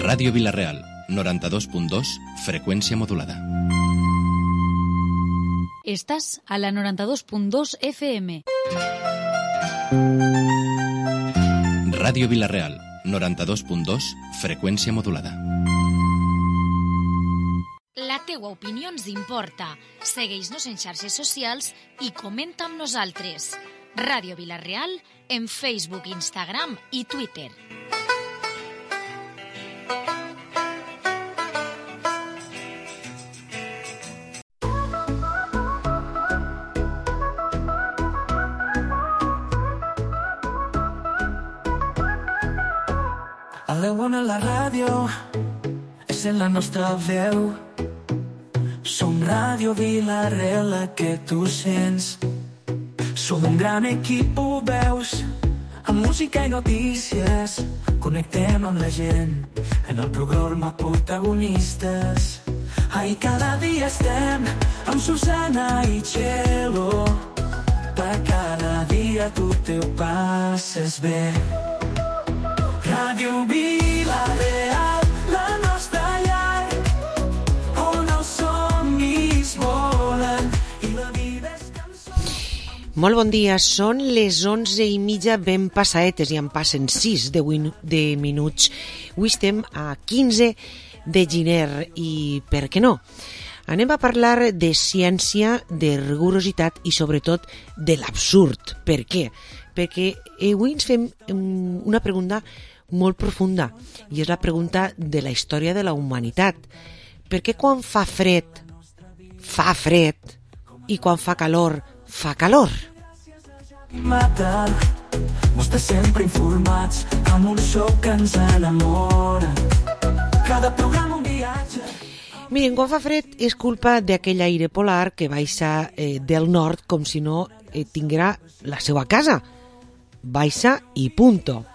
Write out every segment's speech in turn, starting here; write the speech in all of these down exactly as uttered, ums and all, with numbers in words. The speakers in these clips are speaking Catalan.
Ràdio Vila-real, noranta-dos punt dos, freqüència modulada. Estàs a la noranta-dos punt dos F M. Ràdio Vila-real, noranta-dos punt dos, freqüència modulada. La teua opinió ens importa. Segueix-nos en xarxes socials i comenta amb nosaltres. Ràdio Vila-real en Facebook, Instagram i Twitter. A la bona la ràdio és en la nostra veu. Som Ràdio Vila-real, la que tu sents. Som un gran equip, ho veus, amb música i notícies. Connectem amb la gent en el programa Protagonistes. Ai, cada dia estem amb Susana i Txelo. Per cada dia tu te ho passes bé. Ràdio Vila-real, la nostra llar, on els somnis volen i la vida és cançó. Molt bon dia, són les onze i mitja ben passaetes i en passen sis de, win- de minuts. Avui estem a quinze de gener i per què no? Anem a parlar de ciència, de rigorositat i sobretot de l'absurd. Per què? Perquè avui ens fem una pregunta molt profunda i és la pregunta de la història de la humanitat. Per què quan fa fred fa fred i quan fa calor fa calor? Matar, mostra sempre informats amb un show que ens enamora. Cada programa un viatge. Miren, quan fa fred és culpa d'aquell aire polar que baixa eh, del nord com si no eh, tinguera la seva casa. Baixa i punto.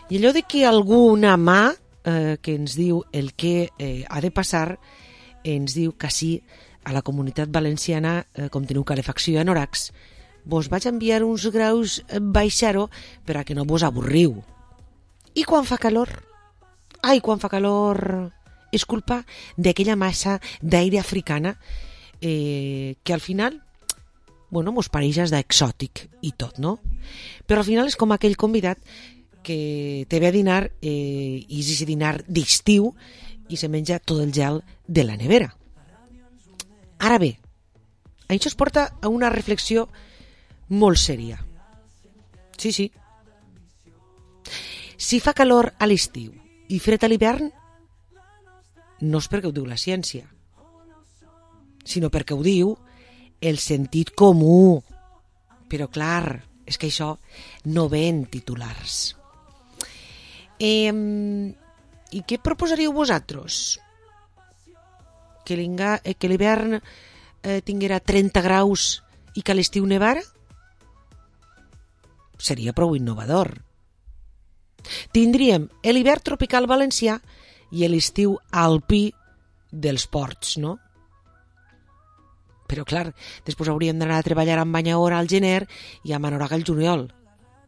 I allò de que alguna mà eh, que ens diu el que eh, ha de passar, ens diu que sí, a la Comunitat Valenciana, eh, com teniu calefacció i anoracs, vos vaig enviar uns graus eh, baixar-ho per a que no vos avorriu. I quan fa calor? Ai, quan fa calor és culpa d'aquella massa d'aire africana eh, que al final, bueno, mos pareixes d'exòtic i tot, no? Però al final és com aquell convidat que te ve a dinar eh, i és ese dinar d'estiu i se menja tot el gel de la nevera. Ara bé, això es porta a una reflexió molt sèria. Sí, sí. Si fa calor a l'estiu i fred a l'hivern, no és perquè ho diu la ciència, sinó perquè ho diu el sentit comú. Però clar, és que això no ve en titulars. Eh, I què proposaríeu vosaltres? Que l'hivern eh, tinguera trenta graus i que a l'estiu nevara? Seria prou innovador. Tindríem l'hivern tropical valencià i l'estiu alpí dels ports, no? Però clar, després hauríem d'anar a treballar amb banyadora al gener i amb anoraga al juliol.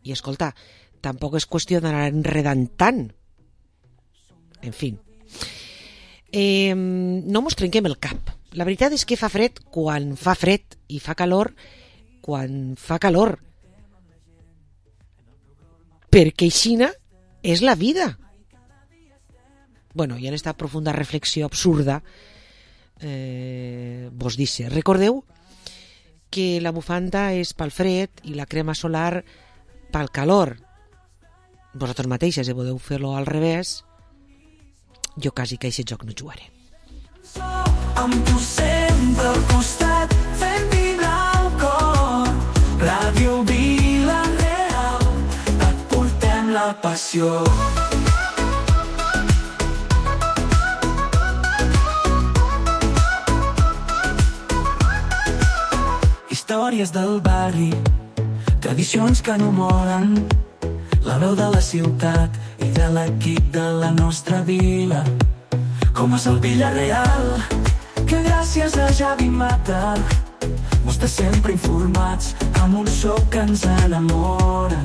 I escolta, tampoc és qüestió d'anar enredant tant. En fi. Eh, no mos trenquem el cap. La veritat és que fa fred quan fa fred i fa calor quan fa calor. Perquè aixina és la vida. Bueno, i en esta profunda reflexió absurda eh, vos dice, recordeu que la bufanda és pel fred i la crema solar pel calor. Vosaltres mateixes eh, podeu fer-lo al revés. Jo quasi que aquest joc no jugaré. Amb tu sempre al costat, fent vibrar el cor. Ràdio Vila-real, et portem la passió. Històries del barri, tradicions que no moren, la veu de la ciutat i de l'equip de la nostra vila. Com és el Vila-real, que gràcies a Javi Mata mos té sempre informats amb un show que ens enamora.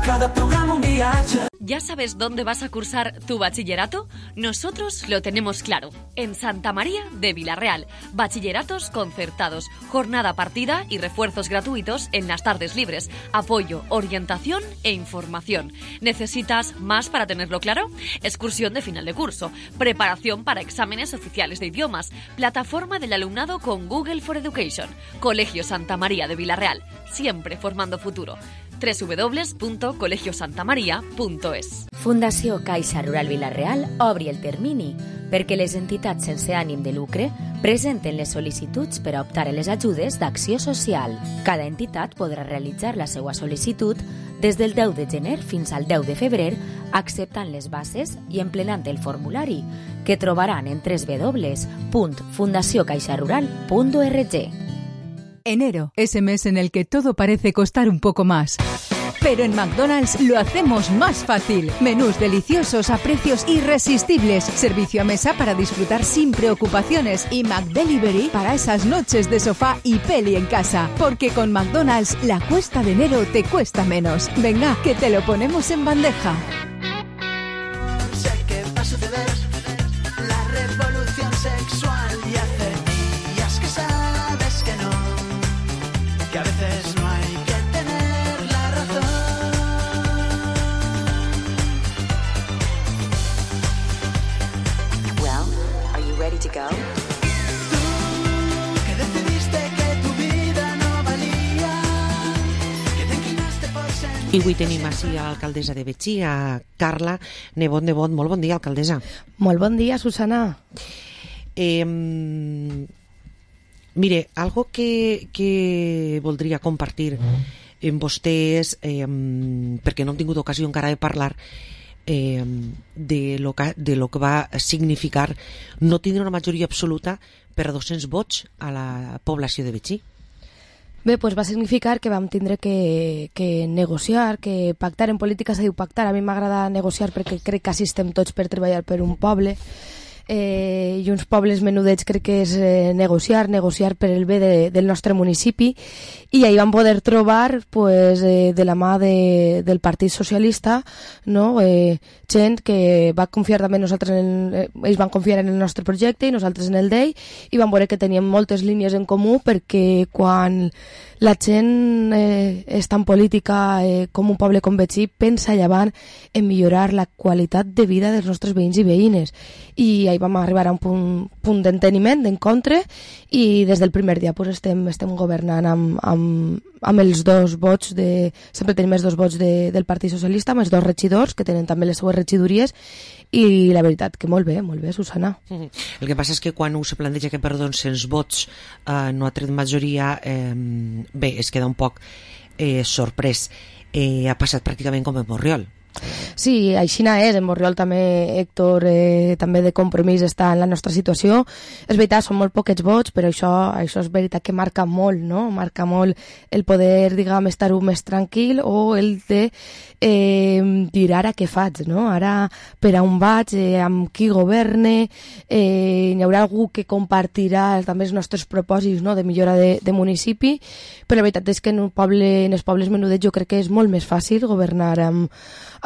Cada programa un dia viatge. ¿Ya sabes dónde vas a cursar tu bachillerato? Nosotros lo tenemos claro. En Santa María de Vilarreal. Bachilleratos concertados, jornada partida y refuerzos gratuitos en las tardes libres. Apoyo, orientación e información. ¿Necesitas más para tenerlo claro? Excursión de final de curso. Preparación para exámenes oficiales de idiomas. Plataforma del alumnado con Google for Education. Colegio Santa María de Vilarreal. Siempre formando futuro. doble u doble u doble u punto colegio santa maria punto es. Fundació Caixa Rural Vilarreal obri el termini perquè les entitats sense ànim de lucre presenten les sol·licituds per a optar a les ajudes d'acció social. Cada entitat podrà realitzar la seva sol·licitud des del deu de gener fins al deu de febrer, acceptant les bases i emplenant el formulari, que trobaran en doble u doble u doble u punt fundació caixa rural punt org. Enero es el mes en el que todo parece costar un poco más. Pero en McDonald's lo hacemos más fácil. Menús deliciosos a precios irresistibles. Servicio a mesa para disfrutar sin preocupaciones. Y McDelivery para esas noches de sofá y peli en casa. Porque con McDonald's la cuesta de enero te cuesta menos. Venga, que te lo ponemos en bandeja. Sé que va a suceder la revolución sexual y hace días que sabes que no, que a veces no hay que tener la razón. Well, are you ready to go? Tú que decidiste que tu vida no valía, que te inclinaste por sentir. I avui tenim així a l'alcaldessa de Betxí, a Carla Nebot Nebot. Molt bon dia, alcaldessa. Molt bon dia, Susana. Eh, mire, algo que, que voldria compartir amb vostès, eh, perquè no hem tingut ocasió encara de parlar eh, de, lo que, de lo que va significar no tindre una majoria absoluta per a dos-cents vots a la població de Betxí. Bé, doncs va significar que vam tindre que, que negociar, que pactar. En política s'ha diu pactar. A mi m'agrada negociar perquè crec que així estem tots per treballar per un poble. Eh, i uns pobles menudets crec que és eh, negociar, negociar per el bé de, del nostre municipi, i ahir vam poder trobar pues, eh, de la mà de, del Partit Socialista, no? eh, gent que va confiar també nosaltres en, eh, ells van confiar en el nostre projecte i nosaltres en el d'ell, i vam veure que teníem moltes línies en comú, perquè quan la gent eh, està en política eh, com un poble com Betxí, pensa llevant en millorar la qualitat de vida dels nostres veïns i veïnes, i ahir vam arribar a un punt, punt d'enteniment, d'encontre, i des del primer dia pues, estem, estem governant amb, amb, amb els dos vots, de, sempre tenim els dos vots de, del Partit Socialista, amb els dos regidors, que tenen també les seues regidories, i la veritat que molt bé, molt bé, Susana. El que passa és que quan se planteja que per dos-cents vots eh, no ha tret majoria, eh, bé, es queda un poc eh, sorprès. Eh, ha passat pràcticament com en Borriol. Sí, aixina és. En Borriol també, Héctor, eh, també de Compromís està en la nostra situació. És veritat, són molt poquets vots, però això, això és veritat que marca molt, no? Marca molt el poder, diguem, estar-ho més tranquil, o el de eh, dir ara què faig, no? Ara per a on vaig, eh, amb qui governe, eh, hi haurà algú que compartirà també els nostres propòsits, no?, de millora de, de municipi, però la veritat és que en un poble, en els pobles menudets jo crec que és molt més fàcil governar amb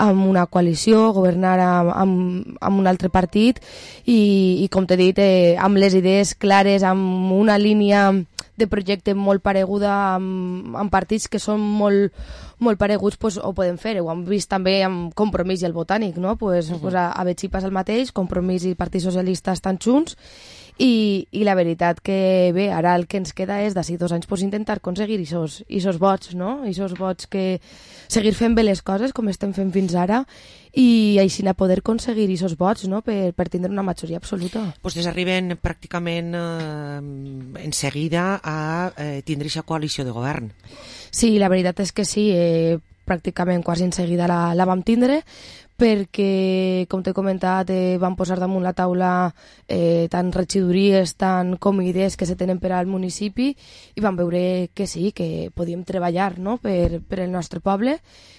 amb una coalició, governar amb, amb, amb un altre partit, i, i com t'he dit, eh, amb les idees clares, amb una línia de projecte molt pareguda, amb, amb partits que són molt, molt pareguts, pues, ho podem fer. Ho hem vist també amb Compromís i el Botànic, no? Pues, uh -huh. pues a, a Betxí passa el mateix, Compromís i Partit Socialista estan junts, i, i la veritat que bé, ara el que ens queda és d'ací dos anys pues, intentar aconseguir aquests vots, no? Aquests vots, que seguir fent bé les coses com estem fent fins ara, i així a poder aconseguir aquests vots, no?, per, per tindre una majoria absoluta. Vostès arriben pràcticament eh, en seguida a eh, tindre aquesta coalició de govern. Sí, la veritat és que sí, eh, pràcticament quasi en seguida la, la vam tindre, perquè, com t'he comentat, eh, van posar damunt la taula eh, tant regidories, tant com idees que se tenen per al municipi, i vam veure que sí, que podíem treballar, no?, per, per el nostre poble,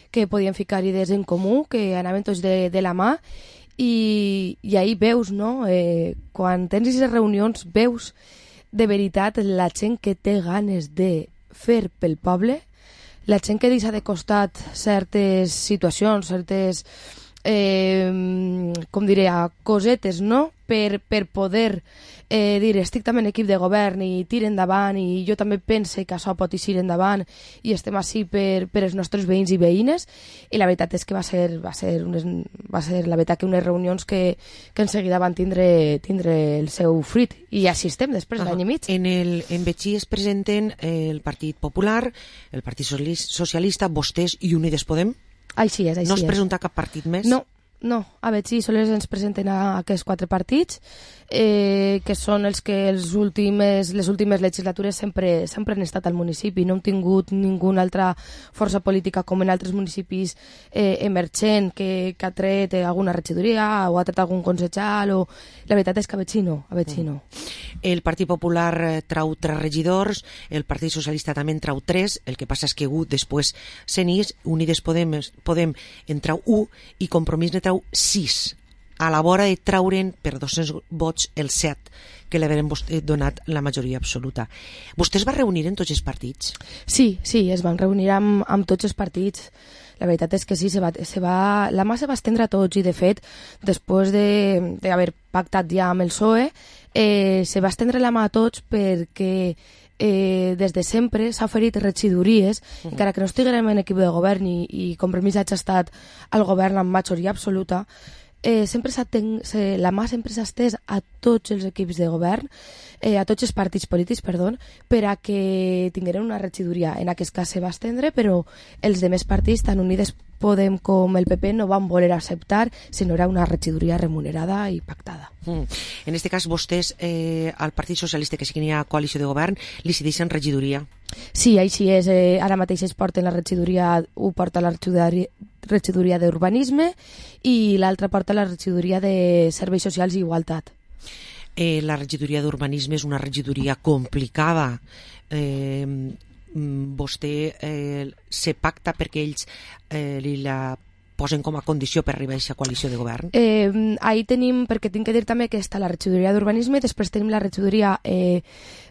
que podíem ficar idees en comú, que anaven tots de, de la mà, i, i ahir veus, no?, eh, quan tens aquestes reunions, veus de veritat la gent que té ganes de fer pel poble, la gent que deixa de costat certes situacions, certes, eh, com diré, cosetes, no?, per, per poder eh, dir estic també en equip de govern i tira endavant i jo també pense que això pot eixir endavant i estem així per, per els nostres veïns i veïnes, i la veritat és que va ser, va ser, unes, va ser la veritat que unes reunions que, que en seguida van tindre, tindre el seu fruit, i així estem després uh -huh. l'any i mig. En, el, en Betxí es presenten el Partit Popular, el Partit Socialista, vostès i Unides Podem? Així és, així és. No es presenta cap partit més? No, no, a Betxí sols ens presenten a aquests quatre partits, eh, que són els que els últimes, les últimes legislatures sempre, sempre han estat al municipi. No hem tingut ninguna altra força política com en altres municipis eh, emergent que, que ha tret alguna regidoria o ha tret algun consejal. O... La veritat és que a Betxí no, a Betxí no. El Partit Popular trau tres regidors, el Partit Socialista també en trau tres, el que passa és que u després se n'és, Unides Podem, Podem en trau u i Compromís ne trau sis, a la vora de traure'n per dos-cents vots el set, que l'haurem donat la majoria absoluta. Vostè es va reunir en tots els partits? Sí, sí, es van reunir amb, amb tots els partits. La veritat és que sí, se va, se va, la mà se va estendre a tots, i de fet, després d'haver pactat ja amb el P S O E, eh, se va estendre la mà a tots perquè eh, des de sempre s'ha oferit regidories, uh -huh. encara que no estiguem en equip de govern i, i Compromís hagi estat al govern amb majoria absoluta, eh, sempre ten, se, la mà sempre s'ha estès a tots els equips de govern, eh, a tots els partits polítics, perdó, per a que tingueren una regidoria. En aquest cas se va estendre, però els demés partits, tant Unides Podem com el P P, no van voler acceptar, sinó era una regidoria remunerada i pactada. Mm. En aquest cas, vostès, eh, al Partit Socialista, que sí que n'hi ha coalició de govern, li cedeixen regidoria? Sí, així és. Eh, ara mateix es porten la regidoria, ho porta la regidoria, regidoria d'Urbanisme i l'altra porta la regidoria de Serveis Socials i Igualtat. Eh, la regidoria d'Urbanisme és una regidoria complicada. Eh, vostè eh, se pacta perquè ells eh, li la posen com a condició per arribar a aquesta coalició de govern? Eh, ahí tenim, perquè tinc que dir també que està la regidoria d'Urbanisme, després tenim la regidoria, eh,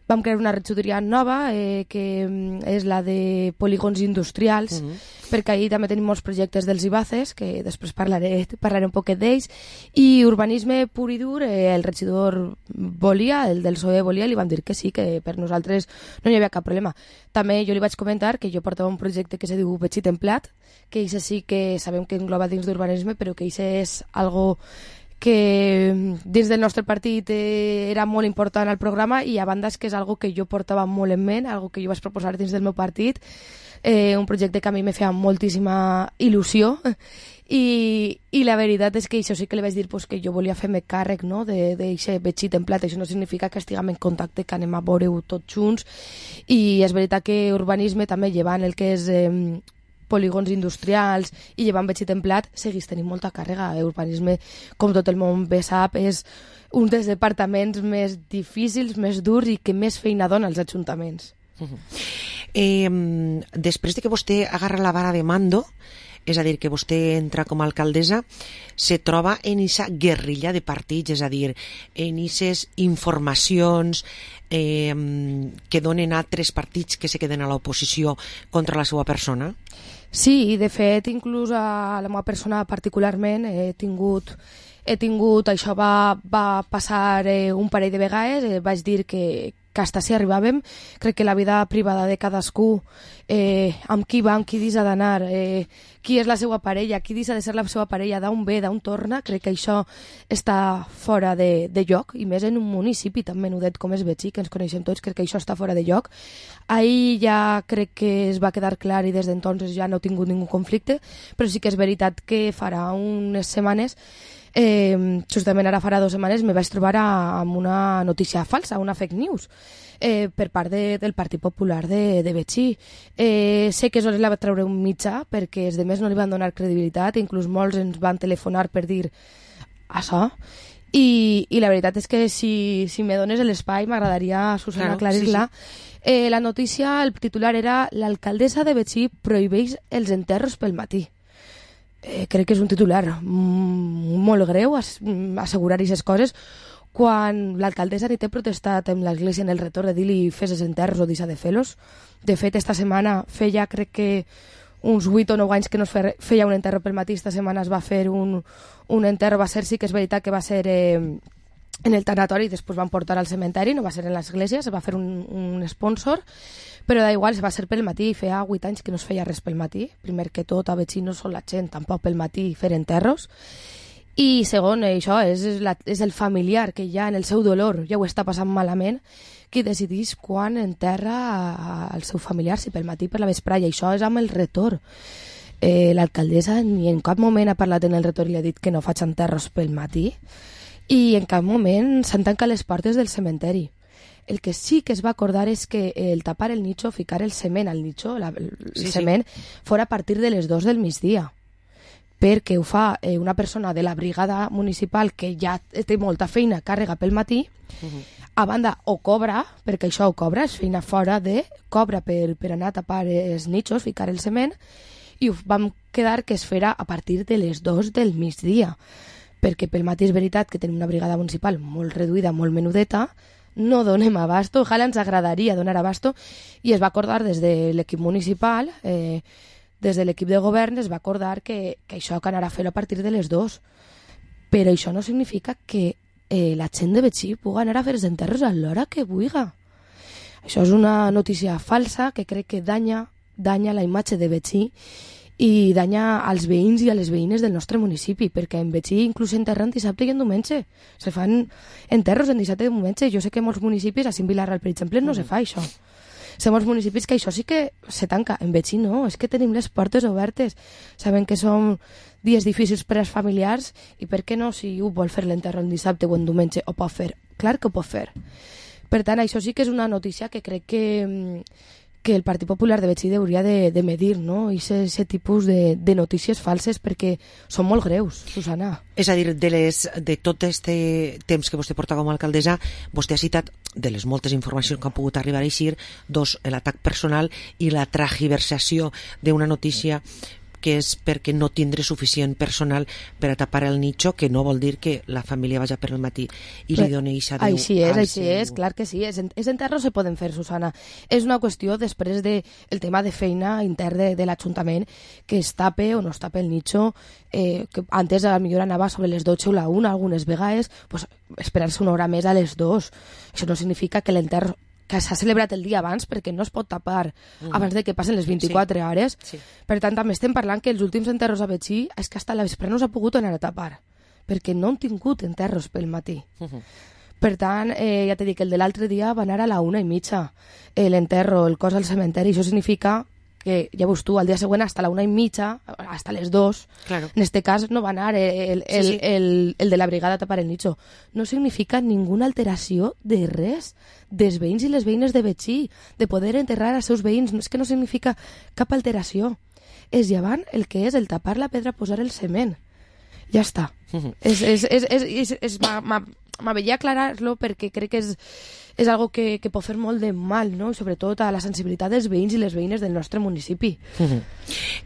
vam crear una regidoria nova, eh, que és la de polígons industrials, uh -huh. perquè ahí també tenim molts projectes dels IBACES, que després parlaré, parlaré un poquet d'ells, i urbanisme pur i dur, eh, el regidor volia, el del P S O E volia, li vam dir que sí, que per nosaltres no hi havia cap problema. També jo li vaig comentar que jo portava un projecte que se diu Betxí Templat, que això sí que sabem que engloba dins d'urbanisme, però que això és algo que dins del nostre partit eh, era molt important al programa, i a banda és que és algo que jo portava molt en ment, algo que jo vaig proposar dins del meu partit, eh, un projecte que a mi me feia moltíssima il·lusió, i, i la veritat és que això sí que li vaig dir pues, que jo volia fer-me càrrec, no?, d'aquest Betxí Templat. Això no significa que estiguem en contacte, que anem a veure-ho tots junts, i és veritat que urbanisme també llevant el que és eh, polígons industrials i llevant Betxí Templat seguís tenint molta càrrega. Urbanisme, com tot el món bé sap, és un dels departaments més difícils, més durs i que més feina dona als ajuntaments. Uh -huh. eh, després de que vostè agarra la vara de mando, és a dir, que vostè entra com a alcaldessa, se troba en aquesta guerrilla de partits, és a dir, en aquestes informacions eh, que donen altres partits que se queden a l'oposició contra la seva persona? Sí, i de fet, inclús a la meva persona particularment he tingut, he tingut això va, va passar eh, un parell de vegades, eh, vaig dir que, que hasta si arribàvem. Crec que la vida privada de cadascú, eh, amb qui va, amb qui deixa d'anar, eh, qui és la seva parella, qui deixa de ser la seva parella, d'on ve, d'on torna, crec que això està fora de, de lloc, i més en un municipi tan menudet com és Betxí, que ens coneixem tots, crec que això està fora de lloc. Ahir ja crec que es va quedar clar i des d'entonces ja no he tingut ningú conflicte, però sí que és veritat que farà unes setmanes, Eh, justament ara farà dues setmanes, me vaig trobar a, amb una notícia falsa, una fake news, eh, per part de, del Partit Popular de, de Betxí. Eh, sé que sols la va treure un mitjà perquè els demés no li van donar credibilitat, inclús molts ens van telefonar per dir això, i, i la veritat és que si, si me dones l'espai m'agradaria, Susana, claro, aclarir-la. Sí, sí. Eh, la notícia, el titular era l'alcaldessa de Betxí prohibeix els enterros pel matí. Eh, crec que és un titular molt greu, assegurar aquestes coses, quan l'alcaldessa ni té protestat amb l'església en el retorn de dir-li fes els enterros o deixa de fer-los. De fet, esta setmana feia, crec que uns vuit o nou anys que no es feia un enterro pel matí, esta setmana es va fer un, un enterro, va ser, sí que és veritat que va ser eh, en el tanatori, després van portar al cementeri, no va ser en l'església, se va fer un, un sponsor, però da igual, va ser pel matí, feia vuit anys que no es feia res pel matí, primer que tot a Betxí no són la gent, tampoc pel matí fer enterros, i segon, això és, la, és el familiar que ja en el seu dolor ja ho està passant malament, qui decidís quan enterra el seu familiar, si pel matí per la vesprà, i això és amb el retorn. Eh, l'alcaldessa ni en cap moment ha parlat en el retorn i ha dit que no faig enterros pel matí, i en cap moment s'han tancat les portes del cementeri. El que sí que es va acordar és que el tapar el nicho, ficar el cement al nicho, la, el sí, cement, sí. fora a partir de les dos del migdia, perquè ho fa eh, una persona de la brigada municipal que ja té molta feina, càrrega pel matí, uh-huh. a banda o cobra, perquè això ho cobra, és feina fora de, cobra per, per anar a tapar els nichos, ficar el cement, i ho vam quedar que es farà a partir de les dos del migdia, perquè pel matí és veritat que tenim una brigada municipal molt reduïda, molt menudeta, no donem abasto, ojalà ens agradaria donar abasto, i es va acordar des de l'equip municipal, eh, des de l'equip de govern es va acordar que, que això que anarà a fer a partir de les dues. Però això no significa que eh, la gent de Betxí pugui anar a fer els enterros a l'hora que vulgui. Això és una notícia falsa que crec que danya, danya la imatge de Betxí i danya als veïns i a les veïnes del nostre municipi, perquè en Betxí inclús enterren dissabte i en diumenge. Se fan enterros en dissabte i diumenge. Jo sé que molts municipis, a Vilareal, per exemple, no mm. se fa això. Som els municipis que això sí que se tanca. En Betxí no, és que tenim les portes obertes. Sabem que són dies difícils per als familiars i per què no, si ho vol fer l'enterro en dissabte o en diumenge, ho pot fer. Clar que ho pot fer. Per tant, això sí que és una notícia que crec que, que el Partit Popular de Betxí hauria de, de medir, no? I aquest tipus de, de notícies falses, perquè són molt greus, Susana. És a dir, de, les, de tot aquest temps que vostè porta com a alcaldessa, vostè ha citat, de les moltes informacions que han pogut arribar a eixir, dos, l'atac personal i la tragiversació d'una notícia que és perquè no tindre suficient personal per a tapar el nicho, que no vol dir que la família vagi per el matí i li doni eixa Déu. Així és, així és, clar que sí. Els enterros se poden fer, Susana. És una qüestió després del de, tema de feina intern de, de l'Ajuntament, que es tape o no es tape el nicho, eh, que antes a la millor anava sobre les dotze o la una, algunes vegades, pues, esperar-se una hora més a les dos. Això no significa que l'enterro que s'ha celebrat el dia abans, perquè no es pot tapar mm. abans de que passen les vint-i-quatre sí. hores. Sí. Per tant, també estem parlant que els últims enterros a Betxí és que hasta la vespre no s'ha pogut anar a tapar, perquè no han tingut enterros pel matí. Mm-hmm. Per tant, eh, ja t'he dit que el de l'altre dia va anar a la una i mitja, eh, l'enterro, el cos al cementeri. Això significa que, ja veus tu, al dia següent hasta la una i mitja, hasta les dos, claro. En este cas no va anar el, el, sí, sí. El, el de la brigada a tapar el nicho. No significa ninguna alteració de res dels veïns i les veïnes de Betxí, de poder enterrar als seus veïns. És que no significa cap alteració. És llevant el que és el tapar la pedra, posar el cement. Ja està. Uh-huh. És, és, és, és, és, és, m'aveia aclarar-lo perquè crec que és, és algo que, que pot fer molt de mal, no? I sobretot a la sensibilitat dels veïns i les veïnes del nostre municipi. Uh-huh.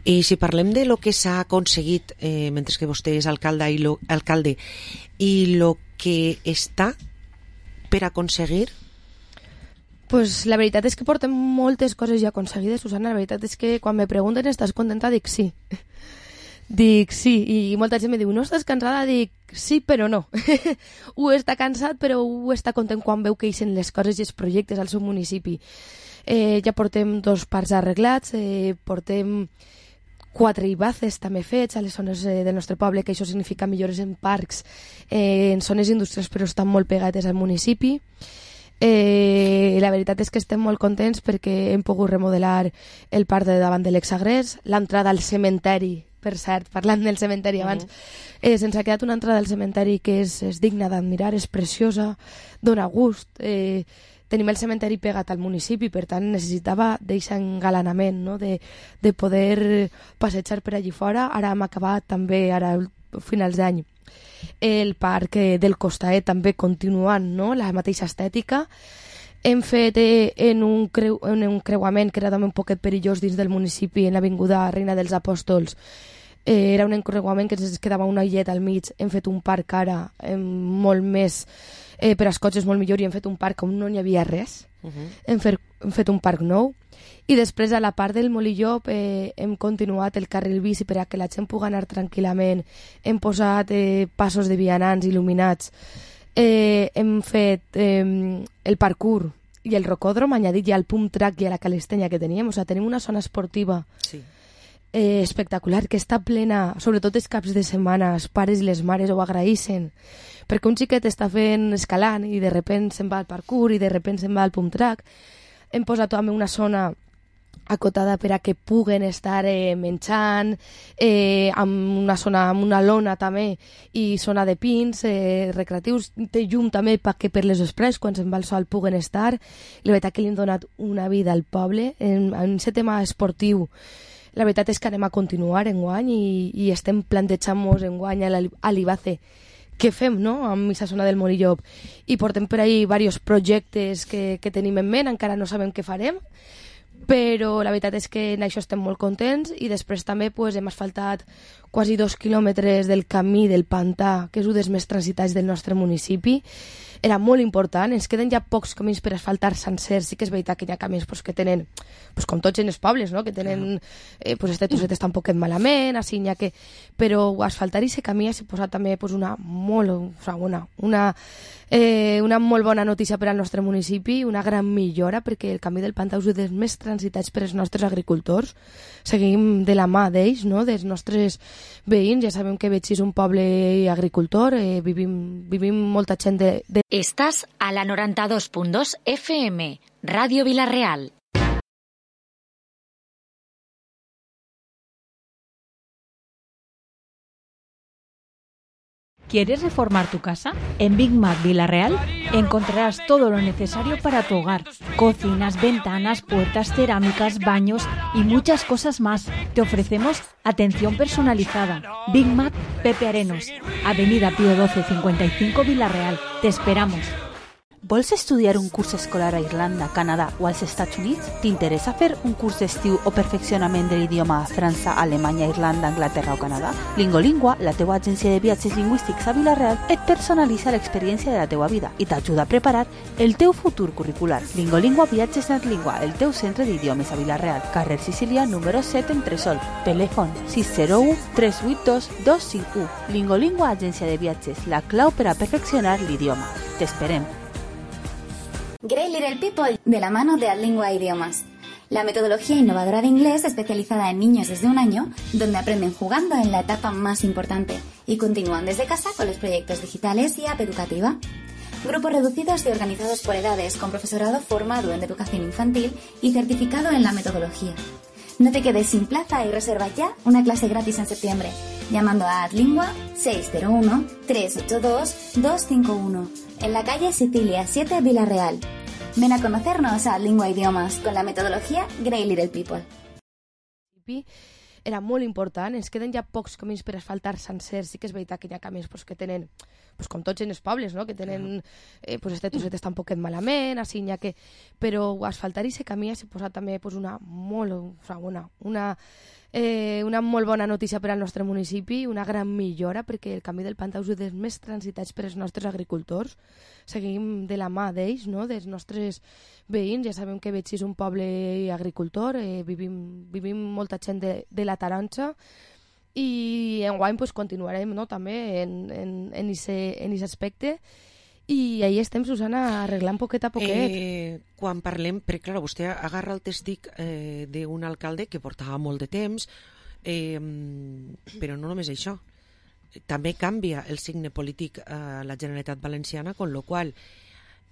I si parlem de lo que s'ha aconseguit eh, mentre que vostè és alcalde i lo, alcalde i lo que està per aconseguir, pues la veritat és que portem moltes coses ja aconseguides, Susana. La veritat és que quan me pregunten estàs contenta, dic sí. Dic sí, i molta gent me diu no estàs cansada? Dic sí, però no. Ho està cansat, però ho està content quan veu que eixen les coses i els projectes al seu municipi. Eh, ja portem dos parcs arreglats, eh, portem quatre ibaces també fets a les zones eh, del nostre poble, que això significa millores en parcs, eh, en zones industrials, però estan molt pegades al municipi. Eh, la veritat és que estem molt contents perquè hem pogut remodelar el parc de davant de l'Exagrés, l'entrada al cementeri, per cert, parlant del cementeri abans, uh-huh. eh, se'ns ha quedat una entrada al cementeri que és, és digna d'admirar, és preciosa, dona gust. Eh, tenim el cementeri pegat al municipi, per tant necessitava deixar engalanament, no? de, de poder passejar per allí fora. Ara hem acabat també, ara finals d'any, el parc del Costaet també continuant, no? La mateixa estètica. Hem fet eh, en, un creu, en un creuament que era també un poquet perillós dins del municipi, en l'avinguda Reina dels Apòstols, eh, era un encreuament que ens quedava una illet al mig, hem fet un parc ara eh, molt més eh, per als cotxes molt millor i hem fet un parc on no n'hi havia res. Uh -huh. hem, fet, hem fet un parc nou i després a la part del Molillop eh, hem continuat el carril bici per a que la gent pugui anar tranquil·lament, hem posat eh, passos de vianants il·luminats, eh, hem fet eh, el parkour i el rocòdrom, añadit ja al pump track i a la calistènia que teníem, o sigui, tenim una zona esportiva sí. eh, espectacular, que està plena, sobretot els caps de setmana, els pares i les mares ho agraïssen, perquè un xiquet està fent escalant i de repent se'n va al parkour i de repent se'n va al pump track. Hem posat també una zona acotada per a que puguen estar eh, menjant, eh, amb una zona, amb una lona també, i zona de pins, eh, recreatius, té llum també perquè per les vesprades, quan se'n va el sol, puguen estar. La veritat que li hem donat una vida al poble en, en aquest tema esportiu. La veritat és que anem a continuar enguany i, i estem plantejant-nos enguany a l'Ibace què fem, no?, amb aquesta zona del Molillop. I portem per ahí diversos projectes que, que tenim en ment, encara no sabem què farem, però la veritat és que en això estem molt contents. I després també pues, hem asfaltat quasi dos quilòmetres del camí del pantà, que és un dels més transitats del nostre municipi. Era molt important, ens queden ja pocs camins per asfaltar sencers. Sí que és veritat que hi ha camins pues, que tenen, pues, com tots en els pobles, no?, que tenen eh, pues, este trosset està un poquet malament, així n'hi ha que... però asfaltar aquest camí ha suposat també pues, una, molt, o sigui, una, una, eh, una molt bona notícia per al nostre municipi, una gran millora, perquè el camí del pantà és un dels més transitats per als nostres agricultors. Seguim de la mà d'ells, no?, dels nostres veïns. Ja sabem que Betxí és un poble agricultor, eh, vivim, vivim molta gent de, de... Estàs a la noranta-dos punt dos F M, Ràdio Vila-real. ¿Quieres reformar tu casa? En Big Mac Vila-real encontrarás todo lo necesario para tu hogar. Cocinas, ventanas, puertas, cerámicas, baños y muchas cosas más. Te ofrecemos atención personalizada. Big Mac Pepe Arenos, Avenida Pío doce cincuenta y cinco Vila-real. Te esperamos. Vols estudiar un curs escolar a Irlanda, Canadà o als Estats Units? T'interessa fer un curs d'estiu o perfeccionament de l'idioma a França, Alemanya, Irlanda, Anglaterra o Canadà? Lingolingua, la teua agència de viatges lingüístics a Vila-real, et personalitza l'experiència de la teua vida i t'ajuda a preparar el teu futur curricular. Lingolingua Viatges Natlingua, el teu centre d'idiomes a Vila-real, carrer Sicília, número set, Entresol. Telèfon sis zero u tres vuit dos dos cinc u. Lingolingua Agència de Viatges, la clau per a perfeccionar l'idioma. T'esperem. Great Little People, de la mano de Adlingua Idiomas. La metodología innovadora de inglés especializada en niños desde un año, donde aprenden jugando en la etapa más importante y continúan desde casa con los proyectos digitales y app educativa. Grupos reducidos y organizados por edades, con profesorado formado en educación infantil y certificado en la metodología. No te quedes sin plaza y reserva ya una clase gratis en septiembre, llamando a Adlingua seis cero uno tres ocho dos dos cinco uno, en la calle Sicilia siete, Vila-real. Ven a conocernos a Adlingua Idiomas con la metodología Great Little People. Era molt important, ens queden ja pocs camins per asfaltar sencers. Sí que és veritat que hi ha camins pues, que tenen, pues, com tots en els pobles, no?, que tenen eh, pues, este trosset està un poquet malament, així n'hi ha que... però asfaltar aquest camí ha suposat també pues, una molt, o sigui, una, una, eh, una molt bona notícia per al nostre municipi, una gran millora, perquè el camí del pantà és un dels més transitats per als nostres agricultors. Seguim de la mà d'ells, no?, dels nostres veïns. Ja sabem que Betxí és un poble agricultor, eh, vivim, vivim molta gent de, de la Taronja, i enguany pues, continuarem, no?, també en, en, en aquest aspecte. I ahí estem, Susana, arreglant poquet a poquet. Eh, quan parlem, perquè clar, vostè agarra el testic eh, d'un alcalde que portava molt de temps, eh, però no només això. També canvia el signe polític a la Generalitat Valenciana, con lo qual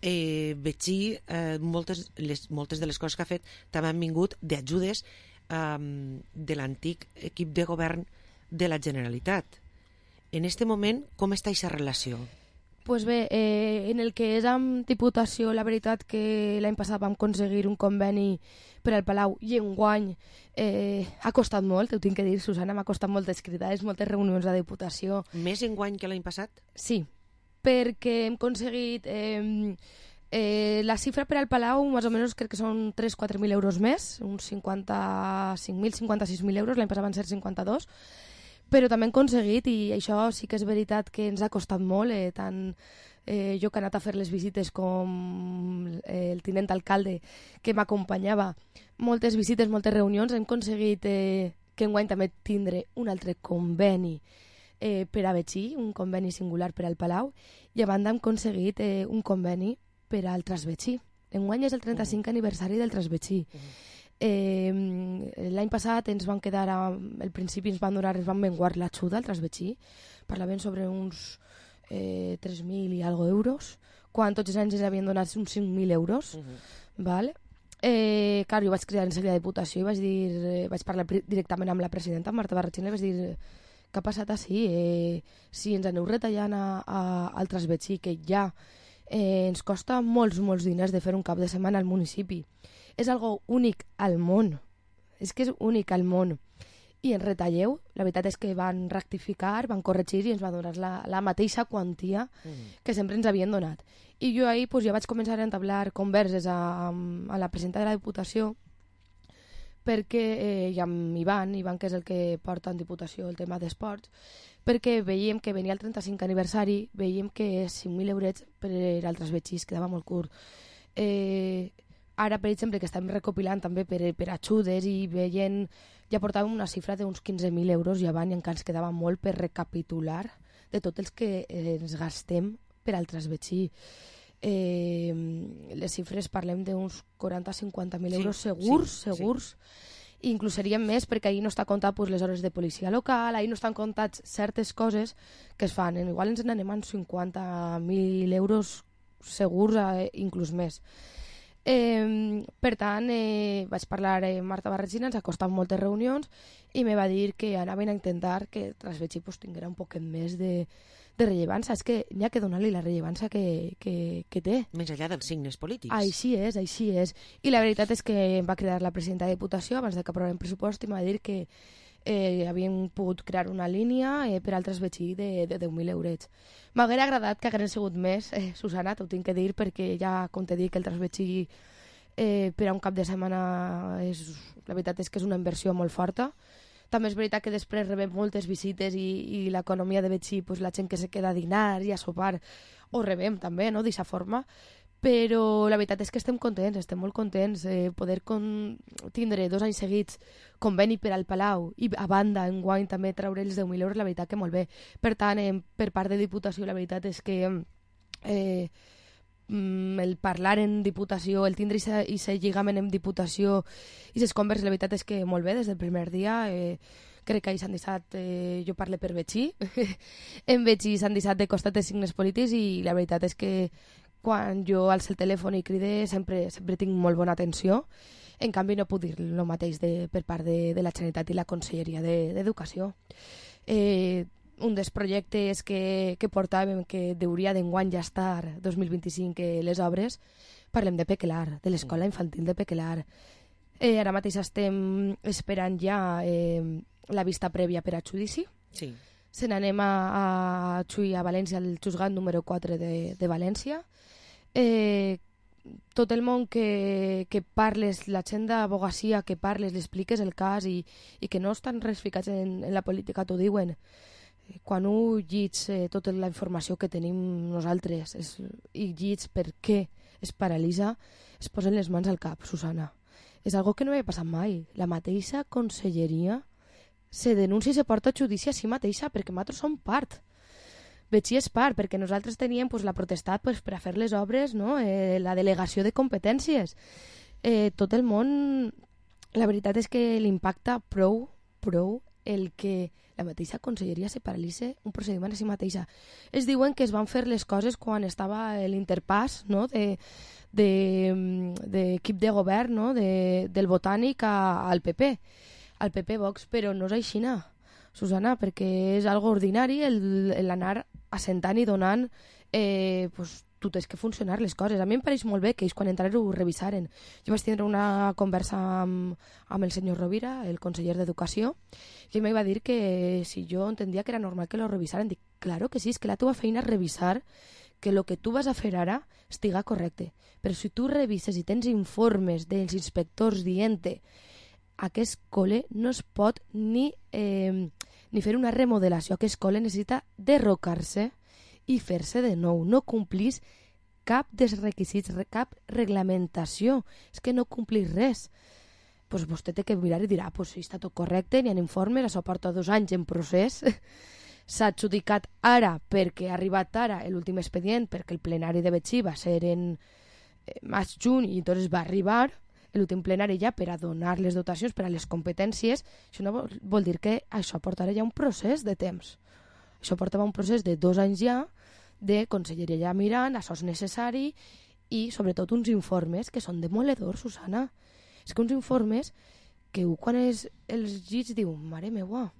eh, Betxí, eh, moltes, les, moltes de les coses que ha fet també han vingut d'ajudes eh, de l'antic equip de govern de la Generalitat. En este moment, com està aquesta relació? Pues bé, eh, en el que és amb Diputació, la veritat que l'any passat vam aconseguir un conveni per al Palau i enguany eh, ha costat molt, ho tinc que dir, Susana, m'ha costat moltes cridades, moltes reunions de Diputació. Més enguany que l'any passat? Sí, perquè hem aconseguit eh, eh, la xifra per al Palau, més o menys crec que són tres a quatre mil euros més, uns cinquanta-cinc mil, cinquanta-sis mil euros, l'any passat van ser cinquanta-dos, però també hem aconseguit, i això sí que és veritat que ens ha costat molt, eh, tant eh, jo que he anat a fer les visites com eh, el tinent alcalde que m'acompanyava, moltes visites, moltes reunions, hem aconseguit eh, que enguany també tindre un altre conveni eh, per a Betxí, un conveni singular per al Palau, i a banda hem aconseguit eh, un conveni per al Trasbetxí. Enguany és el trenta-cinquè aniversari del Trasbetxí. Uh-huh. Eh, l'any passat ens van quedar, a, al principi ens van donar, ens van menguar l'ajuda al Trasbetxí, parlaven sobre uns eh, tres mil i algo euros, quan tots els anys ens havien donat uns cinc mil euros. Uh-huh. Vale? Eh, clar, jo vaig cridar en la Diputació i vaig dir, eh, vaig parlar directament amb la presidenta, Marta Barratxina, i vaig dir, què ha passat així? Eh, si ens aneu retallant a, a, al Trasbetxí, que ja eh, ens costa molts, molts diners de fer un cap de setmana al municipi. És algo únic al món. És que és únic al món. I en retalleu, la veritat és que van rectificar, van corregir i ens va donar la, la mateixa quantia mm. que sempre ens havien donat. I jo ahir pues, ja vaig començar a entablar converses a, a la presidenta de la Diputació, perquè, eh, i amb Ivan, Ivan que és el que porta en Diputació el tema d'esports, perquè veiem que venia el trenta-cinquè aniversari, veiem que cinc mil eurets per al Trasbetxí quedava molt curt. Eh, ara, per exemple, que estem recopilant també per, per ajudes i veient, ja portàvem una xifra d'uns quinze mil euros i abans i encara ens quedava molt per recapitular de tots els que eh, ens gastem per al Trasbetxí. Eh, les xifres parlem d'uns quaranta a cinquanta mil euros sí, segurs, sí, segurs. Sí. Inclús serien més perquè ahir no està comptat pues, les hores de policia local, ahir no estan comptats certes coses que es fan. Igual ens n'anem a cinquanta mil euros segurs, eh, inclús més. Eh, per tant, eh, vaig parlar amb eh, Marta Barratxina, ens ha costat moltes reunions i me va dir que anaven a intentar que Trasbetxí pues, tinguera un poquet més de, de rellevància. És que n'hi ha que donar-li la rellevància que, que, que té. Més enllà dels signes polítics. Així és, així és. I la veritat és que em va cridar la presidenta de Diputació abans de que aprovem pressupost i em va dir que eh, havien pogut crear una línia eh, per al Trasbetxí de, de deu mil eurets. M'hauria agradat que haguessin sigut més, eh, Susana, t'ho tinc que dir, perquè ja, com te dic, el Trasbetxí eh, per a un cap de setmana és, la veritat és que és una inversió molt forta. També és veritat que després rebem moltes visites i, i l'economia de Betxí, pues, la gent que se queda a dinar i a sopar, ho rebem també, no?, d'aquesta forma. Però la veritat és que estem contents, estem molt contents. Eh, poder con... tindre dos anys seguits conveni per al Palau i a banda enguany també treure els deu mil euros, la veritat que molt bé. Per tant, eh, per part de Diputació, la veritat és que eh, el parlar en Diputació, el tindre i ser lligament en Diputació i les converses, la veritat és que molt bé, des del primer dia. Eh, crec que ahir s'han deixat, eh, jo parlo per Betxí, en Betxí s'han deixat de costat de signes polítics i la veritat és que quan jo alço el telèfon i cride sempre, sempre tinc molt bona atenció. En canvi no puc dir el mateix de, per part de, de la Generalitat i la Conselleria d'Educació. Eh, un dels projectes que, que portàvem que hauria d'enguany ja estar dos mil vint-i-cinc eh, les obres, parlem de Pequelar, de l'escola infantil de Pequelar. Eh, ara mateix estem esperant ja eh, la vista prèvia per a judici. Sí. Se n'anem a, a Xuy, a València, al juzgat número quatre de, de València. Eh, tot el món que, que parles, la gent d'abogacia que parles, li expliques el cas i, i que no estan res ficats en, en la política, t'ho diuen. Quan ho llits eh, tota la informació que tenim nosaltres es, i llits per què es paralitza, es posen les mans al cap, Susana. És algo que no havia passat mai. La mateixa conselleria se denuncia i se porta a judici a si mateixa perquè nosaltres som part. Betxí és part, perquè nosaltres teníem pues, la protestat pues, per a fer les obres, no? eh, la delegació de competències. Eh, tot el món, la veritat és que l'impacta prou, prou el que la mateixa conselleria se paralitza un procediment a si mateixa. Es diuen que es van fer les coses quan estava l'interpàs, no? de, de, d'equip de govern, no? de, del Botànic a, al P P, al P P Vox, però no és aixina, Susana, perquè és algo ordinari l'anar assentant i donant eh, pues, tu tens que funcionar les coses. A mi em pareix molt bé que ells quan entraren ho revisaren. Jo vaig tindre una conversa amb, amb el senyor Rovira, el conseller d'Educació, i ell me va dir que si jo entendia que era normal que lo revisaren. Dic, claro que sí, és que la teva feina és revisar que el que tu vas a fer ara estiga correcte. Però si tu revises i tens informes dels inspectors dient aquest col·le no es pot ni, eh, ni fer una remodelació que escola necessita derrocar-se i fer-se de nou. No complís cap dels requisits, cap reglamentació. És que no complís res. Pues vostè té que mirar i dirà, pues sí, està tot correcte, n'hi ha informes, això porta dos anys en procés, s'ha adjudicat ara perquè ha arribat ara l'últim expedient, perquè el plenari de Betxí va ser en eh, maig-juny i entonces va arribar l'últim plenari ja per a donar les dotacions per a les competències. Això no vol, vol dir que això portarà ja un procés de temps. Això portava un procés de dos anys ja de conselleria ja mirant, això és necessari, i sobretot uns informes que són demoledors, Susana. És que uns informes que quan és els llits diu, mare meua,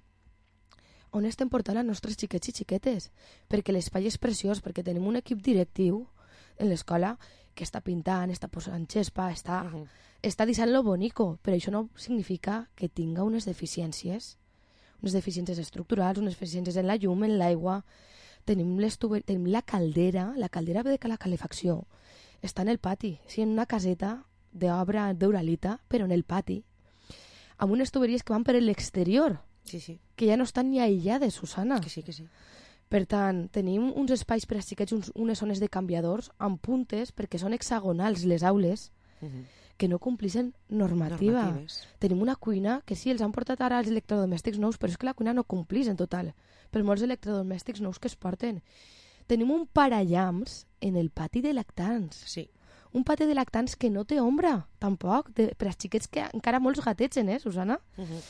on estem portant els nostres xiquets i xiquetes? Perquè l'espai és preciós, perquè tenim un equip directiu en l'escola que està pintant, està posant xespa, està, uh -huh. està deixant lo bonico, però això no significa que tinga unes deficiències, unes deficiències estructurals, unes deficiències en la llum, en l'aigua. Tenim, tenim la caldera, la caldera de la calefacció, està en el pati, sí, en una caseta d'obra d'Uralita, però en el pati, amb unes tuberies que van per l'exterior, sí, sí. que ja no estan ni aïllades, Susana. Que sí, que sí. Per tant, tenim uns espais per a xiquets, uns, unes zones de canviadors amb puntes, perquè són hexagonals les aules, uh -huh. que no complixen normativa. Normatives. Tenim una cuina que sí, els han portat ara els electrodomèstics nous, però és que la cuina no complix en total, per molts electrodomèstics nous que es porten. Tenim un parallams en el pati de lactants. Sí. Un pati de lactants que no té ombra, tampoc, de, per als xiquets que encara molts gategen, eh, Susana? Uh -huh.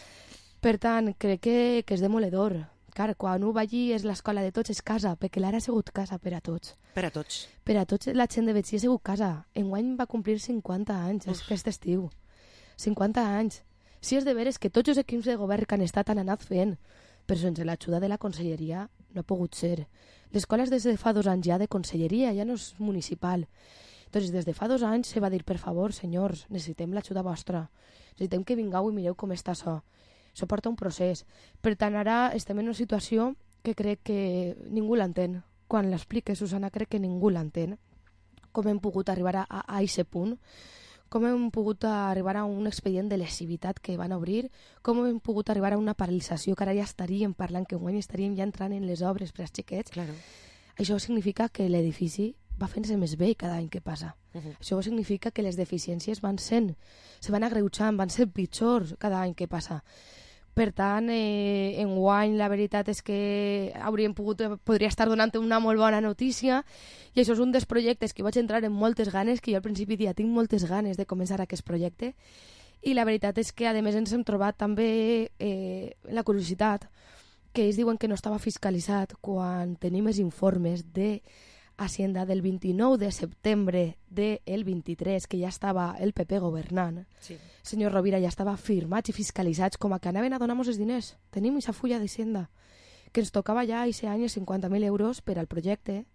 Per tant, crec que, que és demoledor. Clar, quan un va allí és l'escola de tots, és casa, perquè l'ara ha sigut casa per a tots. Per a tots. Per a tots la gent de Betxí ha sigut casa. Enguany va complir cinquanta anys, Uf. aquest estiu. cinquanta anys. Si és de veres que tots els equips de govern que han estat han anat fent, però sense l'ajuda de la conselleria no ha pogut ser. L'escola és des de fa dos anys ja de conselleria, ja no és municipal. Doncs des de fa dos anys se va dir, per favor, senyors, necessitem l'ajuda vostra. Necessitem que vingueu i mireu com està això. Això porta un procés. Per tant, ara estem en una situació que crec que ningú l'entén. Quan l'explique, Susana, crec que ningú l'entén. Com hem pogut arribar a, a aquest punt, com hem pogut arribar a un expedient de lesivitat que van obrir, com hem pogut arribar a una paralització que ara ja estaríem parlant, que guany estaríem ja entrant en les obres per als xiquets. Claro. Això significa que l'edifici va fent-se més vell cada any que passa. Uh -huh. Això significa que les deficiències van sent, se van agreujant, van ser pitjors cada any que passa. Per tant, eh, enguany la veritat és que hauríem pogut, podria estar donant una molt bona notícia, i això és un dels projectes que vaig entrar en moltes ganes, que jo al principi dia tinc moltes ganes de començar aquest projecte, i la veritat és que a més ens hem trobat també eh, la curiositat que ells diuen que no estava fiscalitzat quan tenim els informes de Hacienda del vint-i-nou de setembre del vint-i-tres, que ja estava el P P governant. Sí. Senyor Rovira, ja estava firmats i fiscalitzats com a que anaven a donar-nos els diners. Tenim aquesta fulla d'Hacienda, que ens tocava ja aquest any cinquanta mil euros per al projecte.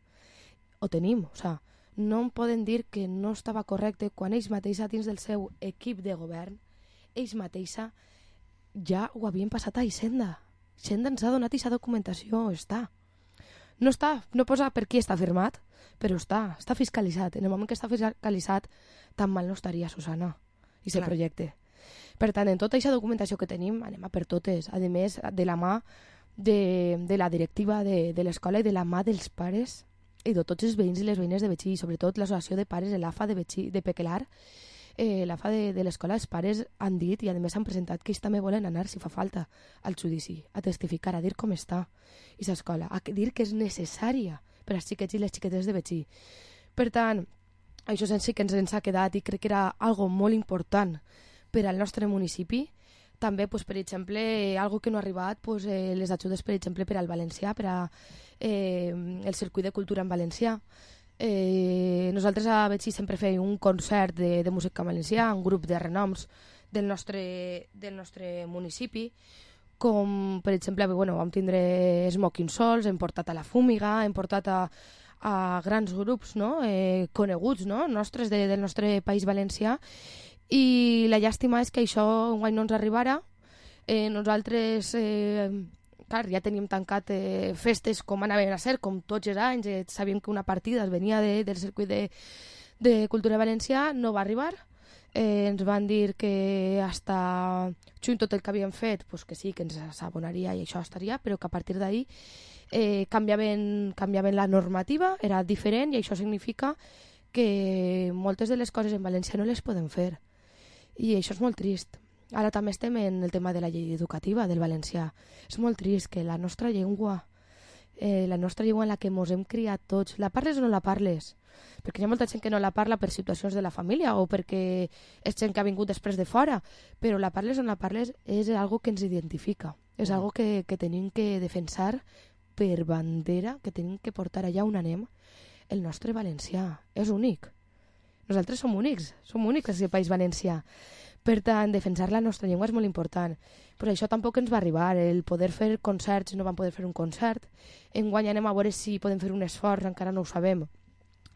Ho tenim, o sigui, no em poden dir que no estava correcte quan ells mateixa dins del seu equip de govern, ells mateixa ja ho havien passat a Hacienda. Hacienda ens ha donat aquesta documentació, està. No està, no posa per qui està firmat, però està, està fiscalitzat. En el moment que està fiscalitzat, tan mal no estaria, Susana, i aquest projecte. Per tant, en tota aquesta documentació que tenim, anem a per totes. A més, de la mà de, de la directiva de, de l'escola i de la mà dels pares i de tots els veïns i les veïnes de Betxí, i sobretot l'associació de pares de l'A F A de Betxí, de Pequelar, eh, l'A F A de, de l'escola, els pares han dit i a més han presentat que ells també volen anar, si fa falta, al judici, a testificar, a dir com està aquesta escola, a dir que és necessària per als xiquets i les xiquetes de Betxí. Per tant, això sí que ens, ens ha quedat i crec que era algo molt important per al nostre municipi. També, pues, per exemple, algo que no ha arribat, pues, eh, les ajudes, per exemple, per al valencià, per a eh, el circuit de cultura en valencià. Eh, nosaltres a Betxí sempre fem un concert de, de música valencià, un grup de renoms del nostre, del nostre municipi, com per exemple, bueno, vam tindre Smoking Souls, hem portat a La Fúmiga, hem portat a, a grans grups, no? eh, coneguts, no? nostres de, del nostre país valencià, i la llàstima és que això guany no ens arribarà. Eh, nosaltres eh, clar, ja teníem tancat eh, festes com anaven a ser, com tots els anys, eh, sabíem que una partida venia de, del circuit de, de cultura valencià, no va arribar. eh, ens van dir que hasta juny tot el que havíem fet pues que sí, que ens s'abonaria i això estaria, però que a partir d'ahir eh, canviaven, canviaven la normativa, era diferent, i això significa que moltes de les coses en València no les podem fer, i això és molt trist. Ara també estem en el tema de la llei educativa del valencià. És molt trist que la nostra llengua, eh, la nostra llengua en la que mos hem criat tots, la parles o no la parles? Perquè hi ha molta gent que no la parla per situacions de la família o perquè és gent que ha vingut després de fora, però la parles o no la parles és algo que ens identifica, és algo que, que tenim que defensar per bandera, que tenim que portar allà on anem. El nostre valencià és únic. Nosaltres som únics, som únics al País Valencià. Per tant, defensar la nostra llengua és molt important. Però això tampoc ens va arribar, el poder fer concerts, no vam poder fer un concert. Enguany anem a veure si podem fer un esforç, encara no ho sabem.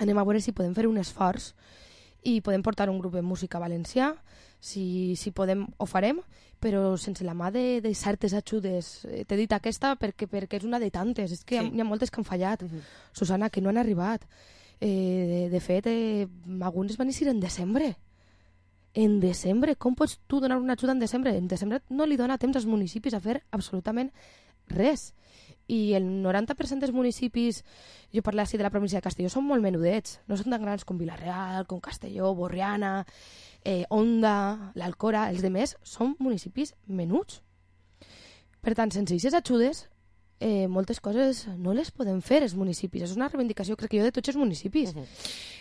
Anem a veure si podem fer un esforç i podem portar un grup de música valencià, si, si podem ho farem, però sense la mà de, de certes ajudes. T'he dit aquesta perquè, perquè és una de tantes, és que sí. Hi ha moltes que han fallat, uh-huh. Susana, que no han arribat. Eh, de, de fet, eh, algunes van eixir en desembre. En desembre, com pots tu donar una ajuda en desembre? En desembre no li dona temps als municipis a fer absolutament res. I el noranta per cent dels municipis, jo parlo així de la província de Castelló, són molt menudets, no són tan grans com Vila-real, com Castelló, Borriana, eh, Onda, l'Alcora, els demés són municipis menuts. Per tant, sense aquestes ajudes, eh, moltes coses no les podem fer els municipis. És una reivindicació, crec que jo, de tots els municipis. Uh-huh.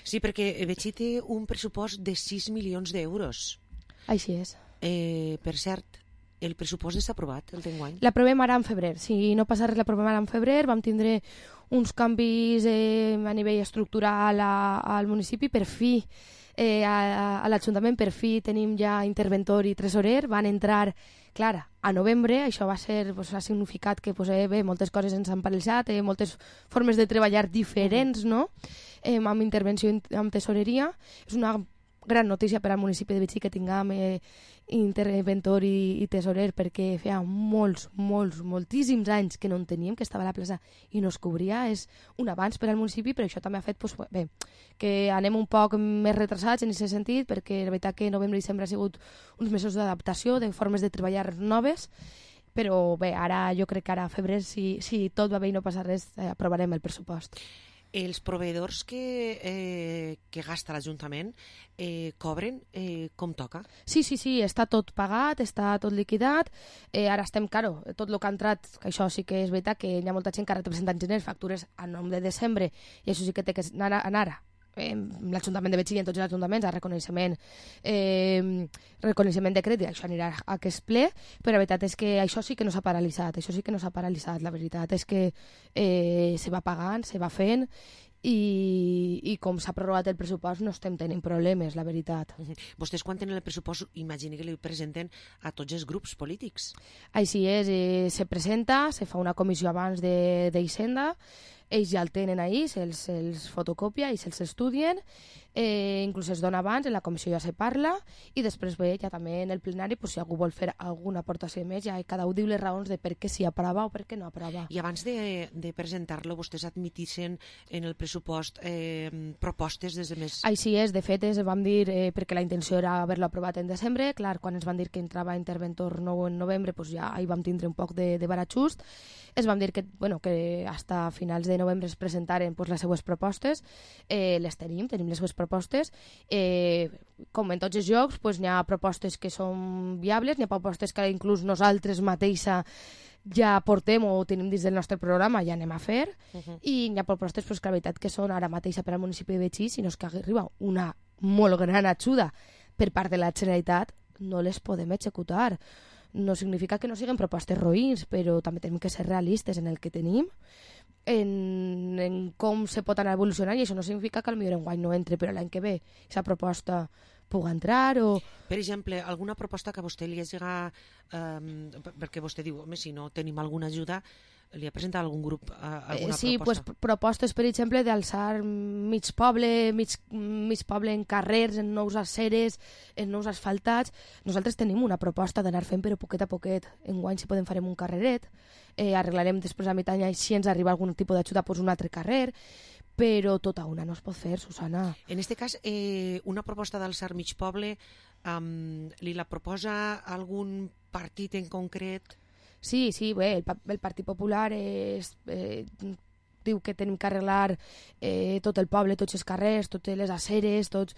Sí, perquè Betxí té un pressupost de sis milions d'euros. Així és. Eh, per cert, el pressupost està aprovat, el d'enguany? L'aprovem ara en febrer. Si no passa res, l'aprovem ara en febrer. Vam tindre uns canvis eh, a nivell estructural a, al municipi. Per fi, eh, a, a l'Ajuntament, per fi tenim ja interventor i tresorer. Van entrar, clar, a novembre. Això va ser, pues, ha significat que pues, eh, bé, moltes coses ens han paralitzat, eh, moltes formes de treballar diferents, no? Eh, amb intervenció amb tesoreria. És una gran notícia per al municipi de Betxí que tinguem eh, interventor i, i tesorer, perquè feia molts, molts, moltíssims anys que no en teníem, que estava a la plaça i no es cobria. És un avanç per al municipi, però això també ha fet pues, bé, que anem un poc més retrasats en aquest sentit, perquè la veritat que novembre i dicembre ha sigut uns mesos d'adaptació, de formes de treballar noves, però bé, ara jo crec que ara a febrer, si, si tot va bé i no passa res, eh, aprovarem el pressupost. Els proveïdors que, eh, que gasta l'Ajuntament eh, cobren eh, com toca? Sí, sí, sí, està tot pagat, està tot liquidat. Eh, ara estem, claro, tot el que ha entrat, que això sí que és veritat, que hi ha molta gent que ha representat gener factures a nom de desembre, i això sí que té que anar, anar eh, l'Ajuntament de Betxí i en tots els ajuntaments a reconeixement eh, reconeixement de crèdit, això anirà a aquest ple, però la veritat és que això sí que no s'ha paralitzat, això sí que no s'ha paralitzat, la veritat és que eh, se va pagant, se va fent, i, i com s'ha prorrogat el pressupost no estem tenint problemes, la veritat. Vostès quan tenen el pressupost imagini que li presenten a tots els grups polítics? Així és, eh, se presenta, se fa una comissió abans d'Hisenda, ells ja el tenen ahí, se'ls se fotocopia i se'ls estudien, eh, inclús es dona abans, en la comissió ja se parla, i després ve ja també en el plenari, pues, si algú vol fer alguna aportació més, ja cada un diu les raons de per què s'hi aprova o per què no aprova. I abans de, de presentar-lo, vostès admitixen en el pressupost eh, propostes des de més... Així és, de fet, es vam dir, eh, perquè la intenció era haver-lo aprovat en desembre, clar, quan ens van dir que entrava interventor nou en novembre, pues ja hi vam tindre un poc de, de baratxust, es vam dir que, bueno, que hasta finals de novembre es presentaren pues, les seues propostes, eh, les tenim, tenim les seues propostes, eh, com en tots els jocs, pues, n'hi ha propostes que són viables, n'hi ha propostes que inclús nosaltres mateixa ja portem o tenim dins del nostre programa, ja anem a fer, uh-huh. I n'hi ha propostes pues, que la veritat que són ara mateixa per al municipi de Betxí, si no és que arriba una molt gran ajuda per part de la Generalitat, no les podem executar. No significa que no siguin propostes roïns, però també tenim que ser realistes en el que tenim, en, en com se pot anar evolucionant, i això no significa que potser enguany no entre, però l'any que ve aquesta proposta pugui entrar o... Per exemple, alguna proposta que a vostè li hagi... Eh, perquè vostè diu, home, si no tenim alguna ajuda, li ha presentat algun grup eh, alguna eh, sí, proposta? Sí, pues, propostes, per exemple, d'alçar mig poble, mig, mig poble en carrers, en nous aceres, en nous asfaltats. Nosaltres tenim una proposta d'anar fent, però poquet a poquet. Enguany, si podem, farem un carreret, eh, arreglarem després a mitjà any, si ens arriba algun tipus d'ajuda, pues, un altre carrer, però tota una no es pot fer, Susana. En este cas, eh, una proposta d'alçar mig poble, um, li la proposa algun partit en concret? Sí, sí, bé, el, el Partit Popular és, eh, diu que tenim que arreglar eh, tot el poble, tots els carrers, totes les aceres, tots...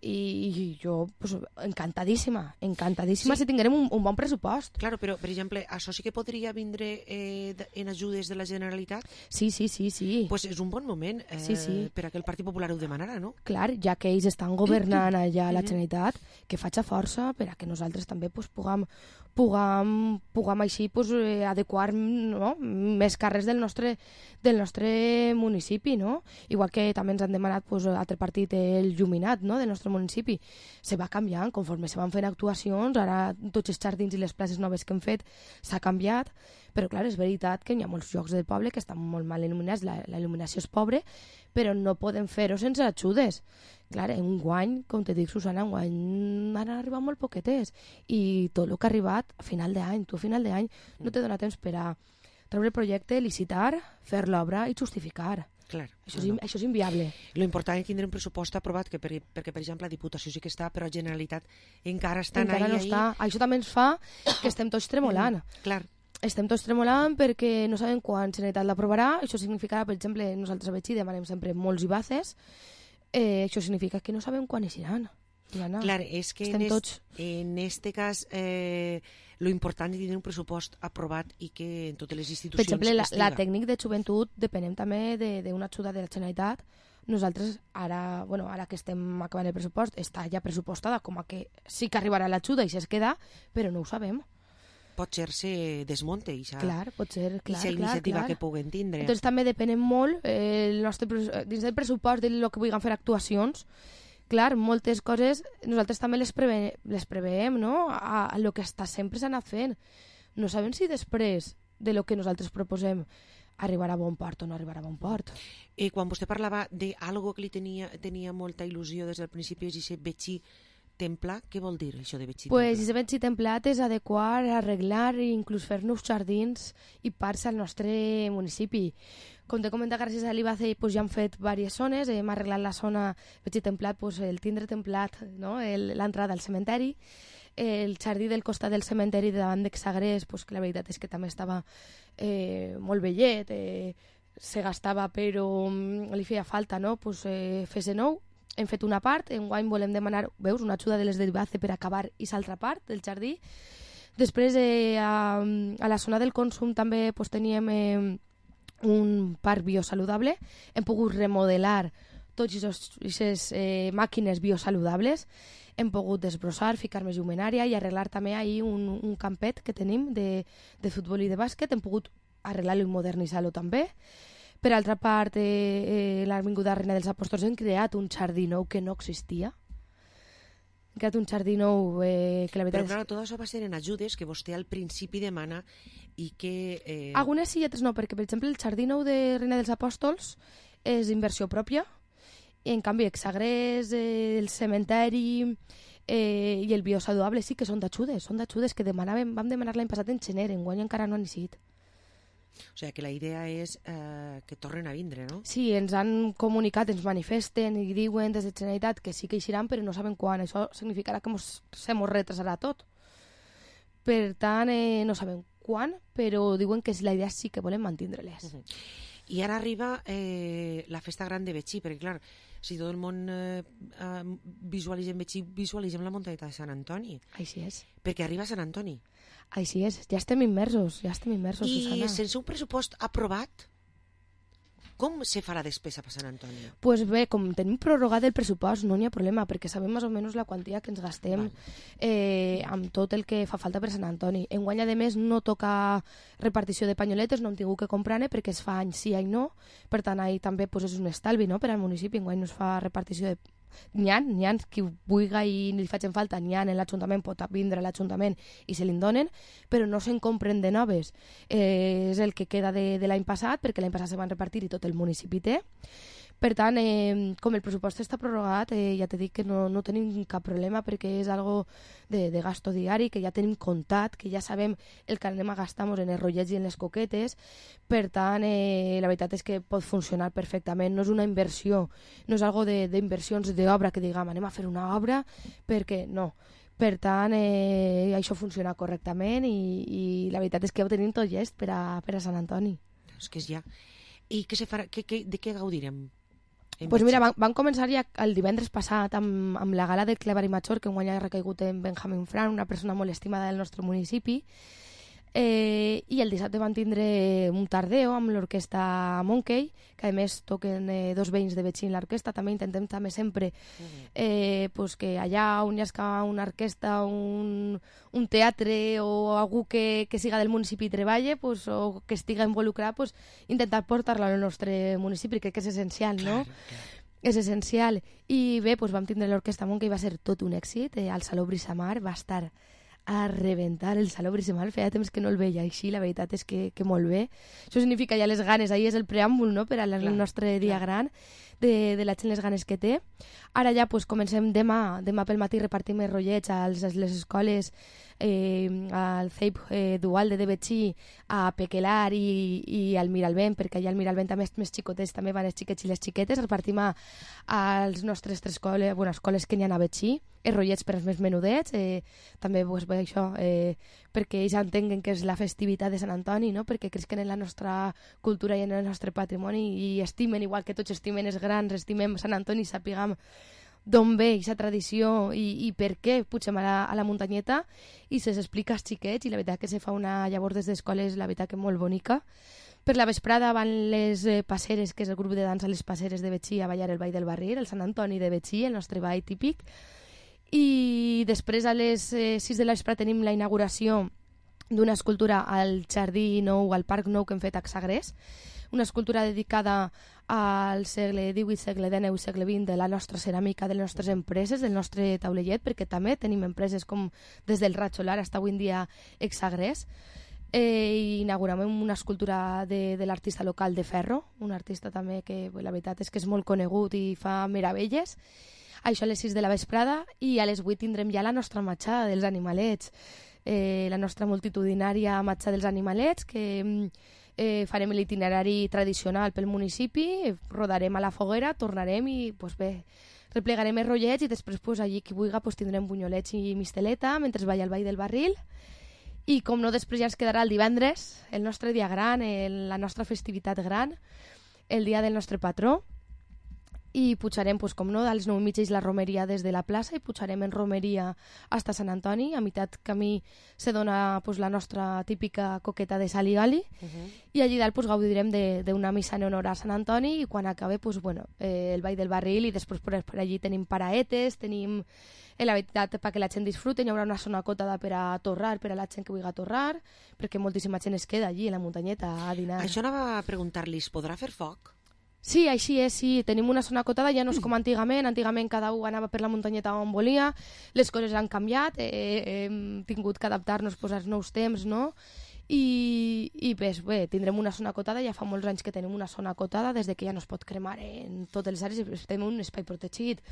I, i jo, pues, encantadíssima, encantadíssima sí. Si tinguérem un, un bon pressupost. Claro, però, per exemple, això sí que podria vindre eh, en ajudes de la Generalitat? Sí, sí, sí, sí. Pues és un bon moment eh, sí, sí. per a que el Partit Popular ho demanarà, no? Clar, ja que ells estan governant allà a la Generalitat, que faci força per a que nosaltres també pues, puguem, puguem, puguem així pues, eh, adequar no? més carrers del nostre, del nostre municipi, no? Igual que també ens han demanat pues, altre partit, el Lluminat, no? del nostre municipi. Se va canviant conforme se van fent actuacions, ara tots els jardins i les places noves que hem fet s'ha canviat, però clar, és veritat que hi ha molts llocs del poble que estan molt mal il·luminats, la, la il·luminació és pobra, però no podem fer-ho sense ajudes. Clar, en guany, com te dic, Susana, en guany han arribat molt poquetes i tot el que ha arribat a final d'any, tu a final d'any no te dona temps per a treure el projecte, licitar, fer l'obra i justificar. Clar, això, és, no. això és inviable. Lo important és tindre un pressupost aprovat, que per, perquè, per exemple, la Diputació sí que està, però la Generalitat encara està encara ahí, no està. ahí. Això també ens fa que estem tots tremolant. Mm, clar. Estem tots tremolant perquè no sabem quan la Generalitat l'aprovarà. Això significarà, per exemple, nosaltres a Betxí demanem sempre molts i bases. Eh, això significa que no sabem quan eixiran. Clar, és que en, tots... est, en este cas eh, lo important és tenir un pressupost aprovat i que en totes les institucions... Per exemple, la, la tècnic de joventut depenem també d'una ajuda de la Generalitat. Nosaltres, ara, bueno, ara que estem acabant el pressupost, està ja pressupostada com a que sí que arribarà l'ajuda i si es queda, però no ho sabem. Pot ser se desmonte ixa, clar, pot ser, clar, ixa iniciativa clar, clar. que puguen tindre. Entonces també depenem molt eh, el nostre, dins del pressupost de lo que vulguin fer actuacions. Clar, moltes coses nosaltres també les, preve, les preveem, no? A, a lo que està sempre s'ha anat fent. No sabem si després de lo que nosaltres proposem arribarà a bon port o no arribarà a bon port. I quan vostè parlava d'algo que li tenia, tenia molta il·lusió des del principi, és aquest Betxí templat, què vol dir això de Betxí pues, templat? Pues Betxí templat és adequar, arreglar i inclús fer nous jardins i parcs al nostre municipi. Com t'he comentat, gràcies a l'I B A C pues, ja han fet diverses zones, hem arreglat la zona Betxí templat, pues, el tindre templat, no? l'entrada al cementeri, el jardí del costat del cementeri davant d'Exagrés, pues, que la veritat és que també estava eh, molt bellet, eh, se gastava però li feia falta no? pues, eh, fer-se nou. Hem fet una part, enguany volem demanar, veus, una ajuda de les de l'I B A C per acabar i l'altra part del jardí. Després, eh, a, a la zona del consum també pues, teníem eh, un parc biosaludable. Hem pogut remodelar totes aquestes eh, màquines biosaludables. Hem pogut desbrossar, ficar més llumenària i arreglar també ahir un, un campet que tenim de, de futbol i de bàsquet. Hem pogut arreglar-lo i modernitzar-lo també. Per altra part, eh, eh, l'Avinguda Reina dels Apòstols hem creat un jardí nou que no existia. Hem creat un jardí nou eh, que la veritat... Però clar, tot això va ser en ajudes que vostè al principi demana i que... Eh... Algunes sí i altres no, perquè per exemple el jardí nou de Reina dels Apòstols és inversió pròpia, i en canvi Exagrés, eh, el cementeri eh, i el biosaludable sí que són d'ajudes, són d'ajudes que demanàvem, vam demanar l'any passat en gener, enguany encara no han iniciat. O sigui, que la idea és eh, que tornen a vindre, no? Sí, ens han comunicat, ens manifesten i diuen des de Generalitat que sí que eixiran, però no saben quan. Això significarà que mos, se mos retrasarà tot. Per tant, eh, no sabem quan, però diuen que la idea sí que volem mantindre-les. Uh -huh. I ara arriba eh, la festa gran de Betxí, perquè clar, si tot el món eh, eh, visualitzem Betxí, visualitzem la muntanyeta de Sant Antoni. Així és. Perquè arriba Sant Antoni. Així és, ja estem immersos, ja estem immersos, I Susana. I sense un pressupost aprovat, com se fa la despesa per Sant Antoni? Doncs pues bé, com tenim prorrogat el pressupost, no n'hi ha problema, perquè sabem més o menys la quantia que ens gastem eh, amb tot el que fa falta per Sant Antoni. Enguany, a més, no toca repartició de panyoletes, no hem tingut que comprar-ne perquè es fa any sí, any no, per tant, ahir també pues, és un estalvi no? Per al municipi, enguany no es fa repartició de n'hi ha, n'hi ha qui vulgui i li facin falta, n'hi ha en l'Ajuntament, pot vindre a l'Ajuntament i se li'n donen, però no se'n compren de noves. Eh, és el que queda de, de l'any passat, perquè l'any passat se van repartir i tot el municipi té, Per tant, eh, com el pressupost està prorrogat, eh, ja t'he dit que no, no tenim cap problema perquè és algo de, de gasto diari, que ja tenim comptat, que ja sabem el que anem a gastar en els rotllets i en les coquetes. Per tant, eh, la veritat és que pot funcionar perfectament. No és una inversió, no és algo d'inversions d'obra que diguem anem a fer una obra, perquè no. Per tant, eh, això funciona correctament i, i la veritat és que ho tenim tot llest per a, per a Sant Antoni. És que és ja. I què se farà? Que, que, de què gaudirem? Pues mira, van, van començar ja el divendres passat amb, amb la gala del Clevari Major, que guany ha recaigut en Benjamin Fran, una persona molt estimada del nostre municipi. Eh, I el dissabte van tindre un tardeo amb l'orquestra Monkey, que a més toquen eh, dos veïns de Betxí en l'orquestra. També intentem també sempre eh, pues que allà on hi ha una orquestra, un, un teatre o algú que, que siga del municipi i treballe, pues, o que estiga involucrat, pues, intentar portar-la al nostre municipi, crec que és essencial, no? Clar, clar. És essencial. I bé, pues, vam tindre l'orquestra Monkey, va ser tot un èxit, eh, al Saló Brisamar, va estar a reventar el Saló Brisamar, feia temps que no el veia així, la veritat és que, que molt bé. Això significa ja les ganes, ahir és el preàmbul, no?, per al nostre dia clar. gran, de, de la gent les ganes que té. Ara ja pues, comencem demà, demà pel matí repartim els rotllets a les escoles, eh, al C E I P eh, Dual de Betxí, a Pequelar i, i al Miralbent, perquè allà al Miralbent també els més xicotets també van els xiquets i les xiquetes, repartim a, als nostres tres escoles, bueno, escoles que n'hi ha a Betxí, els rotllets per als més menudets, eh, també pues, bé, això, eh, perquè ells entenguen que és la festivitat de Sant Antoni, no? Perquè cresquen en la nostra cultura i en el nostre patrimoni i estimen, igual que tots estimen els grans, estimem Sant Antoni i sapiguem d'on ve aquesta tradició i, i per què pugem a la, a la muntanyeta i se'ls explica als xiquets i la veritat que se fa una llavors des d'escoles, la veritat que molt bonica. Per la vesprada van les eh, passeres, que és el grup de dansa Les Passeres de Betxí, a ballar el Ball del Barril, el Sant Antoni de Betxí, el nostre ball típic. I després a les eh, sis de la vespre tenim la inauguració d'una escultura al Jardí Nou, al Parc Nou que hem fet a Sagrés, una escultura dedicada al segle divuit, segle dinou i segle vint de la nostra ceràmica, de les nostres empreses, del nostre taulellet, perquè també tenim empreses com des del Raig Solar fins avui en dia Exagrés. Eh, i inaugurem una escultura de, de l'artista local de Ferro, un artista també que la veritat és que és molt conegut i fa meravelles. Això a les sis de la vesprada i a les vuit tindrem ja la nostra matxada dels animalets, eh, la nostra multitudinària matxada dels animalets, que eh, farem l'itinerari tradicional pel municipi, rodarem a la foguera, tornarem i pues bé, replegarem els rotllets i després pues, allí qui vulgui pues, tindrem bunyolets i misteleta mentre es balla el Ball del Barril. I com no, després ja ens quedarà el divendres, el nostre dia gran, el, la nostra festivitat gran, el dia del nostre patró, i pujarem, pues, com no, als nou i mitja la romeria des de la plaça i pujarem en romeria fins a Sant Antoni. A meitat camí se dona pues, la nostra típica coqueta de sal i gali, uh-huh. i allí dalt pues, gaudirem d'una missa en honor a Sant Antoni i quan acabe pues, bueno, eh, el Ball del Barril i després per, per allí tenim paraetes, tenim eh, la veritat perquè la gent disfruten, hi haurà una zona acotada per a torrar, per a la gent que vulgui torrar, perquè moltíssima gent es queda allí a la muntanyeta a dinar. Això anava a preguntar-li, es podrà fer foc? Sí, així és, sí. Tenim una zona acotada, ja no és com antigament. Antigament cada un anava per la muntanyeta on volia, les coses han canviat, eh, hem tingut que adaptar-nos pues, als nous temps, no? I, i pues, bé, tindrem una zona acotada, ja fa molts anys que tenim una zona acotada, des de que ja no es pot cremar en totes les àrees, estem en un espai protegit.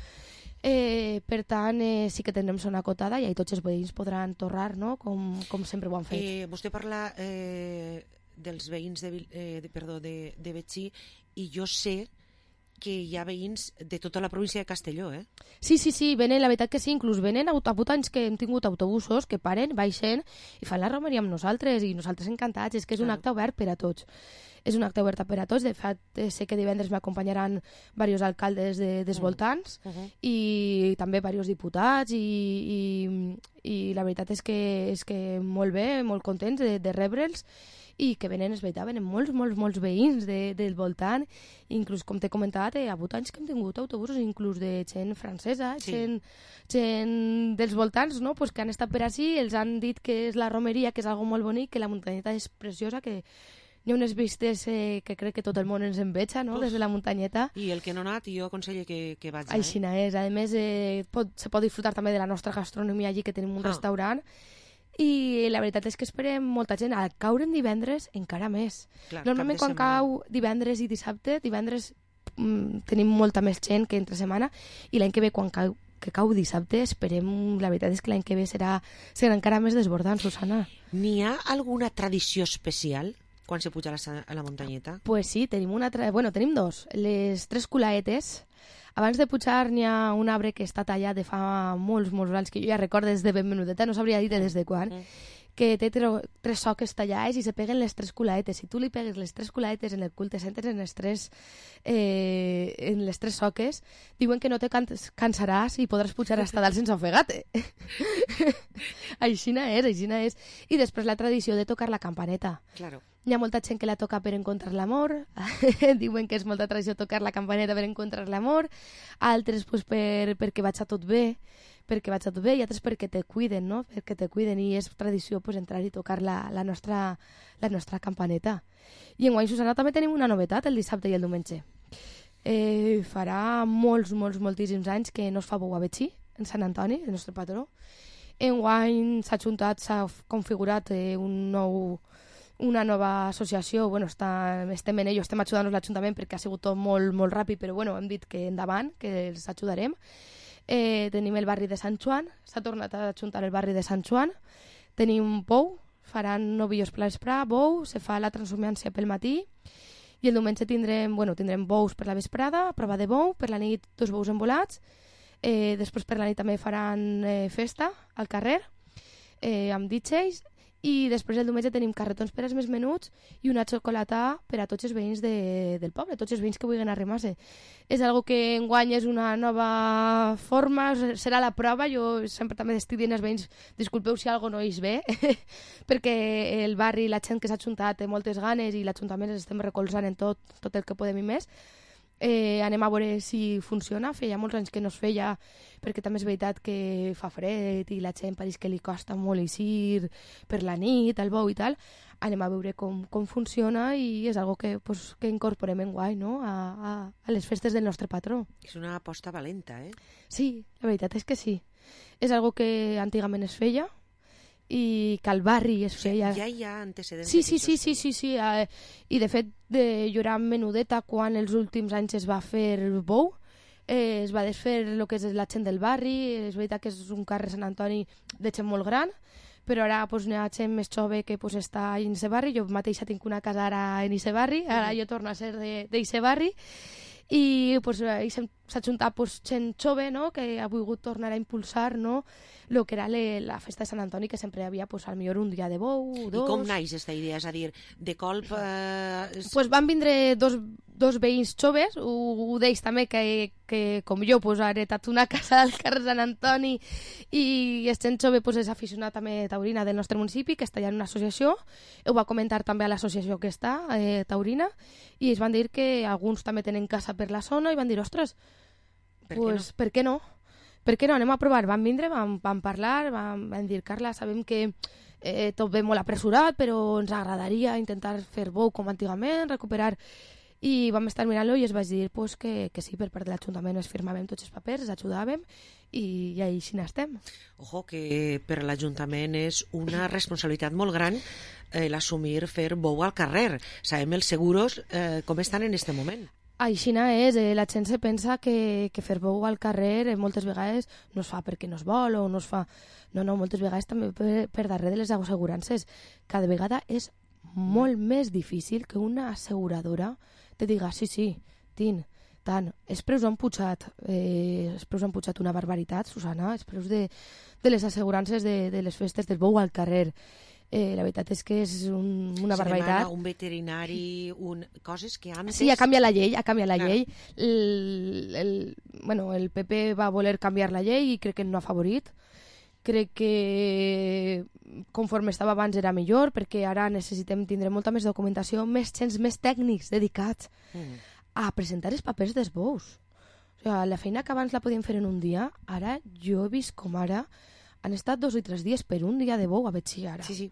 Eh, per tant, eh, sí que tindrem zona acotada i tots els veïns podran torrar, no? Com, com sempre ho han fet. Eh, vostè parla eh, dels veïns de, eh, de, perdó, de, de Betxí, i jo sé que hi ha veïns de tota la província de Castelló, eh? Sí, sí, sí, venen, la veritat que sí, inclús venen a vuit anys que hem tingut autobusos que paren, baixen i fan la romeria amb nosaltres i nosaltres encantats, és que és un acte obert per a tots. És un acte obert per a tots, de fet sé que divendres m'acompanyaran diversos alcaldes de, dels voltants uh -huh. i també diversos diputats i, i, i la veritat és que, és que molt bé, molt contents de, de rebre'ls i que venen, és veritat, venen molts, molts, molts veïns de, del voltant, inclús, com t'he comentat, eh, a vuit anys que hem tingut autobusos, inclús de gent francesa, sí. gent, gent dels voltants, no? Pues que han estat per ací, els han dit que és la romeria, que és algo molt bonic, que la muntanyeta és preciosa, que hi ha unes vistes eh, que crec que tot el món ens enveja, no? Uf. Des de la muntanyeta. I el que no ha anat, jo aconsello que, que vaig. Així eh? és. A més, eh, pot, se pot disfrutar també de la nostra gastronomia allí, que tenim un ah. restaurant, i la veritat és que esperem molta gent. Al caure en divendres encara més. Clar, normalment quan setmana. Cau divendres i dissabte, divendres mm, tenim molta més gent que entre setmana, i l'any que ve, quan cau, que cau dissabte, esperem, la veritat és que l'any que ve serà, serà encara més desbordant, Susana. N'hi ha alguna tradició especial quan se puja a la, a la muntanyeta? Pues sí, tenim una tra... bueno, tenim dos. Les tres culaetes. Abans de pujar n'hi ha un arbre que està tallat de fa molts, molts anys, que jo ja recordo des de ben menudeta, no sabria dir des de quan, mm. que té tres soques tallades i se peguen les tres culaetes. Si tu li pegues les tres culaetes en el cul, te sentes en les tres, eh, en les tres soques, diuen que no te cansaràs i podràs pujar hasta dalt sense ofegar-te. Aixina és, aixina és. I després la tradició de tocar la campaneta. Claro. Hi ha molta gent que la toca per encontrar l'amor, diuen que és molta tradició tocar la campaneta per encontrar l'amor, altres pues, per, perquè vaig a tot bé, perquè vaig a tot bé, i altres perquè te cuiden, no? Perquè te cuiden, i és tradició pues, entrar i tocar la, la, nostra, la nostra campaneta. I enguany, Susana, també tenim una novetat el dissabte i el diumenge. Eh, farà molts, molts, moltíssims anys que no es fa bou a Betxí, en Sant Antoni, el nostre patró. Enguany s'ha juntat, s'ha configurat eh, un nou... una nova associació, bueno, està, estem en ello, estem ajudant-nos l'Ajuntament perquè ha sigut tot molt, molt ràpid, però bueno, hem dit que endavant, que els ajudarem. Eh, tenim el barri de Sant Joan, s'ha tornat a ajuntar el barri de Sant Joan, tenim bou, faran novillos per l'esprà, bou, se fa la transhumància pel matí, i el diumenge tindrem, bueno, tindrem bous per la vesprada, prova de bou, per la nit dos bous envolats, eh, després per la nit també faran eh, festa al carrer, eh, amb D Js, i després el diumenge tenim carretons per als més menuts i una xocolata per a tots els veïns de, del poble, tots els veïns que vulguin arrimar-se. És algo que enguany és una nova forma, serà la prova. Jo sempre també estic dient als veïns, disculpeu si algo no és bé, perquè el barri, la gent que s'ha ajuntat té moltes ganes i l'Ajuntament els estem recolzant en tot, tot el que podem i més. Eh, anem a veure si funciona. Feia molts anys que no es feia, perquè també és veritat que fa fred i la gent pareix que li costa molt eixir per la nit, al bou i tal. Anem a veure com, com funciona, i és algo que, pues, que incorporem enguany, no? a, a, a les festes del nostre patró. És una aposta valenta, eh? Sí, la veritat és que sí. És algo que antigament es feia, i que al barri es feia... O sigui, ja hi ha antecedents. Sí, sí, sí, sí, sí, sí. Eh, i de fet, de, jo era menudeta quan els últims anys es va fer bou, eh, es va desfer el que és la gent del barri. És veritat que és un carrer Sant Antoni de gent molt gran, però ara pues, hi ha gent més jove que pues, està en aquest barri. Jo mateixa tinc una casa ara en aquest barri, ara jo torno a ser d'aquest barri, i pues, s'ha juntat pues, gent jove, no? Que ha volgut tornar a impulsar, no? Lo que era le, la festa de Sant Antoni, que sempre hi havia pues, al millor un dia de bou, dos... I com naix aquesta idea? És a dir, de colp... Eh... Pues van vindre dos, dos veïns joves, un d'ells també que, que com jo pues, ha heretat una casa al carrer Sant Antoni, i el gent jove pues, és aficionat també taurina del nostre municipi, que està allà en una associació. Ho va comentar també a l'associació que està, eh, taurina, i es van dir que alguns també tenen casa per la zona, i van dir, ostres, per pues, què no? per què no? Per què no? Anem a provar. Van vindre, van, van parlar, van, van dir, Carla, sabem que eh, tot ve molt apressurat, però ens agradaria intentar fer bou com antigament, recuperar... I vam estar mirant-lo i es vaig dir pues, que, que sí, per part de l'Ajuntament es firmàvem tots els papers, els ajudàvem, i, i així n'estem. Ojo, que per l'Ajuntament és una responsabilitat molt gran eh, l'assumir fer bou al carrer. Sabem els seguros eh, com estan en aquest moment. Aixina és, eh, la gent se pensa que, que fer bou al carrer eh, moltes vegades no es fa perquè no es vol o no es fa... No, no, moltes vegades també per, per darrere de les assegurances. Cada vegada és molt més difícil que una asseguradora te diga, sí, sí, tin, tant. Els preus han pujat, eh, els preus han pujat una barbaritat, Susana, els preus de, de les assegurances de, de les festes del bou al carrer. Eh, la veritat és que és un, una Se barbaritat. demana un veterinari, un... coses que antes... Sí, ha canviat la llei, ha canviat la Clar. llei. El, el, bueno, el P P va voler canviar la llei i crec que no ha favorit. Crec que conforme estava abans era millor, perquè ara necessitem tindre molta més documentació, més gens, més tècnics dedicats mm. a presentar els papers dels bous. O sigui, la feina que abans la podíem fer en un dia, ara jo he vist com ara han estat dos o tres dies per un dia de bou a Betxí ara. Sí, sí.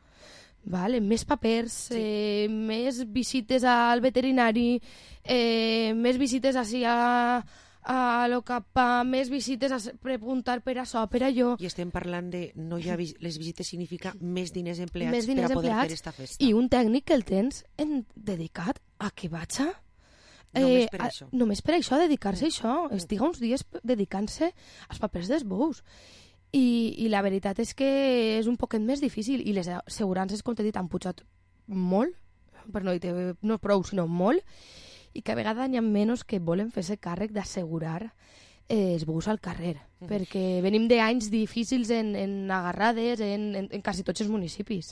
Vale, més papers, sí. eh, més visites al veterinari, eh, més visites així a... a lo capa, més visites a preguntar per això, per allò. I estem parlant de, no hi ha vis les visites significa més diners empleats més diners per a poder empleats, fer esta festa. I un tècnic que el tens en, dedicat a que vaig a Només per això. Només per això, dedicar-se a això. Estiga uns dies dedicant-se als papers dels bous. I, I la veritat és que és un poquet més difícil. I les assegurances, com t'he dit, han pujat molt, per no dir no prou, sinó molt, i cada vegada n'hi ha menys que volen fer-se càrrec d'assegurar eh, els bous al carrer. Mm. Perquè venim d'anys difícils en, en agarrades en, en, en quasi tots els municipis.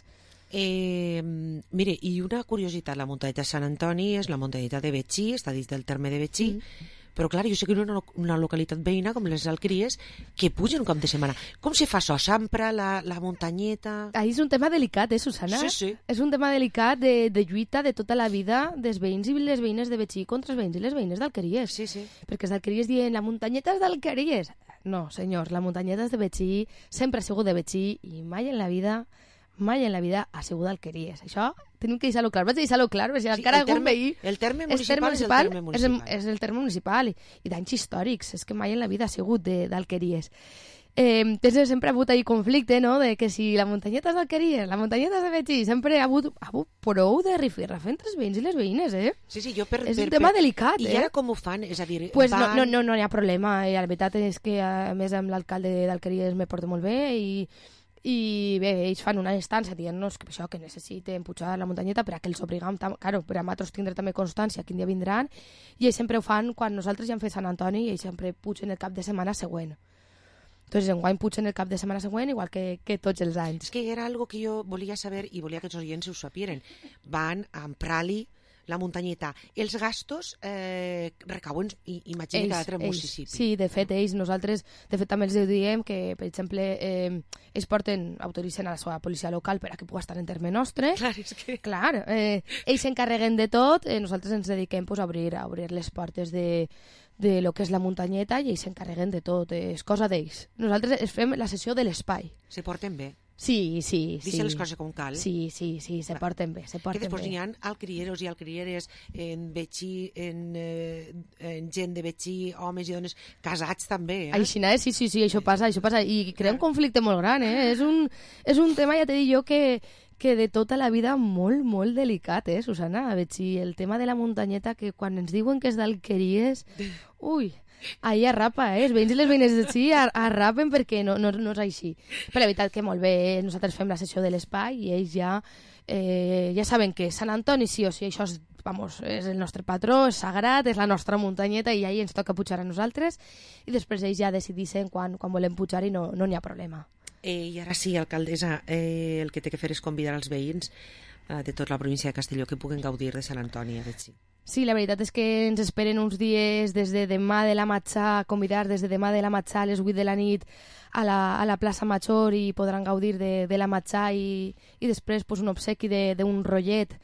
Eh, mire, i una curiositat, la muntanyeta de Sant Antoni és la muntanyeta de Betxí, està dins del terme de Betxí, mm. però clar, jo sé que hi ha una, una localitat veïna com les Alqueries que pugen un cap de setmana. Com se fa això? S'ampra la, la muntanyeta? Ahí és un tema delicat, eh, Susana? Sí, sí. És un tema delicat de, de lluita de tota la vida dels veïns i les veïnes de Betxí contra els veïns i les veïnes d'Alqueries. Sí, sí. Perquè els d'Alqueries diuen, la muntanyeta és d'Alqueries. No, senyors, la muntanyeta és de Betxí, sempre ha sigut de Betxí i mai en la vida... mai en la vida ha sigut d'Alqueries. Això tenim que deixar-lo clar. Vaig deixar-lo clar, perquè sí, encara algun terme, veí... El terme municipal és el terme municipal. És el, és el terme municipal i, i d'anys històrics. És que mai en la vida ha sigut d'Alqueries. Eh, tens sempre ha hagut ahí conflicte, no?, de que si la muntanyeta és d'Alqueries, la muntanyeta és de Betxí, sempre ha hagut, ha hagut prou de rifirrafe entre els veïns i les veïnes, eh? Sí, sí, jo per... És per, un tema per, delicat, I eh? I ara com ho fan? És a dir, pues van... no, no, no, no hi ha problema. I la veritat és que, a més, amb l'alcalde d'Alqueries me porto molt bé i... i bé, ells fan una instància dient-nos que això, que necessiten pujar la muntanyeta per a que els obligam, claro, per a nosaltres tindre també constància quin dia vindran, i ells sempre ho fan quan nosaltres ja hem fet Sant Antoni i ells sempre pugen el cap de setmana següent. Entonces, enguany pugen el cap de setmana següent igual que, que tots els anys. És que era algo que jo volia saber i volia que els oients ho sapieren. Van a emprar-li la muntanyeta. Els gastos eh, recauen, imagina, cada altre municipi. Sí, de fet, ells, nosaltres, de fet, també els diem que, per exemple, eh, ells porten, autoritzen a la seva policia local per a que pugui estar en terme nostre. Clar, és que... Clar, eh, ells s'encarreguen de tot, eh, nosaltres ens dediquem pues, a, obrir, a obrir les portes de, de lo que és la muntanyeta i ells s'encarreguen de tot, eh, és cosa d'ells. Nosaltres fem la sessió de l'espai. Se porten bé. Sí, sí, sí. Deixa les coses com cal. Sí, sí, sí, se porten bé, se porten bé. Que després bé. n'hi ha alcrieros i alcrieres en Betxí, en, eh, en gent de Betxí, homes i dones casats també, eh? Així, eh? Sí, sí, sí, això passa, això passa. I crea un conflicte molt gran, eh? És un, és un tema, ja t'he dit jo, que, que de tota la vida molt, molt delicat, eh, Susana? A Betxí, el tema de la muntanyeta, que quan ens diuen que és d'Alqueries, ui... Ahí arrapa, eh? Els veïns i les veïnes de sí arrapen perquè no, no, no és així. Però la veritat que molt bé, nosaltres fem la sessió de l'espai i ells ja, eh, ja saben que Sant Antoni sí o sí, això és, vamos, és el nostre patró, és sagrat, és la nostra muntanyeta i ahí ens toca pujar a nosaltres i després ells ja decidissin quan, quan volem pujar i no n'hi no ha problema. Eh, I ara sí, alcaldessa, eh, el que té que fer és convidar els veïns eh, de tota la província de Castelló que puguen gaudir de Sant Antoni a Betxí. Sí, la veritat és que ens esperen uns dies des de demà de la matxà, convidar des de demà de la matxà a les vuit de la nit a la, a la plaça Major i podran gaudir de, de la matxà i, i després pues, un obsequi d'un rotllet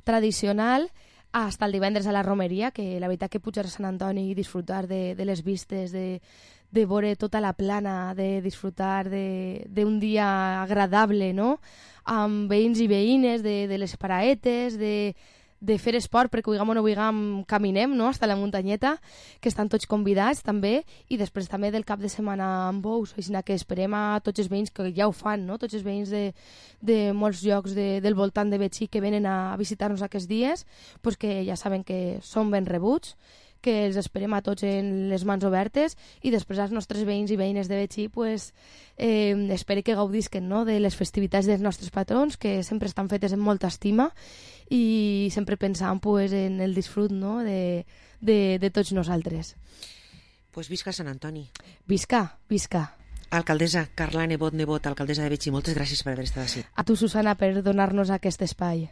tradicional fins el divendres a la romeria, que la veritat que pujar a Sant Antoni i disfrutar de, de les vistes, de, de veure tota la plana, de disfrutar d'un dia agradable, no?, amb veïns i veïnes, de, de les paraetes, de... de fer esport, perquè vulguem o no vulguem caminem, no?, fins a la muntanyeta, que estan tots convidats també, i després també del cap de setmana amb bous, així que esperem a tots els veïns que ja ho fan, no?, tots els veïns de, de molts llocs de, del voltant de Betxí que venen a visitar-nos aquests dies, pues que ja saben que són ben rebuts, que els esperem a tots en les mans obertes i després als nostres veïns i veïnes de Betxí pues, eh, espero que gaudisquen, no?, de les festivitats dels nostres patrons, que sempre estan fetes amb molta estima i sempre pensant pues, en el disfrut, no?, de, de, de tots nosaltres. Pues visca Sant Antoni. Visca, visca. Alcaldessa Carla Nebot Nebot, alcaldessa de Betxí, moltes gràcies per haver estat així. A tu, Susana, per donar-nos aquest espai.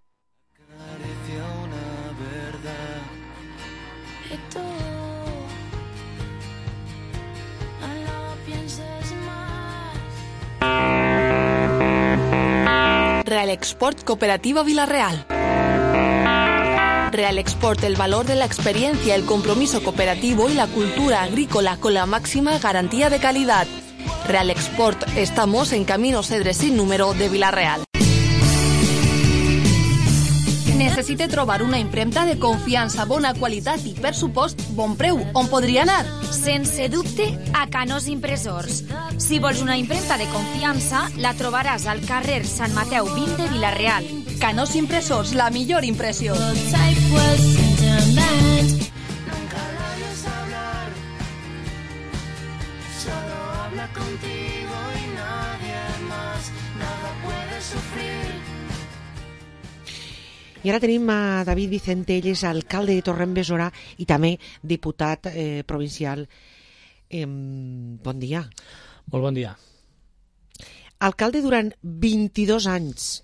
Real Export Cooperativa Vilarreal. Real Export, el valor de la experiencia, el compromiso cooperativo y la cultura agrícola con la máxima garantía de calidad. Real Export, estamos en Camino Cedre sin número de Vilarreal. Necessite trobar una impremta de confiança, bona qualitat i, per supost, bon preu. On podria anar? Sense dubte, a Canós Impressors. Si vols una impremta de confiança, la trobaràs al carrer Sant Mateu vint de Vilarreal. Canós Impressors, la millor impressió. solo habla contigo y nadie más, nada puede sufrir. I ara tenim a David Vicente, ell és alcalde de Torrent-Besora i també diputat eh, provincial. Eh, bon dia. Molt bon dia. Alcalde durant vint-i-dos anys.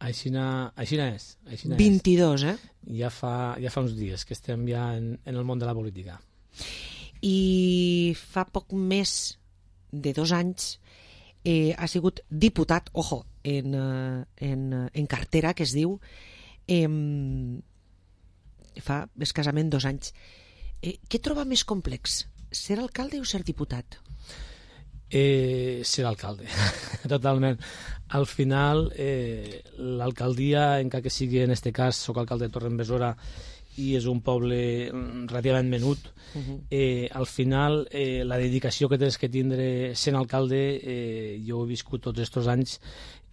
Aixina, aixina és. Aixina vint-i-dos, és. eh? Ja fa, ja fa uns dies que estem ja en, en el món de la política. I fa poc més de dos anys eh, ha sigut diputat, ojo, en, en, en cartera, que es diu, eh, fa escassament dos anys. Eh, què troba més complex, ser alcalde o ser diputat? Eh, ser alcalde, totalment. Al final, eh, l'alcaldia, encara que sigui en este cas, soc alcalde de Torrent-Besora i és un poble relativament menut, uh-huh. eh, al final eh, la dedicació que tens que tindre sent alcalde, eh, jo he viscut tots aquests anys,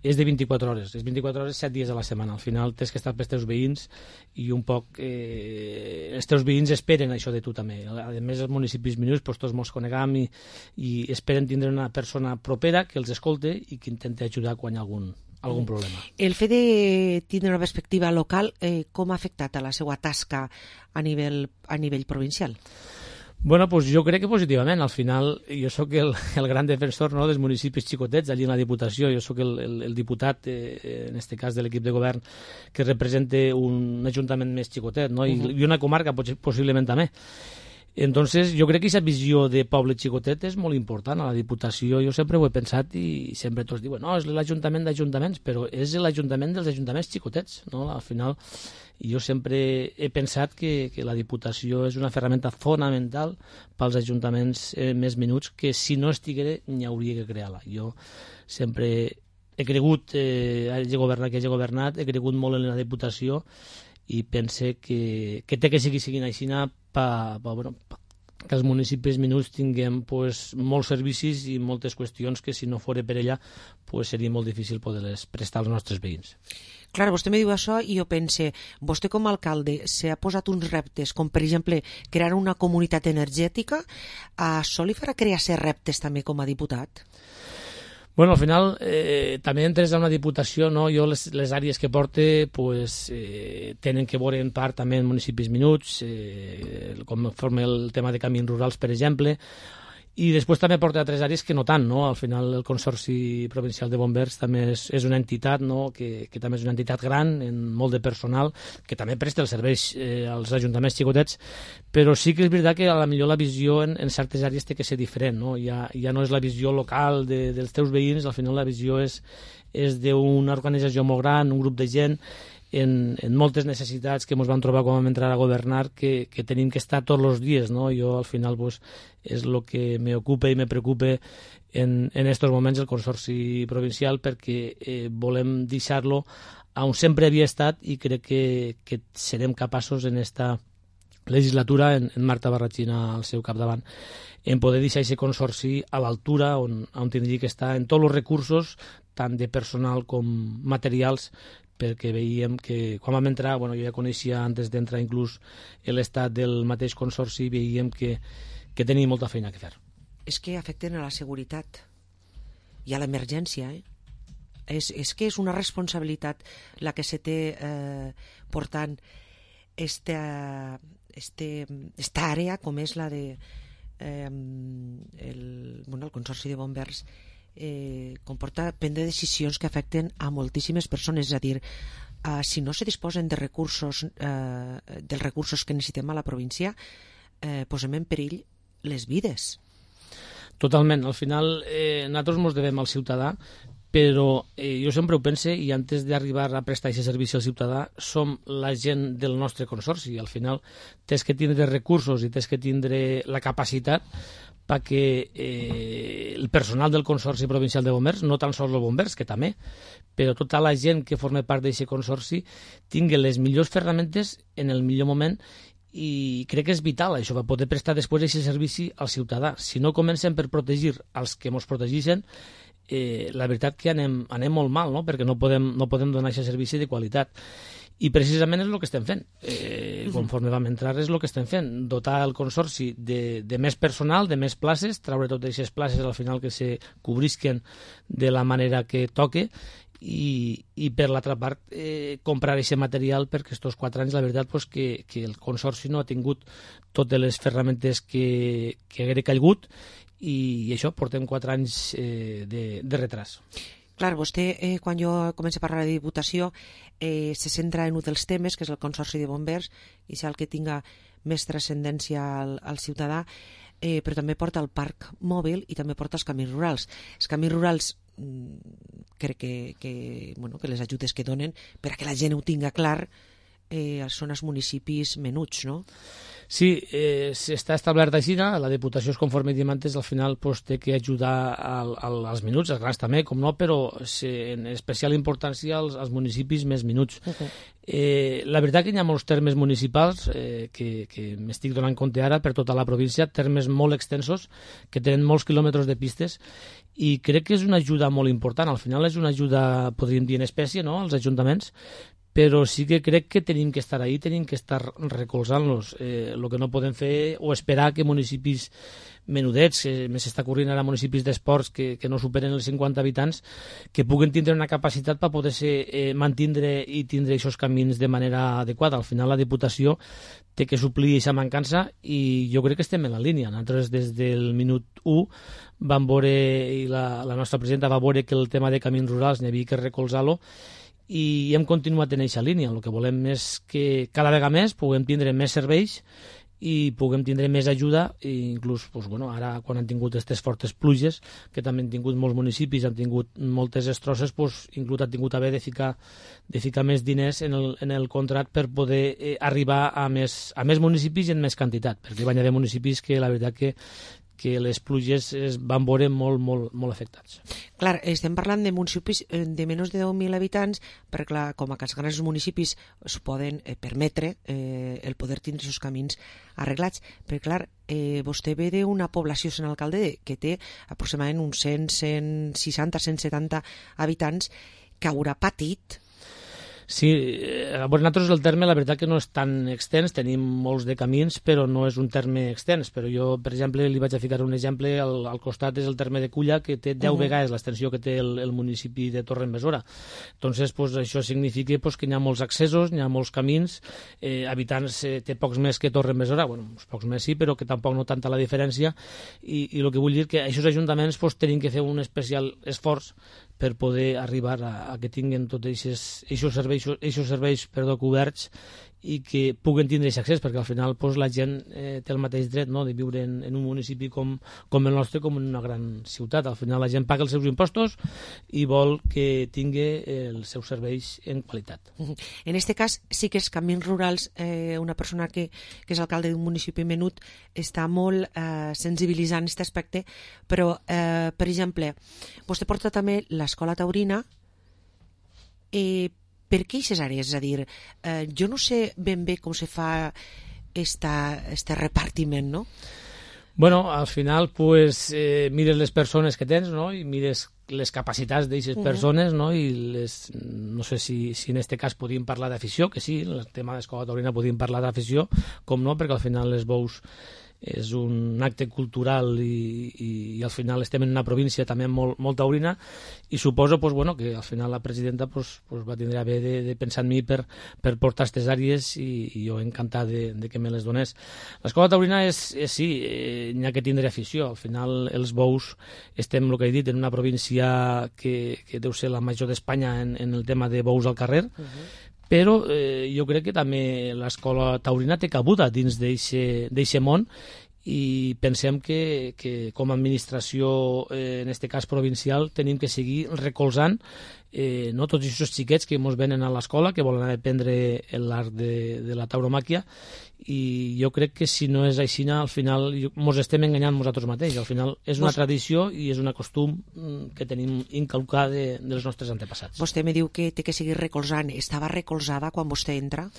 és de vint-i-quatre hores, és vint-i-quatre hores, set dies a la setmana. Al final tens que estar pels teus veïns i un poc eh, els teus veïns esperen això de tu també. A més, els municipis minuts, doncs tots mos conegam i, i esperen tindre una persona propera que els escolte i que intenti ajudar quan hi ha algun, algun problema. El fet de tindre una perspectiva local, eh, com ha afectat a la seva tasca a nivell, a nivell provincial? Bueno, pues jo crec que positivament. Al final, jo sóc el, el gran defensor, no, dels municipis xicotets allí en la Diputació. Jo sóc el, el, el diputat, eh, en este cas de l'equip de govern, que representa un ajuntament més xicotet, no? I, uh-huh. i una comarca possiblement també. Entonces, jo crec que aquesta visió de poble xicotet és molt important a la Diputació. Jo sempre ho he pensat i sempre tots diuen no, és l'Ajuntament d'Ajuntaments, però és l'Ajuntament dels ajuntaments xicotets, no? Al final, jo sempre he pensat que, que la Diputació és una ferramenta fonamental pels ajuntaments eh, més menuts, que si no estiguera n'hi hauria que crear-la. Jo sempre he cregut, eh, hagi governat que hagi governat, he cregut molt en la Diputació i pense que, que té que seguir seguint així pa, pa, bueno, pa, que els municipis menuts tinguem pues, molts servicis i moltes qüestions que si no fos per ella pues, seria molt difícil poder-les prestar als nostres veïns. Clar, vostè me diu això i jo pense, vostè com a alcalde s'ha posat uns reptes, com per exemple crear una comunitat energètica, això li farà crear ser reptes també com a diputat? Bueno, al final eh, també entres a una diputació, no? Jo les, les àrees que porte pues, eh, tenen que veure en part també en municipis minuts, eh, com forma el tema de camins rurals, per exemple, i després també porta altres àrees que no tant, no? Al final el Consorci Provincial de Bombers també és, és una entitat, no? que, que també és una entitat gran, en molt de personal, que també presta els serveis eh, als ajuntaments xicotets, però sí que és veritat que a la millor la visió en, en certes àrees té que ser diferent, no? Ja, ja no és la visió local de, dels teus veïns, al final la visió és, és d'una organització molt gran, un grup de gent, en, en moltes necessitats que ens vam trobar quan vam entrar a governar, que, que tenim que estar tots els dies, no? Jo al final pues, és el que m'ocupa i me preocupa en, en estos moments el Consorci Provincial, perquè eh, volem deixar-lo on sempre havia estat i crec que, que serem capaços en esta legislatura, en, en Marta Barratxina al seu capdavant, en poder deixar aquest consorci a l'altura on, on tindria que estar en tots els recursos, tant de personal com materials, perquè veiem que quan vam entrar, bueno, jo ja coneixia antes d'entrar inclús l'estat del mateix consorci, veiem que, que tenia molta feina que fer. És que afecten a la seguretat i a l'emergència, eh? És, és que és una responsabilitat la que se té eh, portant esta, este, esta àrea com és la de eh, el, bueno, el Consorci de Bombers. Eh, comporta prendre decisions que afecten a moltíssimes persones, és a dir, eh, si no se disposen de recursos, eh, dels recursos que necessitem a la província, eh, posem en perill les vides. Totalment, al final eh, nosaltres ens devem al ciutadà, però eh, jo sempre ho pense, i antes d'arribar a prestar aquest servici al ciutadà som la gent del nostre consorci. Al final tens que tindre recursos i tens que tindre la capacitat perquè eh, el personal del Consorci Provincial de Bombers, no tan sols els bombers, que també, però tota la gent que forma part d'aquest consorci tingui les millors ferramentes en el millor moment, i crec que és vital això, per poder prestar després aquest servici al ciutadà. Si no comencem per protegir els que ens protegeixen, eh, la veritat que anem, anem molt mal, no? Perquè no podem, no podem donar aquest servici de qualitat. I precisament és el que estem fent. Eh, conforme vam entrar és el que estem fent. Dotar el Consorci de, de més personal, de més places, treure totes aquestes places al final que se cobrisquen de la manera que toque i, i per l'altra part eh, comprar aquest material perquè estos quatre anys la veritat pues, que, que el Consorci no ha tingut totes les ferramentes que, que haguera calgut i, i això, portem quatre anys eh, de, de retras. Clar, vostè, eh, quan jo començo a parlar de Diputació, eh, se centra en un dels temes, que és el Consorci de Bombers, i és el que tinga més transcendència al, al ciutadà, eh, però també porta el parc mòbil i també porta els camins rurals. Els camins rurals mm, crec que, que, bueno, que les ajudes que donen, per a que la gent ho tinga clar, eh, són els municipis menuts, no? Sí, eh, està establert així, la Diputació és conforme diem antes, al final pues, té que ajudar al, al, als minuts, als grans també, com no, però se, en especial importància als, als municipis més minuts. Okay. Eh, la veritat que hi ha molts termes municipals eh, que, que m'estic donant compte ara per tota la província, termes molt extensos, que tenen molts quilòmetres de pistes, i crec que és una ajuda molt important. Al final és una ajuda, podríem dir, en espècie, no?, als ajuntaments, però sí que crec que tenim que estar ahí, tenim que estar recolzant-los. Eh, el que no podem fer o esperar que municipis menudets, que més s'està corrint ara municipis d'esports que, que no superen els cinquanta habitants, que puguen tindre una capacitat per poder-se eh, mantindre i tindre aquests camins de manera adequada. Al final la Diputació té que suplir aquesta mancança i jo crec que estem en la línia. Nosaltres des del minut u vam veure, i la, la nostra presidenta va veure que el tema de camins rurals n'hi havia que recolzar-lo, i hem continuat en aquesta línia. El que volem és que cada vegada més puguem tindre més serveis i puguem tindre més ajuda, i inclús pues, bueno, ara quan han tingut aquestes fortes pluges, que també han tingut molts municipis, han tingut moltes destrosses, pues, inclús han tingut haver de ficar, de ficar més diners en el, en el contrat per poder eh, arribar a més, a més municipis i en més quantitat, perquè van haver municipis que la veritat que que les pluges es van veure molt, molt, molt afectats. Clar, estem parlant de municipis de menys de deu mil habitants, perquè clar, com a que els grans municipis s'ho poden eh, permetre eh, el poder tindre els camins arreglats, perquè clar, eh, vostè ve d'una població, senyor alcalde, que té aproximadament uns cent, cent seixanta, cent setanta habitants, que haurà patit. Sí, eh, nosaltres el terme la veritat que no és tan extens, tenim molts de camins, però no és un terme extens. Però jo, per exemple, li vaig a ficar un exemple, al, al costat és el terme de Culla, que té deu uh -huh. vegades l'extensió que té el, el municipi de Torredembarra. Entonces, pues, això significa pues, que hi ha molts accessos, hi ha molts camins, eh, habitants eh, té pocs més que Torredembarra, bueno, pocs més sí, però que tampoc no tanta la diferència, i, i el que vull dir que aquests ajuntaments pues, tenen que fer un especial esforç per poder arribar a, a que tinguin tots aquests serveis, serveis perdó, coberts i que puguen tindre aquest accés, perquè al final pues, la gent eh, té el mateix dret, no?, de viure en, en un municipi com, com el nostre, com en una gran ciutat. Al final la gent paga els seus impostos i vol que tingui els seus serveis en qualitat. En aquest cas sí que els camins rurals, eh, una persona que, que és alcalde d'un municipi menut està molt eh, sensibilitzant aquest aspecte, però eh, per exemple, vostè porta també l'escola taurina, eh, per què aquestes àrees? És a dir, eh, jo no sé ben bé com se fa este repartiment, no? Bueno, al final, pues, eh, mires les persones que tens, no?, i mires les capacitats d'aquestes uh -huh. persones, no?, i les, no sé si, si en este cas podíem parlar d'afició, que sí, el tema de l'escola taurina podíem parlar d'afició, com no, perquè al final les bous és un acte cultural i, i, i al final estem en una província també molt, molt taurina, i suposo pues, bueno, que al final la presidenta pues, pues, va tindre a bé de, de pensar en mi per, per portar aquestes àrees, i, i jo encantat de, de que me les donés. L'escola taurina és, és sí, eh, n'hi ha que tindre afició. Al final els bous estem, el que he dit, en una província que, que deu ser la major d'Espanya en, en el tema de bous al carrer, uh-huh. Però eh, jo crec que també l'escola taurina té cabuda dins d'aquest món, i pensem que, que com a administració, eh, en aquest cas provincial, tenim que seguir recolzant eh, no, tots aquests xiquets que ens venen a l'escola, que volen aprendre l'art de, de la tauromàquia, i jo crec que si no és així, al final ens estem enganyant nosaltres mateixos. Al final és una Vos... tradició i és un costum que tenim inculcat de, dels nostres antepassats. Vostè me diu que té que seguir recolzant. Estava recolzada quan vostè entra?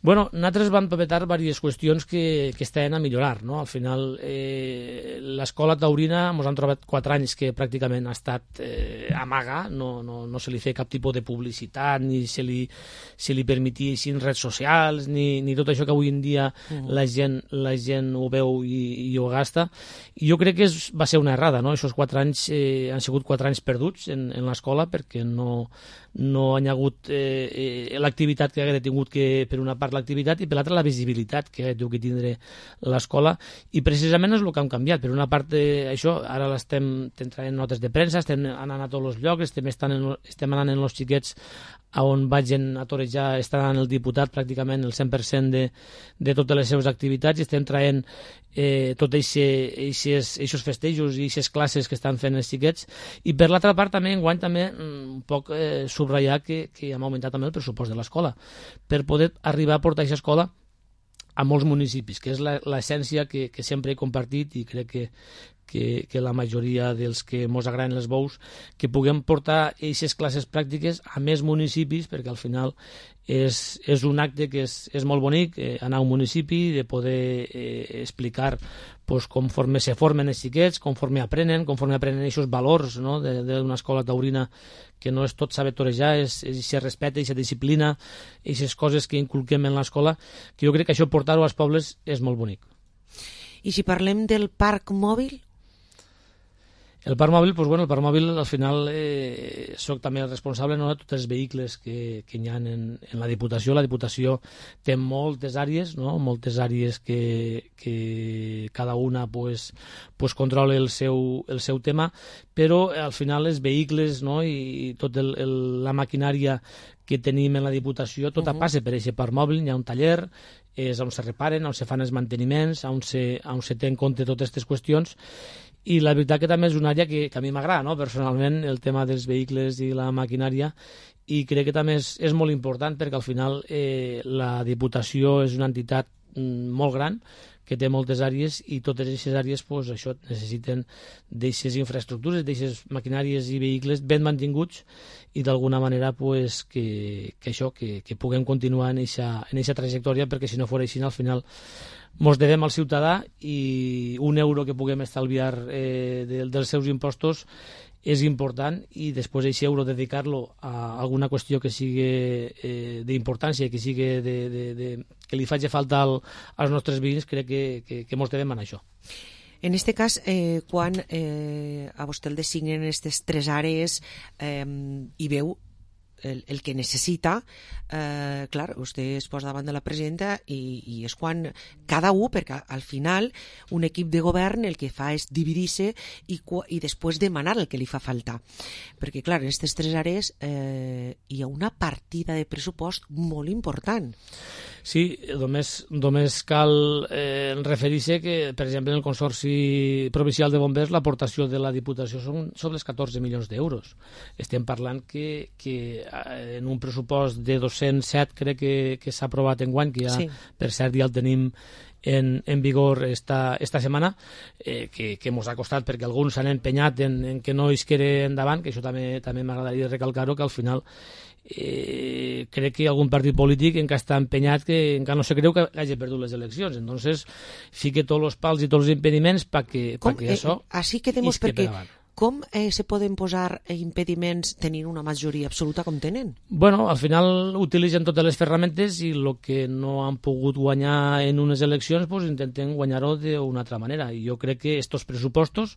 Bueno, nosaltres vam papetar diverses qüestions que, que estaven a millorar, no? Al final, eh, l'escola taurina ens han trobat quatre anys que pràcticament ha estat eh, amaga, no, no, no se li feia cap tipus de publicitat, ni se li, se li permetia així en redes socials, ni, ni tot això que avui en dia uh-huh. la, gent, la gent ho veu i, i ho gasta. I jo crec que és, va ser una errada, no? Aquests quatre anys eh, han sigut quatre anys perduts en, en l'escola perquè no, no hi ha hagut eh, eh, l'activitat que hagués tingut que, per una part, l'activitat i per l'altra la visibilitat que ha que tindre l'escola, i precisament és el que hem canviat. Per una part eh, això, ara l'estem traient notes de premsa, estem anant a tots els llocs, estem, estan en, estem anant en els xiquets a on vagin a torejar, està anant el diputat pràcticament el cent per cent de, de totes les seves activitats, i estem traient eh, tots aquests festejos i aquestes classes que estan fent els xiquets. I per l'altra part també enguany també un poc eh, subratllar que, que hem augmentat també el pressupost de l'escola per poder arribar a portar aquesta escola a molts municipis, que és l'essència que, que sempre he compartit, i crec que, que, que la majoria dels que ens agraden els bous, que puguem portar aquestes classes pràctiques a més municipis, perquè al final és, és un acte que és, és molt bonic, eh, anar a un municipi, de poder eh, explicar pues, conforme se formen els xiquets, conforme aprenen, conforme aprenen aquests valors, no?, d'una escola taurina, que no és tot saber torejar, és, és se respecta, aquesta disciplina, aquestes coses que inculquem en l'escola, que jo crec que això portar-ho als pobles és molt bonic. I si parlem del parc mòbil? El parc mòbil, doncs, bueno, el parc mòbil al final eh, soc també el responsable, no?, de tots els vehicles que, que hi ha en, en la Diputació. La Diputació té moltes àrees, no?, moltes àrees que, que cada una pues, pues controla el seu, el seu tema, però al final els vehicles, no?, i tot el, el, la maquinària que tenim en la Diputació, tota uh-huh. passa per aquest parc mòbil. Hi ha un taller, és on se reparen, on se fan els manteniments, on se, on se té en compte totes aquestes qüestions. I la veritat que també és una àrea que, que a mi m'agrada, no?, personalment, el tema dels vehicles i la maquinària, i crec que també és, és molt important perquè al final eh, la Diputació és una entitat mm, molt gran, que té moltes àrees, i totes aquestes àrees pues, això necessiten d'aquestes infraestructures, d'aquestes maquinàries i vehicles ben mantinguts, i d'alguna manera pues, que, que això, que, que puguem continuar en aquesta trajectòria, perquè si no fos així, al final mos devem al ciutadà, i un euro que puguem estalviar eh, de, dels seus impostos és important, i després aquest euro dedicar-lo a alguna qüestió que sigui eh, d'importància, que sigui de, de, de, que li faci falta al, als nostres veïns, crec que, que, que mos devem en això. En aquest cas, eh, quan eh, a vostè el designen aquestes tres àrees eh, i veu el, el que necessita, eh, clar, vostè es posa davant de la presidenta i, i és quan cada un, perquè al final un equip de govern el que fa és dividir-se i, i després demanar el que li fa falta, perquè clar, en aquestes tres àrees eh, hi ha una partida de pressupost molt important. Sí, només, només cal eh, referir-se que, per exemple, en el Consorci Provincial de Bombers l'aportació de la Diputació són sobre els catorze milions d'euros. Estem parlant que, que en un pressupost de dos-cents set crec que, que s'ha aprovat enguany, que ja, sí. per cert, ja el tenim en, en vigor esta, esta setmana, eh, que, que mos ha costat perquè alguns s'han empenyat en, en que no es quede endavant, que això també, també m'agradaria recalcar-ho, que al final Eh, crec que algun partit polític encara està empenyat, que encara no se creu que hagi perdut les eleccions, entonces fique tots els pals i tots els impediments perquè pa que eh, això així quedemos, perquè com eh, se poden posar impediments tenint una majoria absoluta com tenen? Bueno, al final utilitzen totes les ferramentes, i el que no han pogut guanyar en unes eleccions pues intenten guanyar-ho d'una altra manera, i jo crec que estos pressupostos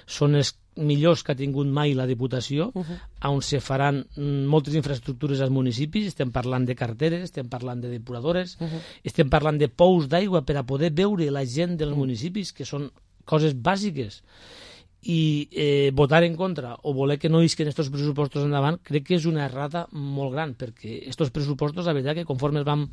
són els millors que ha tingut mai la Diputació, uh-huh. on se faran moltes infraestructures als municipis. Estem parlant de carreteres, estem parlant de depuradores, uh-huh. estem parlant de pous d'aigua per a poder veure la gent dels uh-huh. municipis, que són coses bàsiques. I eh, votar en contra o voler que no isquen aquests pressupostos endavant crec que és una errada molt gran, perquè aquests pressupostos, la veritat que conforme els vam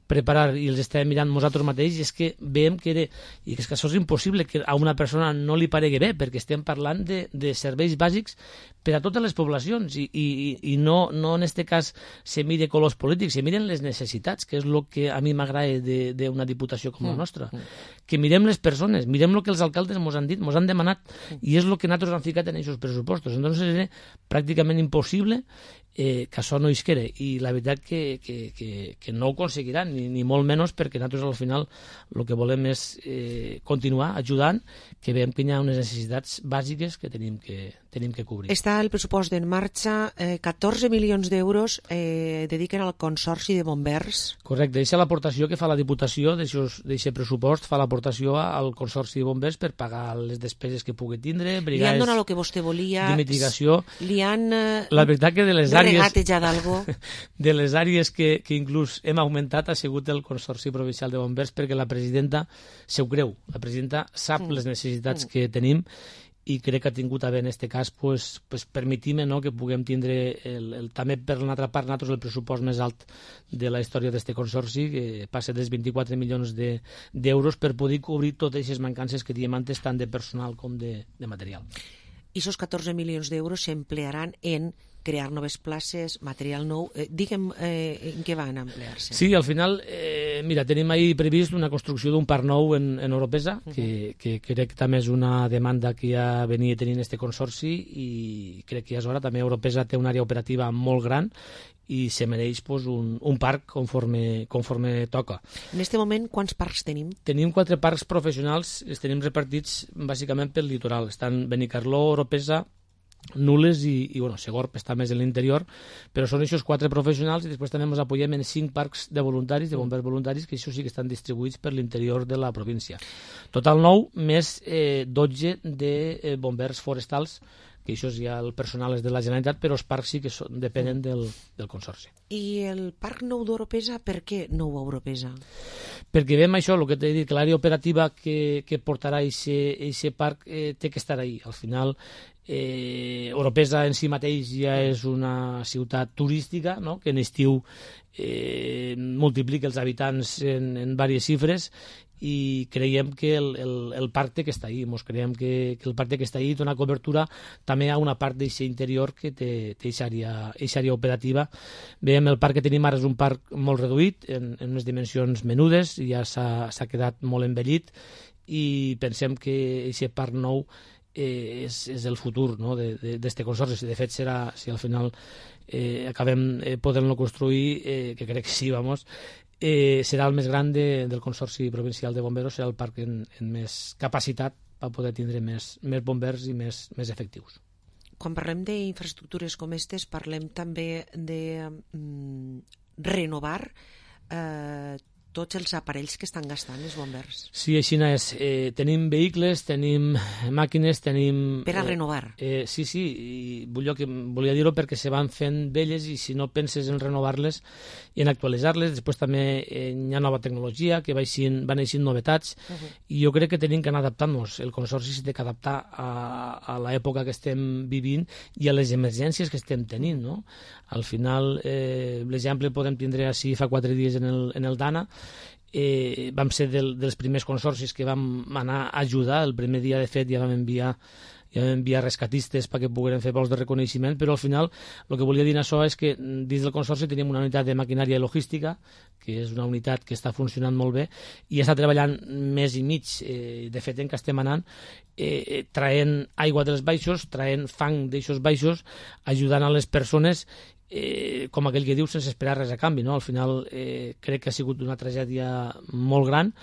preparar i els estàvem mirant nosaltres mateixos, és que veiem que era, i que és que això és impossible que a una persona no li paregui bé, perquè estem parlant de, de serveis bàsics per a totes les poblacions, i, i, i no, no en aquest cas se mire colors polítics, se miren les necessitats, que és el que a mi m'agrada d'una diputació com la nostra, que mirem les persones, mirem el que els alcaldes ens han dit, ens han demanat, i és el que nosaltres hem ficat en aquests pressupostos. Entonces era pràcticament impossible eh, que això no isquera, i la veritat que, que, que, que no ho aconseguiran, ni, ni molt menys, perquè nosaltres al final el que volem és eh, continuar ajudant, que veiem que hi ha unes necessitats bàsiques que tenim que, tenim que cobrir. Està el pressupost en marxa, eh, catorze milions d'euros eh, dediquen al Consorci de Bombers. Correcte, aquesta l'aportació que fa la Diputació d'aquest pressupost, fa l'aportació al Consorci de Bombers per pagar les despeses que pugui tindre, brigades... Li han donat el que vostè volia... De mitigació. Li han... Eh, la veritat que de les àrees... regatejat algo. De les àrees que, que inclús hem augmentat ha sigut el Consorci Provincial de Bombers, perquè la presidenta se ho creu. La presidenta sap mm. les necessitats mm. que tenim, i crec que ha tingut a bé en aquest cas pues, pues permetim, no, que puguem tindre el, el, també per una altra part nosaltres el pressupost més alt de la història d'aquest consorci, que passa dels vint-i-quatre milions d'euros de, per poder cobrir totes aquestes mancances que diem antes, tant de personal com de, de material. I aquests catorze milions d'euros s'emplearan en crear noves places, material nou. Eh, digue'm eh, en què van a emplear-se. Sí, al final, eh, mira, tenim ahí previst una construcció d'un parc nou en, en Oropesa, uh -huh. que, que crec que també és una demanda que ja venia tenint este consorci, i crec que ja és hora. També Oropesa té una àrea operativa molt gran i se mereix pues, un, un parc conforme, conforme toca. En aquest moment, quants parcs tenim? Tenim quatre parcs professionals, els tenim repartits bàsicament pel litoral. Estan Benicarló, Oropesa, Nules i, i bueno, Segorb està més en l'interior, però són aquests quatre professionals, i després també ens apoyem en cinc parcs de voluntaris, de bombers voluntaris, que això sí que estan distribuïts per l'interior de la província. Total nou, més eh, dotze de eh, bombers forestals, que això ja el personal és de la Generalitat, però els parcs sí que són, depenen del, del consorci. I el parc nou d'Oropesa, per què nou a Oropesa? Perquè veiem això, el que t'he dit, que l'àrea operativa que, que portarà aquest parc eh, té que estar ahí. Al final, eh, Oropesa en si mateix ja és una ciutat turística, no?, que en estiu eh, multiplica els habitants en, en diverses xifres, i creiem que el, el, el parc té que està ahí. Mos creiem que, que el parc té que està ahí, dona cobertura també a una part d'aquest interior que té aquesta àrea, àrea operativa. Veiem el parc que tenim ara és un parc molt reduït, en, en unes dimensions menudes, ja s'ha quedat molt envellit, i pensem que aquest parc nou eh, és, és el futur, no?, d'aquest consorci. De fet, serà, si al final eh, acabem eh, podent-lo construir, eh, que crec que sí, vamos, Eh, serà el més gran de, del Consorci Provincial de Bomberos, serà el parc en, en més capacitat per poder tindre més, més bombers i més, més efectius. Quan parlem d'infraestructures com aquestes, parlem també de mm, renovar eh, tots els aparells que estan gastant els bombers. Sí, així és. Eh, tenim vehicles, tenim màquines, tenim... Per a renovar. Eh, eh, sí, sí, i volia, volia dir-ho perquè se van fent velles, i si no penses en renovar-les i en actualitzar-les, després també eh, hi ha nova tecnologia, que van eixint novetats, uh -huh. i jo crec que tenim que anar adaptant-nos. El consorci s'ha de adaptar a, a l'època que estem vivint i a les emergències que estem tenint, no? Al final, eh, l'exemple podem tindre així fa quatre dies en el, en el Dana. Eh, vam ser del, dels primers consorcis que vam anar a ajudar. El primer dia, de fet, ja vam enviar ja vam enviar rescatistes perquè pogueren fer vols de reconeixement, però al final el que volia dir això és que dins del consorci tenim una unitat de maquinària i logística, que és una unitat que està funcionant molt bé i està treballant més i mig. Eh, de fet, en què estem anant, eh, traient aigua dels baixos, traient fang d'aixos baixos, ajudant a les persones, Eh, com aquell que diu, sense esperar res a canvi, no? Al final eh, crec que ha sigut una tragèdia molt gran,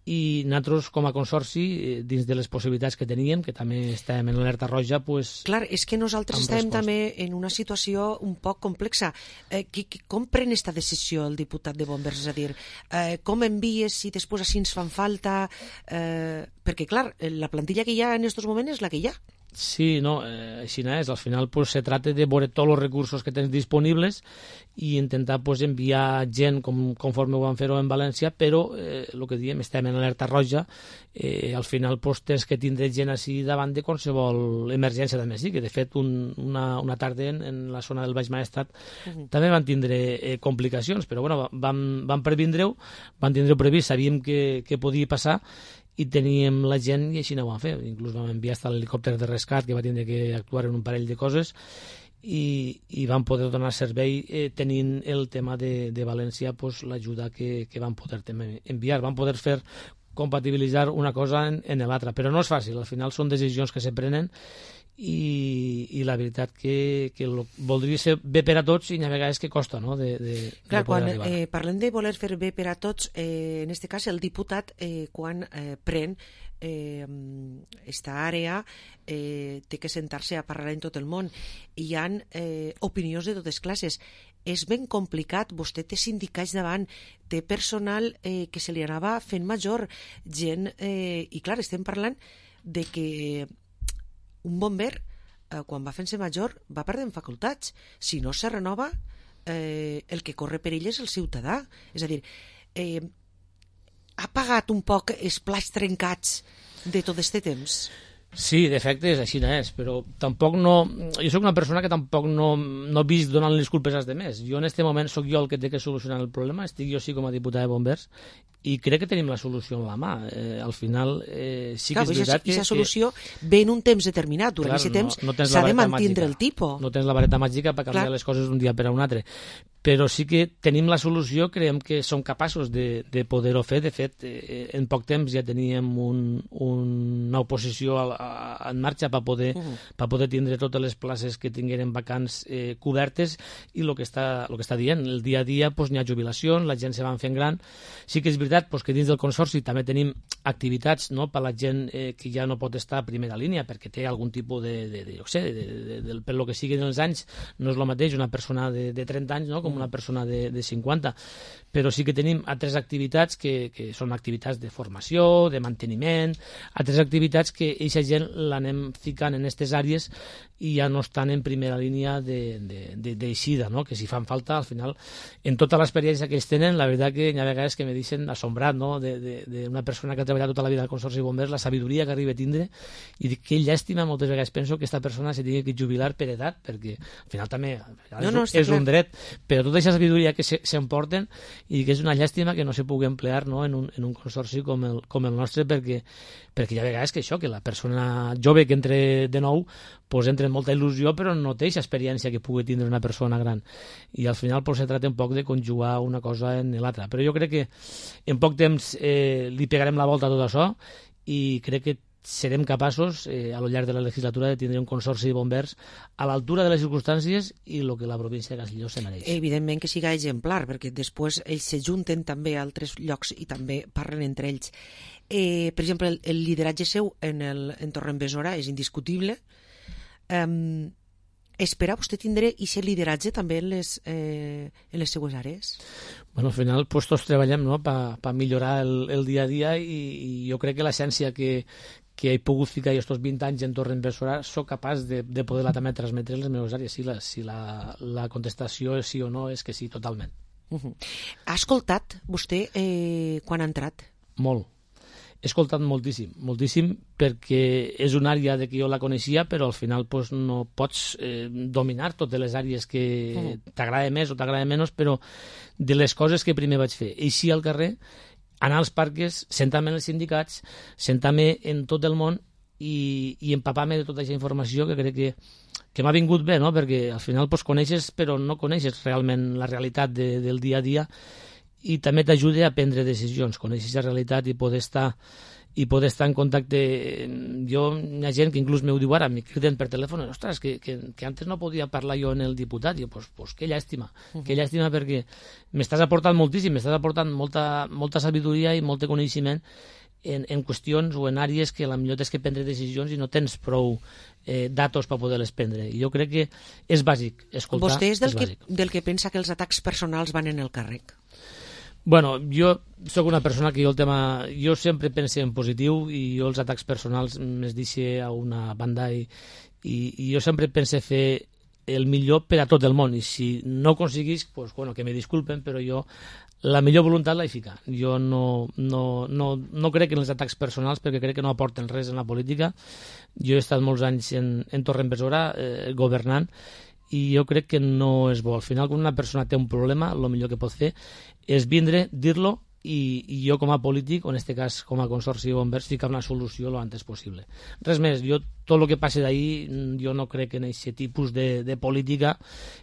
i nosaltres com a consorci, eh, dins de les possibilitats que teníem, que també estàvem en l'alerta roja, pues, clar, és que nosaltres estem resposta. també en una situació un poc complexa. Eh, qui, qui, com pren aquesta decisió el diputat de Bombers? És a dir, eh, com envies si després així ens fan falta? Eh, perquè, clar, la plantilla que hi ha en aquests moments és la que hi ha. Sí, no, eh, així no és. Al final pues, se trata de veure tots els recursos que tens disponibles i intentar pues, enviar gent com, conforme ho van fer-ho en València, però eh, el que diem, estem en alerta roja, eh, al final pues, tens que tindre gent així davant de qualsevol emergència també sí, que de fet un, una, una tarda en, en la zona del Baix Maestrat uh-huh. també van tindre eh, complicacions, però bueno, vam, vam previndre-ho, van tindre-ho previst, sabíem que, que podia passar, i teníem la gent i així no ho vam fer. Inclús vam enviar hasta l'helicòpter de rescat que va tindre que actuar en un parell de coses i, i vam poder donar servei eh, tenint el tema de, de València pues, l'ajuda que, que vam poder també enviar. Vam poder fer compatibilitzar una cosa en, en l'altra, però no és fàcil, al final són decisions que se prenen i, i la veritat que, que lo, voldria ser bé per a tots i hi ha vegades que costa, no?, de, de, Clar, de poder quan arribar. eh, parlem de voler fer bé per a tots, eh, en este cas el diputat eh, quan eh, pren eh, esta àrea eh, té que sentar-se a parlar en tot el món. Hi ha eh, opinions de totes classes. És ben complicat, vostè té sindicats davant, té personal eh, que se li anava fent major, gent, eh, i clar, estem parlant de que un bomber, eh, quan va fent-se major, va perdent facultats. Si no se renova, eh, el que corre perill és el ciutadà. És a dir, eh, ha pagat un poc els plats trencats de tot este temps? Sí, d'efecte és així, no és, però tampoc no... Jo sóc una persona que tampoc no, no visc donant les culpes als demés. Jo en este moment sóc jo el que té que solucionar el problema, estic jo sí com a diputat de bombers, i crec que tenim la solució en la mà. Eh, al final eh, sí clar, que és veritat que... Aquesta solució que... ve en un temps determinat, durant aquest temps no, no s'ha de mantindre el tipus. No tens la vareta màgica per canviar clar. les coses d'un dia per a un altre. Però sí que tenim la solució, creiem que som capaços de, de poder-ho fer. De fet, eh, en poc temps ja teníem un, un, una oposició a, a, en marxa per poder, uh -huh. per poder tindre totes les places que tingueren vacants eh, cobertes, i el que, està, el que està dient, el dia a dia pues, n'hi ha jubilacions, la gent se van fent gran. Sí que és veritat pues, que dins del Consorci també tenim activitats, no?, per la gent eh, que ja no pot estar a primera línia perquè té algun tipus de, de, de, jo sé, de, de, de, per lo que siguin els anys, no és el mateix una persona de, de trenta anys, no?, com una persona de, de cinquanta, però sí que tenim altres activitats que, que són activitats de formació, de manteniment, altres activitats que eixa gent l'anem ficant en aquestes àrees i ja no estan en primera línia d'eixida, no?, que si fan falta, al final, en tota l'experiència que ells tenen, la veritat que hi ha vegades que me deixen assombrat, no?, d'una persona que ha treballat tota la vida al Consorci de Bombers, la sabidoria que arriba a tindre, i dic que llàstima, moltes vegades penso que aquesta persona se tingui que jubilar per edat, perquè al final també no, no, és, és un dret, però tota aquesta sabidoria que s'emporten, i que és una llàstima que no se pugui emplear, no?, en, un, en un consorci com el, com el nostre, perquè, perquè hi ha vegades que això, que la persona jove que entre de nou, pues entra amb molta il·lusió, però no té aquesta experiència que pugui tindre una persona gran. I al final pues, se tracta un poc de conjugar una cosa en l'altra. Però jo crec que en poc temps eh, li pegarem la volta a tot això i crec que serem capaços, eh, a lo llarg de la legislatura, de tindre un consorci de bombers a l'altura de les circumstàncies i el que la província de Castelló se mereix. Evidentment que siga exemplar, perquè després ells se junten també a altres llocs i també parlen entre ells. Eh, per exemple, el, el lideratge seu en el en Torrent-Besora és indiscutible. Um, espera vostè tindre aquest lideratge també en les, eh, en les seues àrees? Bueno, al final pues, tots treballem, no?, per pa millorar el, el dia a dia, i, i jo crec que l'essència que, que he pogut ficar aquests vint anys en Torrent-Besora soc capaç de, de poder-la també transmetre en les meves àrees. Si, la, si la, la contestació és sí o no, és que sí, totalment. Uh -huh. Ha escoltat vostè eh, quan ha entrat? Molt. He escoltat moltíssim, moltíssim, perquè és una àrea de que jo la coneixia, però al final pues, no pots eh, dominar totes les àrees que uh-huh. t'agrada més o t'agrada menys, però de les coses que primer vaig fer, eixir al carrer, anar als parques, sentar-me en els sindicats, sentar-me en tot el món i, i empapar-me de tota aquesta informació que crec que, que m'ha vingut bé, no?, perquè al final pues, coneixes, però no coneixes realment la realitat de, del dia a dia, i també t'ajuda a prendre decisions, conèixer la realitat i poder estar i poder estar en contacte. Jo, hi ha gent que inclús m'ho diu ara, m'hi criden per telèfon, ostres, que, que, que antes no podia parlar jo en el diputat, i jo, pues, pues que llàstima, uh-huh. que llàstima, perquè m'estàs aportant moltíssim, m'estàs aportant molta, molta sabidoria i molt coneixement en, en qüestions o en àrees que potser tens que prendre decisions i no tens prou eh, datos per poder-les prendre. I jo crec que és bàsic escoltar. Vostè és del, és que, del que pensa que els atacs personals van en el càrrec? Bueno, jo sóc una persona que jo el tema... Jo sempre pense en positiu i jo els atacs personals me'ls deixe a una banda i, i, i jo sempre pense fer el millor per a tot el món, i si no ho aconseguís, pues, bueno, que me disculpen, però jo la millor voluntat l'he ficat. Jo no, no, no, no crec en els atacs personals perquè crec que no aporten res en la política. Jo he estat molts anys en, en Torrent-Besora eh, governant, i jo crec que no és bo. Al final, quan una persona té un problema, el millor que pot fer és vindre, dir-lo i, i jo com a polític, o en aquest cas com a consorci de bombers, ficar una solució lo antes possible. Res més, jo tot el que passi d'ahir, jo no crec en aquest tipus de, de política,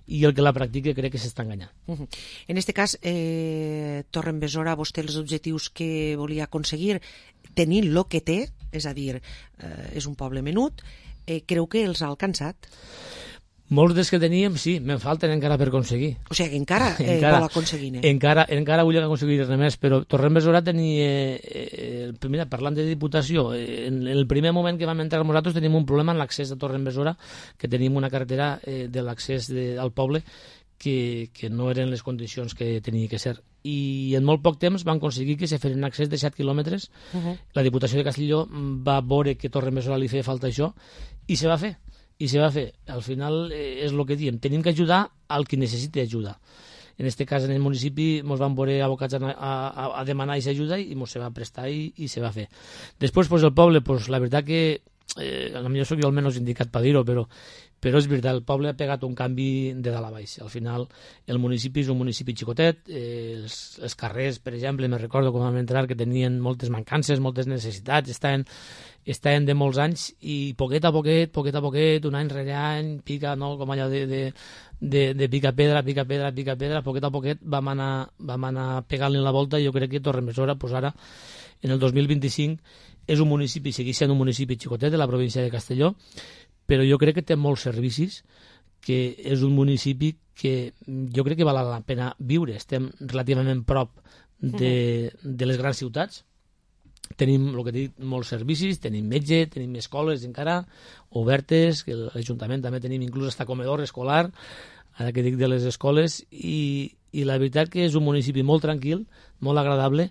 i el que la practica crec que s'està enganyant. Uh -huh. En aquest cas, eh, Torrebesora, vostè els objectius que volia aconseguir, tenint el que té, és a dir, eh, és un poble menut, eh, creu que els ha alcançat? Molts dels que teníem, sí, me'n falten encara per aconseguir. O sigui, encara, eh, encara vol aconseguir. Eh? Encara, encara vull aconseguir res més, però Torrebesora tenia... Eh, eh, mira, parlant de Diputació, eh, en el primer moment que vam entrar nosaltres tenim un problema en l'accés a Torrebesora, que tenim una carretera eh, de l'accés al poble que, que no eren les condicions que tenia que ser. I en molt poc temps van aconseguir que se fes un accés de set quilòmetres. Uh -huh. La Diputació de Castelló va veure que Torrebesora li feia falta això i se va fer. I se va fer. Al final eh, és el que diem, tenim que ajudar al qui necessita ajuda. En aquest cas, en el municipi, ens van veure abocats a, a, a demanar aquesta ajuda i ens se va prestar i, i se va fer. Després, pues, el poble, pues, la veritat que, eh, a mi soc jo el menys indicat per dir-ho, però, però és veritat, el poble ha pegat un canvi de dalt a baix. Al final, el municipi és un municipi xicotet, eh, els, els carrers, per exemple, me recordo quan vam entrar que tenien moltes mancances, moltes necessitats, estaven estaven de molts anys i poquet a poquet, poquet a poquet, un any rere any, pica, no? Com allò de, de, de, de pica pedra, pica pedra, pica pedra, poquet a poquet vam anar, vam anar pegant-li la volta i jo crec que Torrebesora, pues ara, en el dos mil vint-i-cinc, és un municipi, segueix sent un municipi xicotet de la província de Castelló, però jo crec que té molts servicis, que és un municipi que jo crec que val la pena viure. Estem relativament prop de, de les grans ciutats, tenim, el que dic, molts servicis, tenim metge, tenim escoles encara obertes, que l'Ajuntament també tenim inclús hasta comedor escolar, ara que dic de les escoles, i, i la veritat que és un municipi molt tranquil, molt agradable,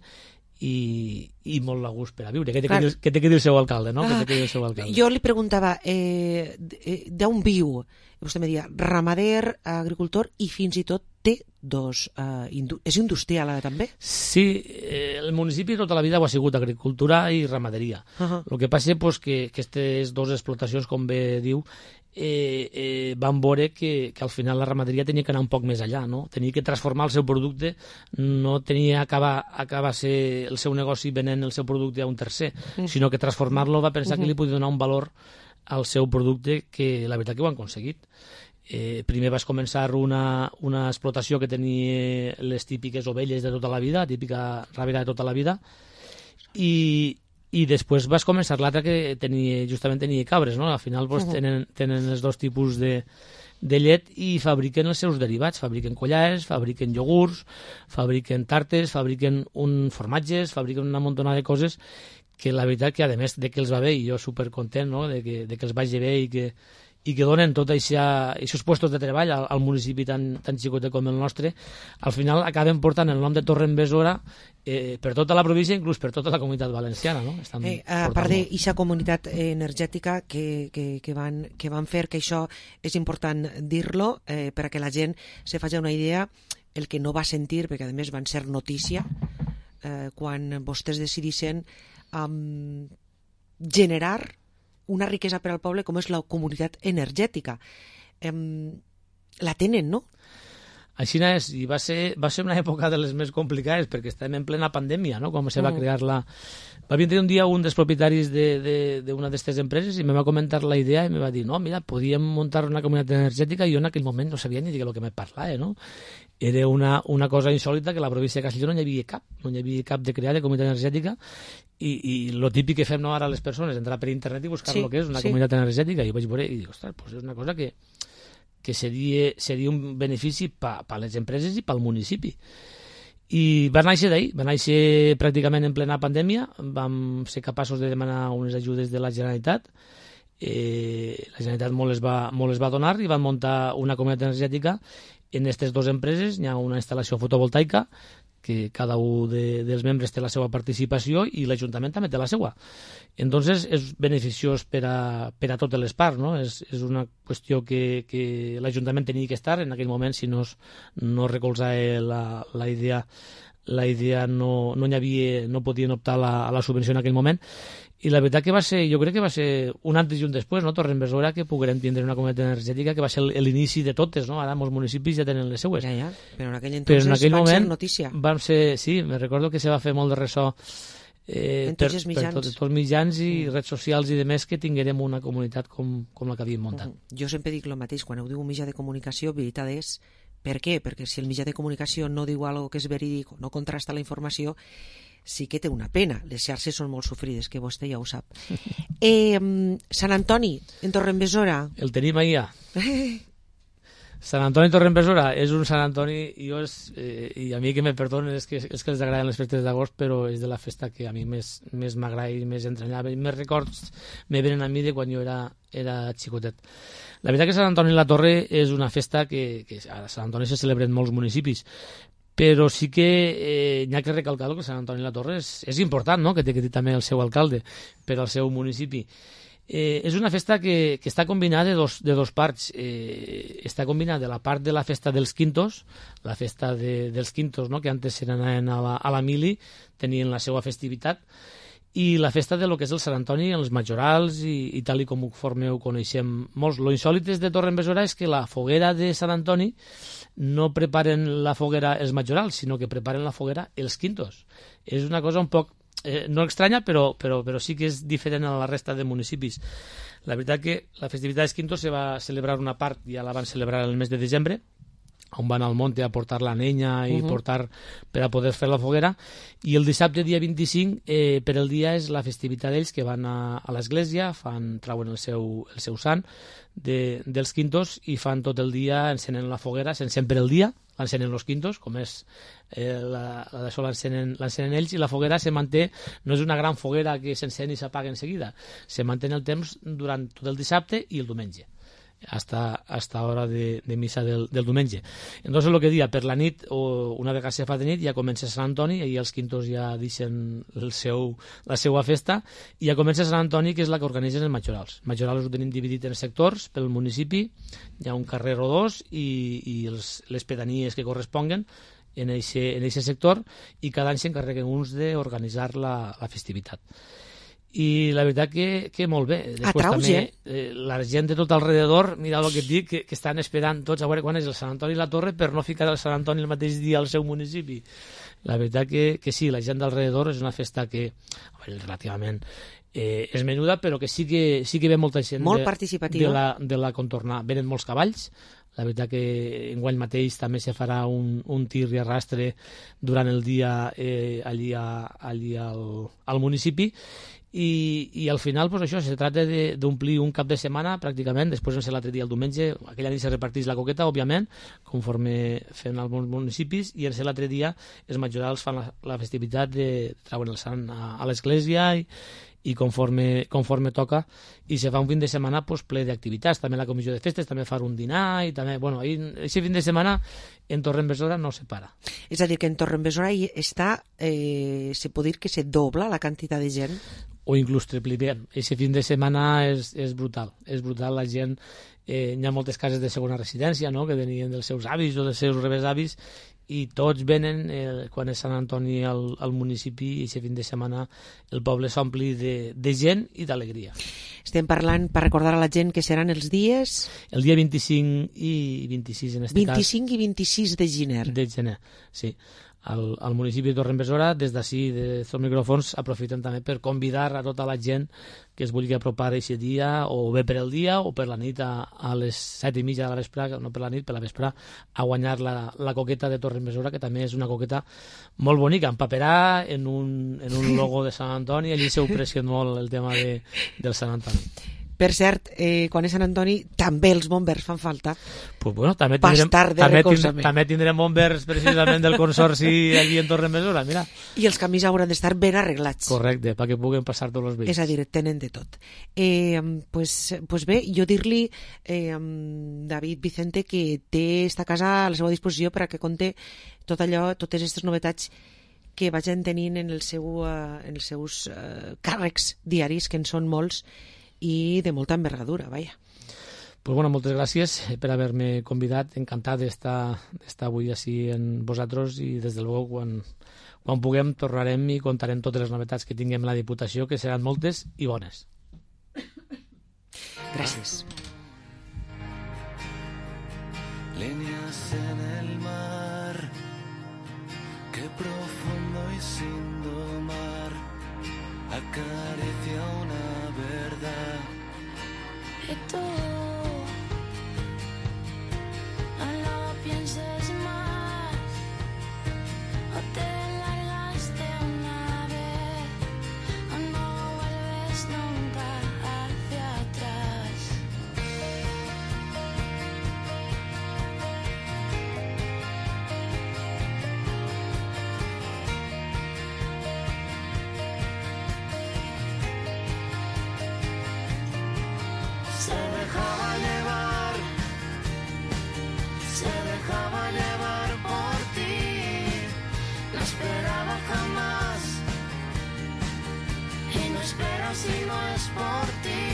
i, i molt a gust per a viure. Què té que, dir, què té que dir el seu alcalde, no? Ah, què té que dir el seu alcalde? Jo li preguntava, eh, d'on viu? Vostè me deia, ramader, agricultor, i fins i tot té dos... Eh, indu és industrial ara també? Sí, eh, el municipi tota la vida ho ha sigut agricultura i ramaderia. Uh -huh. El que passa és pues, que aquestes dues explotacions, com bé diu, eh, eh, van veure que, que al final la ramaderia tenia que anar un poc més allà, no? Tenia que transformar el seu producte, no tenia acabar, acabar ser el seu negoci venent el seu producte a un tercer, uh -huh. sinó que transformar-lo va pensar uh -huh. que li podia donar un valor al seu producte, que la veritat que ho han aconseguit. Eh, primer vas començar una, una explotació que tenia les típiques ovelles de tota la vida, típica rabera de tota la vida, i, i després vas començar l'altra que tenia, justament tenia cabres, no? Al final pues, tenen, tenen els dos tipus de, de llet i fabriquen els seus derivats, fabriquen collares, fabriquen iogurts, fabriquen tartes, fabriquen un formatges, fabriquen una muntona de coses que la veritat que a més de que els va bé, i jo supercontent, no? de, que, de que els vagi bé i que i que donen tots aquests puestos de treball al, al municipi tan, tan xicotet com el nostre, al final acaben portant el nom de Torrebesora eh, per tota la província, inclús per tota la comunitat valenciana. No? Eh, a part d'aquesta comunitat energètica que, que, que, van, que van fer, que això és important dir-lo, eh, per a que la gent se faci una idea, el que no va sentir, perquè a més van ser notícia, eh, quan vostès decidissin um, generar una riquesa per al poble com és la comunitat energètica. Em, la tenen, no? Així és, i va ser, va ser una època de les més complicades, perquè estàvem en plena pandèmia, no? Com se va crear la... Va vindre un dia un dels propietaris d'una de, de, d'aquestes empreses i me va comentar la idea i me va dir, no, mira, podíem muntar una comunitat energètica, i jo en aquell moment no sabia ni de què que me parlava, no? Era una, una cosa insòlita que a la província de Castelló no hi havia cap, no hi havia cap de crear de comunitat energètica, i, i lo típic que fem no, ara les persones, entrar per internet i buscar sí, el que és una sí. comunitat energètica, i ho vaig veure i dic, ostres, pues és una cosa que, que seria, seria un benefici per pa les empreses i pel municipi. I va néixer d'ahir, va néixer pràcticament en plena pandèmia, vam ser capaços de demanar unes ajudes de la Generalitat, eh, la Generalitat molt les, va, molt les va donar i van muntar una comunitat energètica. En aquestes dues empreses hi ha una instal·lació fotovoltaica que cada un de, dels membres té la seva participació i l'Ajuntament també té la seva. Entonces és beneficiós per a, per a totes les parts, no? És, és una qüestió que, que l'Ajuntament tenia que estar en aquell moment, si no, no recolzava la, la idea la idea no, no hi havia, no podien optar a la, a la subvenció en aquell moment, i la veritat que va ser, jo crec que va ser un antes i un després, no? Torrembesora, que poguérem tindre una comunitat energètica que va ser l'inici de totes, no? Ara molts municipis ja tenen les seues. Ja, ja, però en aquell entonces però en aquell van moment ser notícia. Vam ser, sí, me recordo que se va fer molt de ressò eh, per, per tots els mitjans i mm. redes socials i de més, que tinguérem una comunitat com, com la que havíem muntat. Mm. Jo sempre dic el mateix, quan ho diu un mitjà de comunicació, veritat és, per què? Perquè si el mitjà de comunicació no diu alguna que és verídic, no contrasta la informació, sí que té una pena. Les xarxes són molt sofrides, que vostè ja ho sap. eh, Sant Antoni, en Torrembesora. El tenim allà. Sant Antoni Torrembesora és un Sant Antoni, i, jo és, eh, i a mi que me perdonen és que, és que els agraden les festes d'agost, però és de la festa que a mi més, més m'agrada i més entranyava, i més records me venen a mi de quan jo era, era xicotet. La veritat que Sant Antoni la Torre és una festa que, que a Sant Antoni se celebra en molts municipis, però sí que eh, n'hi ha que recalcar que Sant Antoni la Torre és, és important, no? Que té que dir també el seu alcalde per al seu municipi. Eh, és una festa que, que està combinada de dos, de dos parts. Eh, està combinada de la part de la festa dels quintos, la festa de, dels quintos, no? Que antes anaven a la, a la mili, tenien la seva festivitat, i la festa de lo que és el Sant Antoni, els majorals, i, i tal i com ho formeu coneixem molts. Lo insòlit de Torrembesora és que la foguera de Sant Antoni no preparen la foguera els majorals, sinó que preparen la foguera els quintos. És una cosa un poc, eh, no estranya, però, però, però sí que és diferent a la resta de municipis. La veritat que la festivitat dels quintos se va celebrar una part, ja la van celebrar el mes de desembre, on van al monte a portar la nenya i uh -huh. portar per a poder fer la foguera, i el dissabte dia vint-i-cinc eh, per el dia és la festivitat d'ells, que van a, a l'església, fan, trauen el seu, el seu sant de, dels quintos, i fan tot el dia, encenen la foguera, s'encén per el dia, l'encenen els quintos, com és eh, la, la d'això l'encenen ells, i la foguera se manté, no és una gran foguera que s'encén i s'apaga en seguida, se manté el temps durant tot el dissabte i el diumenge, hasta, hasta hora de, de missa del, del diumenge. Entonces, lo que dia, per la nit, o una vegada se fa de nit, ja comença Sant Antoni, i els quintos ja deixen el seu, la seva festa, i ja comença Sant Antoni, que és la que organitzen els majorals. Majorals ho tenim dividit en sectors pel municipi, hi ha un carrer o dos, i, i els, les pedanies que corresponguen en aquest sector, i cada any s'encarreguen uns d'organitzar la, la festivitat. I la veritat que, que molt bé. Després Atraus, també eh, la gent de tot alrededor, mira el que et dic, que, que estan esperant tots a veure quan és el Sant Antoni i la Torre per no ficar el Sant Antoni el mateix dia al seu municipi. La veritat que, que sí, la gent d'alrededor és una festa que veure, relativament eh, és menuda, però que sí que, sí que ve molta gent molt de, participativa de, la, de la contornar. Venen molts cavalls. La veritat que enguany mateix també se farà un, un tir i arrastre durant el dia eh, allí, a, allí al, al municipi. I, i al final pues això, se tracta d'omplir un cap de setmana pràcticament, després no sé l'altre dia el diumenge, aquella nit se reparteix la coqueta, òbviament, conforme fem alguns municipis, i en ser l'altre dia els majorals fan la, la festivitat de trauen el sant a, a l'església i, i conforme, conforme toca, i se fa un fin de setmana pues, ple d'activitats, també la comissió de festes també fa un dinar, i també, bueno, aquest fin de setmana en Torrembesora no se para. És a dir, que en Torrembesora està, eh, se pot dir que se dobla la quantitat de gent? O inclús tripliquem. Aquest fin de setmana és, és brutal, és brutal, la gent, eh, hi ha moltes cases de segona residència, no?, que venien dels seus avis o dels seus rebesavis, i tots venen, eh, quan és Sant Antoni al, al municipi, i aquest fin de setmana el poble s'ompli de, de gent i d'alegria. Estem parlant, per recordar a la gent, que seran els dies... El dia vint-i-cinc i vint-i-sis, en aquest cas. vint-i-cinc i vint-i-sis de gener. De gener, sí. Al, al municipi de Torrembesora, des d'ací, des dels micròfons, aprofitem també per convidar a tota la gent que es vulgui apropar aquest dia, o bé per el dia o per la nit a, a les set i mitja de la vespre, no per la nit, per la vespre, a guanyar la, la coqueta de Torrembesora, que també és una coqueta molt bonica, empaperà en un, en un logo de Sant Antoni, allí s'ho pressió molt el tema de, del Sant Antoni. Per cert, eh, quan és Sant Antoni també els bombers fan falta. Pues bueno, també tindrem, també, tindrem, també tindrem bombers precisament del consorci allí en Torrembesora, mira. I els camins hauran d'estar ben arreglats. Correcte, perquè puguen passar tots els veïns. És a dir, tenen de tot. Eh, pues, pues bé, jo dir-li eh, David Vicente que té esta casa a la seva disposició per a que conte tot allò, totes aquestes novetats que vagin tenint en, el seu, uh, en els seus uh, càrrecs diaris, que en són molts, i de molta envergadura, vaja. Pues bueno, moltes gràcies per haver-me convidat. Encantat d'estar avui així en vosaltres i des de luego quan, quan puguem tornarem i contarem totes les novetats que tinguem a la Diputació, que seran moltes i bones. Gràcies. Líneas en el mar, qué profundo y sin domar, acaricia una verdad. Y tú no lo pienses más, o te largas de una vez, o no vuelves nunca hacia atrás. Se dejaba llevar, se dejaba llevar por ti, no esperaba jamás, y no espero si no es por ti,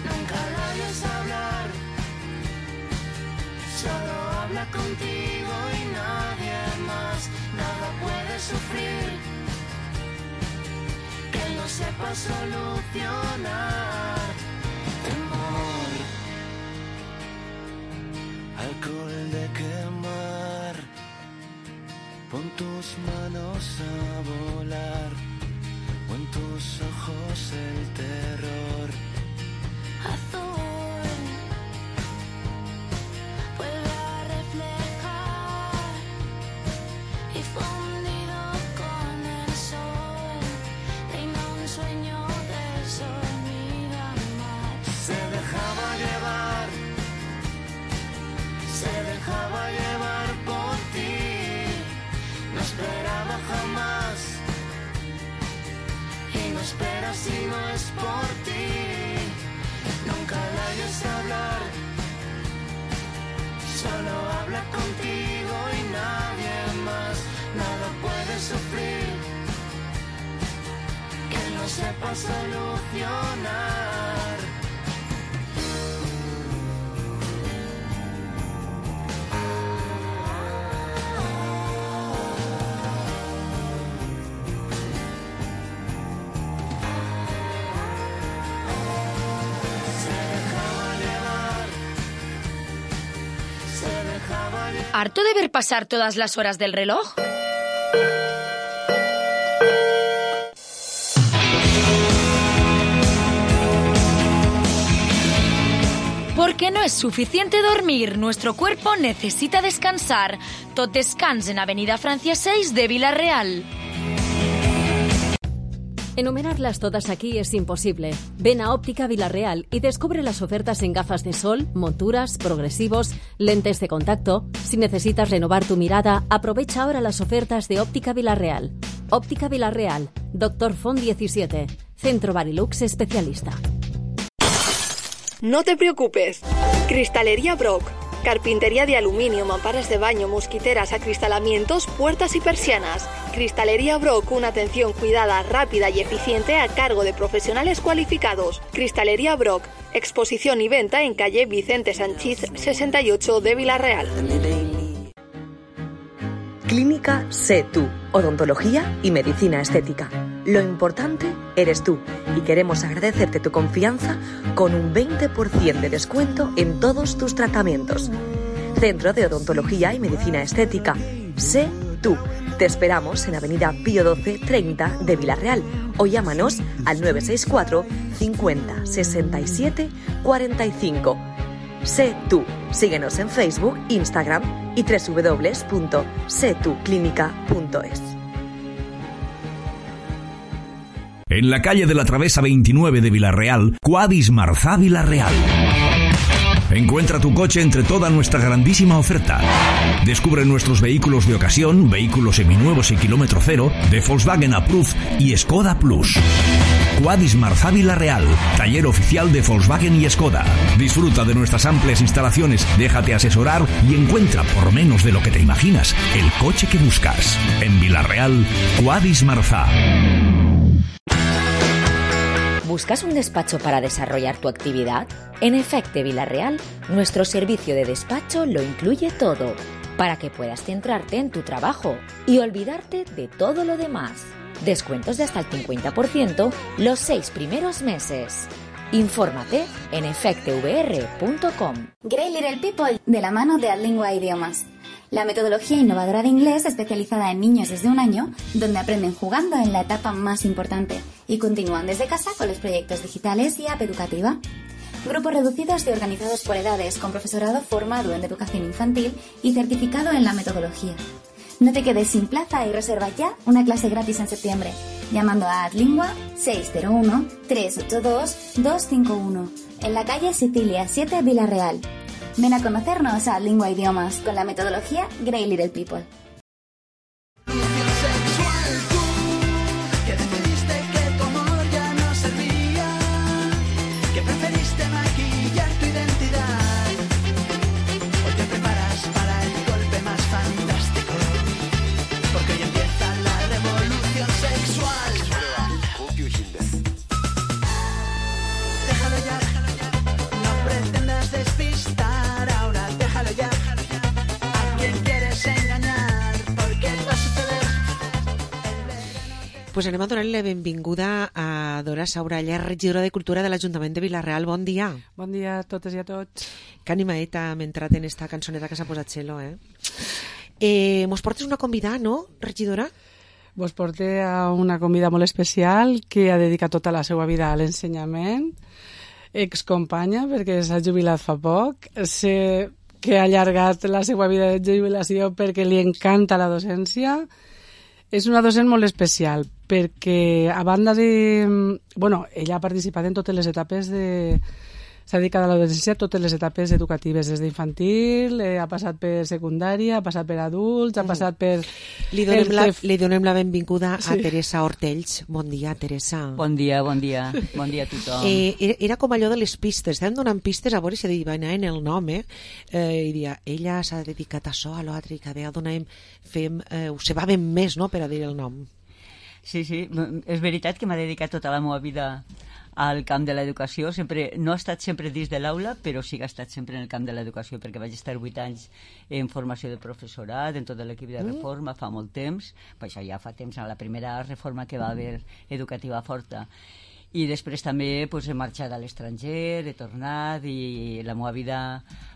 nunca la oyes hablar, solo habla contigo y nadie más, nada puede sufrir, que no sepa solucionar. Temor, alcohol de quemar, pon tus manos a volar, o en tus ojos el terror. Azul, vuelve a reflejar y fundido con el sol, reina un sueño de sol. Se dejaba llevar, se dejaba llevar por ti, no esperaba jamás, y no espera si no es por ti, nunca la oyes hablar, solo habla contigo y nadie más, nada puede sufrir, que no sepa solucionar. ¿Harto de ver pasar todas las horas del reloj? Porque no es suficiente dormir, nuestro cuerpo necesita descansar. Tot descans en Avenida Francia seis de Vila-real. Enumerarlas todas aquí es imposible. Ven a Óptica Vila-real y descubre las ofertas en gafas de sol, monturas, progresivos, lentes de contacto. Si necesitas renovar tu mirada, aprovecha ahora las ofertas de Óptica Vila-real. Óptica Vila-real, Doctor Font diecisiete, Centro Barilux especialista. No te preocupes. Cristalería Brock. Carpintería de aluminio, mamparas de baño, mosquiteras, acristalamientos, puertas y persianas. Cristalería Brock, una atención cuidada, rápida y eficiente a cargo de profesionales cualificados. Cristalería Brock, exposición y venta en calle Vicente Sanchís sesenta y ocho de Vila-real. Clínica Sé Tú, odontología y medicina estética. Lo importante eres tú y queremos agradecerte tu confianza con un veinte por ciento de descuento en todos tus tratamientos. Centro de Odontología y Medicina Estética. Sé Tú. Te esperamos en Avenida Pío doce treinta de Vila-real o llámanos al nueve seis cuatro cincuenta sesenta y siete cuarenta y cinco. Sé Tú. Síguenos en Facebook, Instagram y doble u doble u doble u punto sé tú clínica punto es. En la calle de la Travesa veintinueve de Vila-real, Quadis Marzá Vila-real. Encuentra tu coche entre toda nuestra grandísima oferta. Descubre nuestros vehículos de ocasión, vehículos seminuevos y kilómetro cero, de Volkswagen Approved y Skoda Plus. Quadis Marzá Vila-real, taller oficial de Volkswagen y Skoda. Disfruta de nuestras amplias instalaciones, déjate asesorar y encuentra por menos de lo que te imaginas el coche que buscas. En Vila-real, Quadis Marzá. ¿Buscas un despacho para desarrollar tu actividad? En Efecte Villarreal, nuestro servicio de despacho lo incluye todo, para que puedas centrarte en tu trabajo y olvidarte de todo lo demás. Descuentos de hasta el cincuenta por ciento los seis primeros meses. Infórmate en efecte v r punto com. Great Little People, de la mano de Adlingua Idiomas. La metodología innovadora de inglés especializada en niños desde un año, donde aprenden jugando en la etapa más importante y continúan desde casa con los proyectos digitales y app educativa. Grupos reducidos y organizados por edades, con profesorado formado en educación infantil y certificado en la metodología. No te quedes sin plaza y reserva ya una clase gratis en septiembre, llamando a Adlingua seis cero uno, tres ocho dos, dos cinco uno, en la calle Sicilia siete, Villarreal. Ven a conocernos a Adlingua Idiomas con la metodología Great Little People. Pues anem a donar-li la benvinguda a Dora Sauralla, regidora de Cultura de l'Ajuntament de Vila-real. Bon dia. Bon dia a totes i a tots. Que animaeta hem entrat en esta cançoneta que s'ha posat Xelo, eh? eh? Mos portes una convidada, no, regidora? Vos porte a una convidada molt especial que ha dedicat tota la seva vida a l'ensenyament, excompanya, perquè s'ha jubilat fa poc, sé que ha allargat la seva vida de jubilació perquè li encanta la docència. És una docent molt especial perquè, a banda de... Bueno, ella ha participat en totes les etapes de... S'ha dedicat a la docència a totes les etapes educatives, des d'infantil, eh, ha passat per secundària, ha passat per adults, ha passat per... Li donem, la, li donem la benvinguda a sí. Teresa Hortells. Bon dia, Teresa. Bon dia, bon dia. Bon dia a tothom. Eh, era, era com allò de les pistes. Estàvem donant pistes a veure si adivinaven en el nom, eh? eh I dia, ella s'ha dedicat a això, a l'altre, i cada vegada donem, fem, eh, ho sabàvem més, no?, per a dir el nom. Sí, sí. És veritat que m'ha dedicat tota la meva vida al camp de l'educació. Sempre, no ha estat sempre dins de l'aula, però sí que ha estat sempre en el camp de l'educació, perquè vaig estar vuit anys en formació de professorat, en tot l'equip de reforma, fa molt temps, pues això ja fa temps, en la primera reforma que va haver educativa forta. I després també pues, he marxat a l'estranger, he tornat, i la meva vida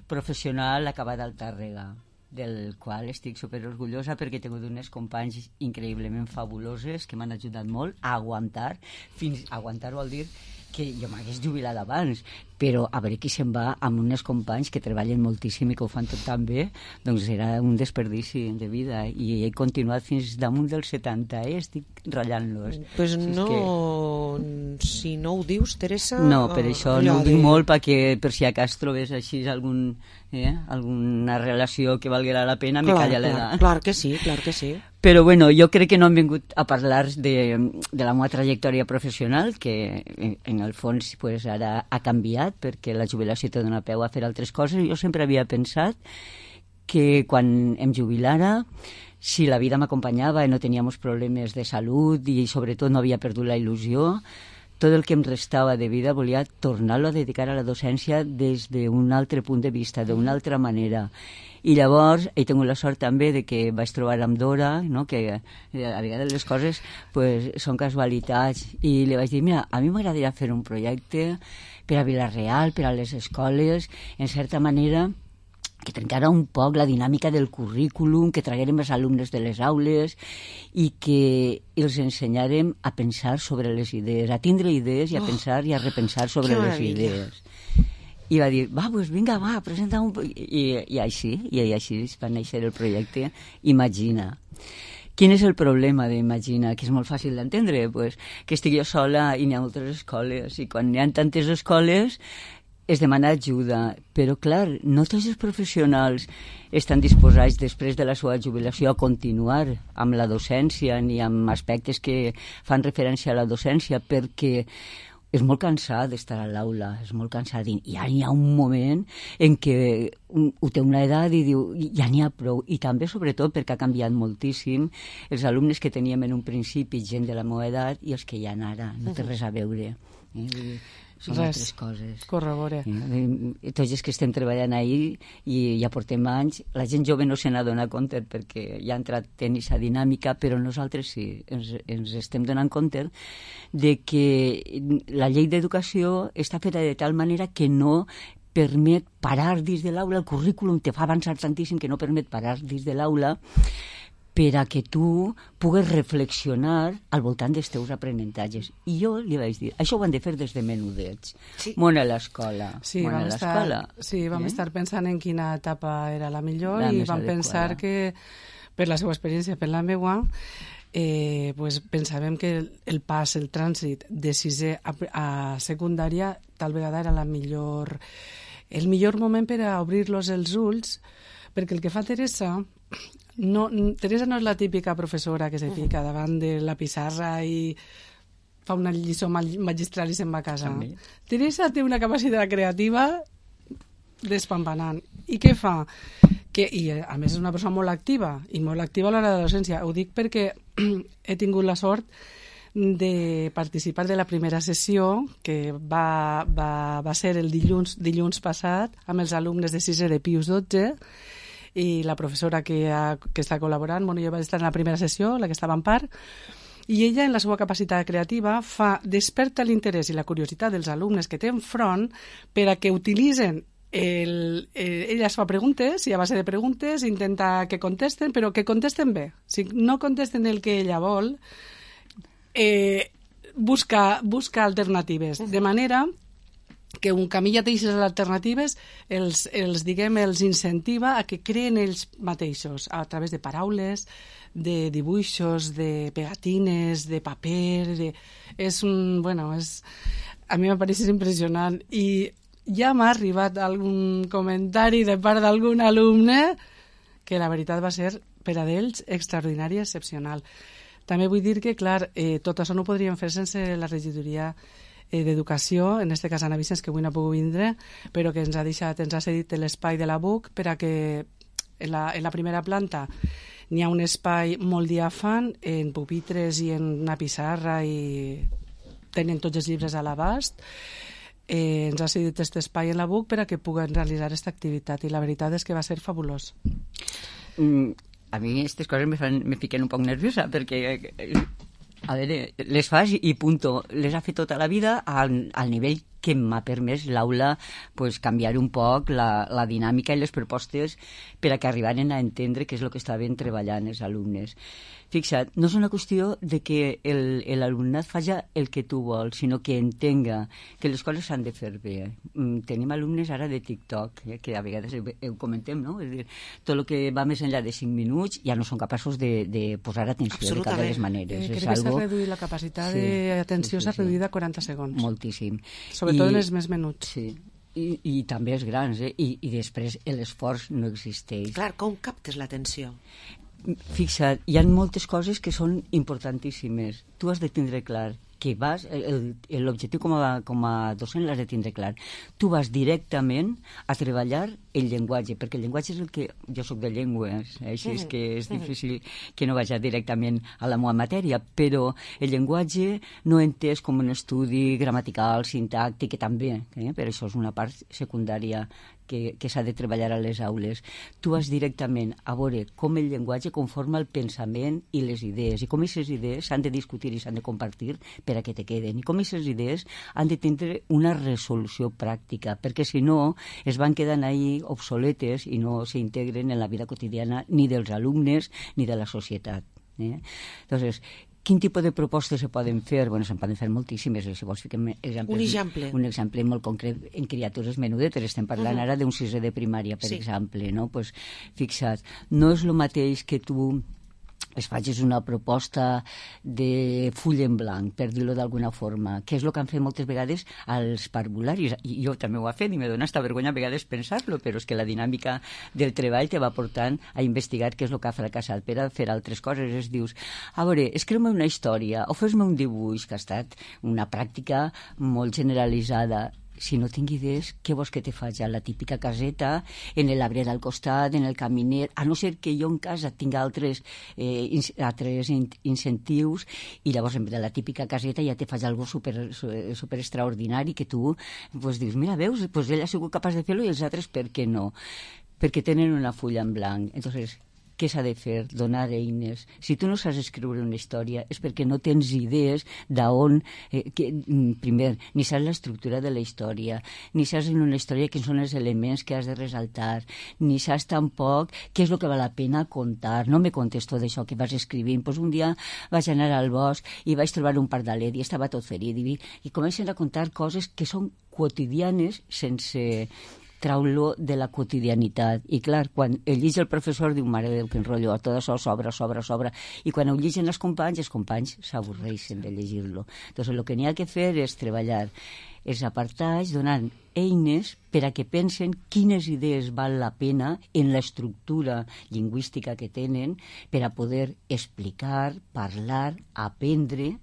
professional ha acabat al Tàrrega, del qual estic superorgullosa perquè he tingut uns companys increïblement fabuloses que m'han ajudat molt a aguantar. Fins a aguantar vol dir que jo m'hagués jubilat abans, però a veure qui se'n va amb uns companys que treballen moltíssim i que ho fan tot tan bé, doncs era un desperdici de vida, i he continuat fins damunt dels setanta, eh? Estic ratllant-los. Pues si no, que... si no ho dius, Teresa... No, per això no ho dic de... molt, perquè per si acas trobes així algun, eh? alguna relació que valguera la pena, me calla l'edat. Clar, clar que sí, clar que sí. Però bueno, jo crec que no hem vingut a parlar de, de la meva trajectòria professional, que en, en el fons pues, ara ha canviat, perquè la jubilació te dona peu a fer altres coses. Jo sempre havia pensat que quan em jubilara, si la vida m'acompanyava i no teníamos problemes de salut i sobretot no havia perdut la il·lusió, tot el que em restava de vida volia tornar-lo a dedicar a la docència des d'un altre punt de vista, d'una altra manera. I llavors he tingut la sort també de que vaig trobar amb Dora, no? Que a vegades les coses pues, són casualitats, i li vaig dir, mira, a mi m'agradaria fer un projecte per a Vila-real, per a les escoles, en certa manera que trencara un poc la dinàmica del currículum, que traguérem els alumnes de les aules i que els ensenyàrem a pensar sobre les idees, a tindre idees i a pensar i a repensar sobre les idees. I va dir, va, pues vinga, va, presenta un... I, i així, i així va néixer el projecte Imagina. Quin és el problema d'Imagina? Que és molt fàcil d'entendre, pues, que estic jo sola i n'hi ha moltes escoles, i quan n'hi ha tantes escoles es demana ajuda, però clar, no tots els professionals estan disposats després de la seva jubilació a continuar amb la docència ni amb aspectes que fan referència a la docència, perquè és molt cansat d'estar a l'aula, és molt cansat, i ja n'hi ha un moment en què ho té una edat i diu, ja n'hi ha prou, i també sobretot perquè ha canviat moltíssim els alumnes que teníem en un principi, gent de la meva edat, i els que hi ha ara, no té res a veure. Eh? Són Res, altres coses. corrobore. Eh, tots els que estem treballant ahir i ja portem anys, la gent jove no se n'ha donat compte perquè ja ha entrat en aquesta dinàmica, però nosaltres sí, ens, ens estem donant compte de que la llei d'educació està feta de tal manera que no permet parar dins de l'aula, el currículum te fa avançar tantíssim que no permet parar dins de l'aula per a que tu pugues reflexionar al voltant dels teus aprenentatges. I jo li vaig dir, això ho han de fer des de menudets. Sí. Món a l'escola. Sí, Món vam, a l'escola. estar, sí, vam eh? estar pensant en quina etapa era la millor la i vam adequada. pensar que, per la seva experiència, per la meua, eh, pues, pensàvem que el, el pas, el trànsit de sisè a, a secundària tal vegada era la millor, el millor moment per a obrir-los els ulls, perquè el que fa Teresa... No, Teresa no és la típica professora que se fica davant de la pissarra i fa una lliçó magistral i se'n va a casa. També. Teresa té una capacitat creativa despampanant. I què fa? Que, i a més és una persona molt activa, i molt activa a l'hora de la docència. Ho dic perquè he tingut la sort de participar de la primera sessió que va, va, va ser el dilluns, dilluns passat amb els alumnes de sisè de Pius dotze, i la professora que, ha, que està col·laborant, bueno, jo vaig estar en la primera sessió, la que estava en part, i ella, en la seva capacitat creativa, fa desperta l'interès i la curiositat dels alumnes que té enfront per a que utilitzen el, eh, ella es fa preguntes, i a base de preguntes intenta que contesten, però que contesten bé. Si no contesten el que ella vol, eh, busca, busca alternatives, de manera que un camí ja té aquestes alternatives, els, els, diguem, els incentiva a que creen ells mateixos, a través de paraules, de dibuixos, de pegatines, de paper... De... És un... Bueno, és... A mi m'ha pareixit impressionant. I ja m'ha arribat algun comentari de part d'algun alumne que la veritat va ser, per a d'ells, extraordinari i excepcional. També vull dir que, clar, eh, tot això no ho podríem fer sense la regidoria d'Educació, en aquest cas Anna Vicenç, que avui no ha pogut vindre, però que ens ha deixat, ens ha cedit l'espai de la B U C per a que en la, en la primera planta n'hi ha un espai molt diàfan, en pupitres i en una pissarra, i tenen tots els llibres a l'abast. Eh, ens ha cedit aquest espai en la B U C per a que puguen realitzar aquesta activitat, i la veritat és que va ser fabulós. Mm, a mi aquestes coses me, fan, me fiquen un poc nerviosa, perquè... A veure, les fas i punto. Les ha fet tota la vida al, al nivell que m'ha permès l'aula pues, canviar un poc la, la dinàmica i les propostes per a que arribaren a entendre què és el que estaven treballant els alumnes. Fixa't, no és una qüestió de que l'alumnat faci el que tu vols, sinó que entenga que les coses s'han de fer bé. Mm, tenim alumnes ara de TikTok, eh, que a vegades ho, ho comentem, no? És dir, tot el que va més enllà de cinc minuts ja no són capaços de, de posar atenció de cap de les maneres. Eh, crec que s'ha reduït la capacitat sí, d'atenció, s'ha sí, sí, reduït a quaranta segons. Moltíssim. Sobretot I, en els més menuts. Sí. I, i també els grans, eh? I, i després l'esforç no existeix. Clar, com captes l'atenció? Fixa't, hi ha moltes coses que són importantíssimes. Tu has de tindre clar que vas, l'objectiu com, com a docent l'has de tindre clar. Tu vas directament a treballar el llenguatge, perquè el llenguatge és el que... Jo sóc de llengües, eh? Així és que és difícil que no vagi directament a la meva matèria, però el llenguatge no entès com un estudi gramatical, sintàctic, que també, eh? Però això és una part secundària que, que s'ha de treballar a les aules. Tu vas directament a veure com el llenguatge conforma el pensament i les idees, i com aquestes idees s'han de discutir i s'han de compartir per a que te queden, i com aquestes idees han de tindre una resolució pràctica, perquè si no es van quedant ahí obsoletes i no s'integren en la vida quotidiana ni dels alumnes ni de la societat. Eh? Entonces, quin tipus de propostes se poden fer? Bueno, se'n poden fer moltíssimes. Si vols fiquem exemples, un exemple. Un exemple molt concret en criatures menudetes. Estem parlant uh-huh. ara d'un sisè de primària, per sí. exemple. No? Pues, fixa't, no és el mateix que tu es facis una proposta de full en blanc, per dir-ho d'alguna forma, que és el que han fet moltes vegades als parvularis. I jo també ho he fet i me dona esta vergonya a vegades pensar-lo, però és que la dinàmica del treball te va portant a investigar què és el que ha fracassat per a fer altres coses. Es dius, a veure, escriu-me una història o fes-me un dibuix, que ha estat una pràctica molt generalitzada. si no tinc idees, què vols que te faig? A la típica caseta, en l'arbre al costat, en el caminer, a no ser que jo en casa tinc altres, eh, in, altres in, incentius, i llavors en la típica caseta ja te faig algo super, super extraordinari que tu pues, dius, mira, veus, pues ell ha sigut capaç de fer-lo i els altres per què no? Perquè tenen una fulla en blanc. Entonces, què s'ha de fer? Donar eines. Si tu no saps escriure una història és perquè no tens idees d'on, eh, que, primer, ni saps l'estructura de la història, ni saps en una història quins són els elements que has de resaltar, ni saps tampoc què és el que val la pena contar. No me contes tot això que vas escrivint. Pues un dia vaig anar al bosc i vaig trobar un pardalet i estava tot ferit i, i comencen a contar coses que són quotidianes sense trau-lo de la quotidianitat. I clar, quan el llig el professor diu, mare de Déu, quin rotllo, tot això sobra, sobra, sobra. I quan ho lligen els companys, els companys s'avorreixen de llegir-lo. Entonces, el que n'hi ha que fer és treballar els apartats, donant eines per a que pensen quines idees val la pena en l'estructura lingüística que tenen per a poder explicar, parlar, aprendre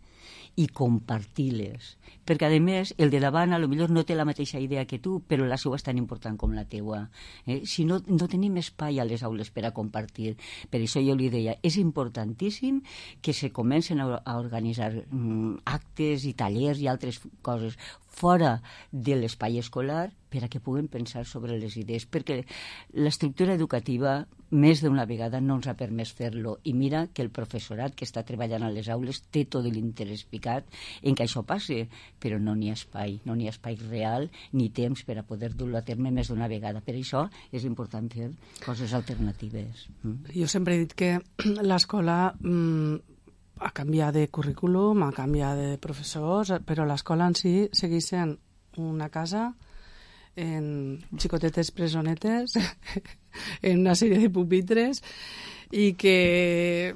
i compartir-les. Perquè, a més, el de davant a lo millor no té la mateixa idea que tu, però la seva és tan important com la teua. Eh? Si no, no tenim espai a les aules per a compartir. Per això jo li deia, és importantíssim que se comencen a, a organitzar mm, actes i tallers i altres coses fora de l'espai escolar per a que puguem pensar sobre les idees, perquè l'estructura educativa més d'una vegada no ens ha permès fer-lo, i mira que el professorat que està treballant a les aules té tot l'interès picat en que això passi, però no n'hi ha espai, no n'hi ha espai real ni temps per a poder dur-lo a terme més d'una vegada. Per això és important fer coses alternatives. Mm? Jo sempre he dit que l'escola mm, ha canviat de currículum, ha canviat de professors, però l'escola en si segueix sent una casa en xicotetes presonetes, en una sèrie de pupitres, i que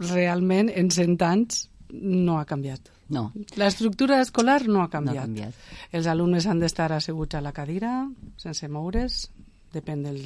realment en cent anys no ha canviat. No. L'estructura escolar no ha canviat. No ha canviat. Els alumnes han d'estar asseguts a la cadira, sense moure's, depèn del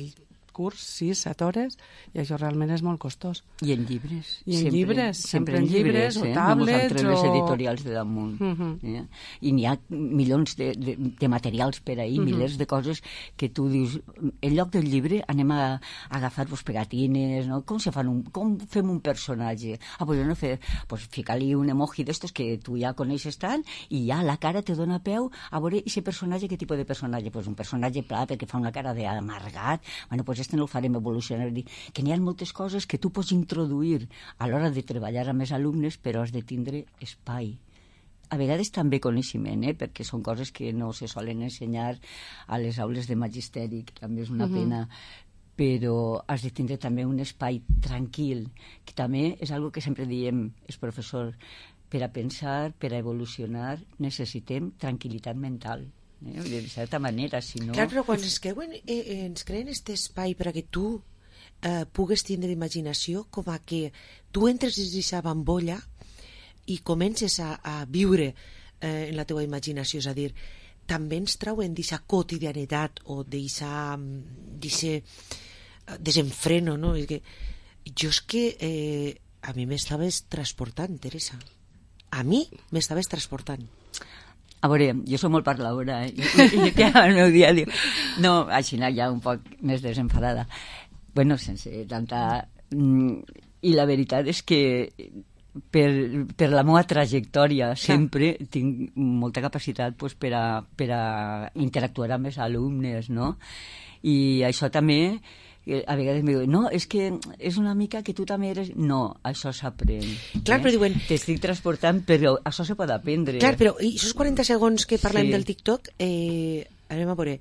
curs, sis, set hores, i això realment és molt costós. I en llibres. I en sempre, llibres, sempre, sempre en llibres, eh? o tablets, no o... les editorials de damunt. Uh -huh. eh? I n'hi ha milions de, de, de materials per ahir, uh -huh. milers de coses que tu dius, en lloc del llibre anem a, a agafar-vos pegatines, no? Com se fan un, com fem un personatge? Ah, pues jo no fe, pues ficar-li un emoji d'estos que tu ja coneixes tant, i ja la cara te dona peu a veure aquest personatge, què tipus de personatge? Pues un personatge pla perquè fa una cara d'amargat. Bueno, pues este no el farem evolucionar, que n'hi ha moltes coses que tu pots introduir a l'hora de treballar amb els alumnes, però has de tindre espai. A vegades també coneixement, eh? Perquè són coses que no se solen ensenyar a les aules de magisteri, que també és una Uh-huh. pena, però has de tindre també un espai tranquil, que també és algo que sempre diem els professors, per a pensar, per a evolucionar, necessitem tranquil·litat mental. Eh? De certa manera, si no... Clar, però quan ens creuen, eh, ens creen aquest espai per a que tu eh, pugues tindre imaginació, com a que tu entres dins d'aquesta bambolla i comences a, a viure eh, en la teva imaginació, és a dir, també ens trauen d'aquesta quotidianitat o d'aquest desenfreno, no? És que, jo és que eh, a mi m'estaves transportant, Teresa. A mi m'estaves transportant. A veure, jo soc molt parladora, eh? I, i, i el meu dia diu... No, així ja un poc més desenfadada. Bueno, sense tanta... I la veritat és que per, per la meva trajectòria sempre sí. tinc molta capacitat pues, per, a, per a interactuar amb els alumnes, no? I això també... a vegades em diuen, no, és que és una mica que tu també eres... No, això s'aprèn. Clar, eh? Però diuen... T'estic transportant, però això se pot aprendre. Clar, però i aquests quaranta segons que parlem Sí. del TikTok, eh, anem a veure,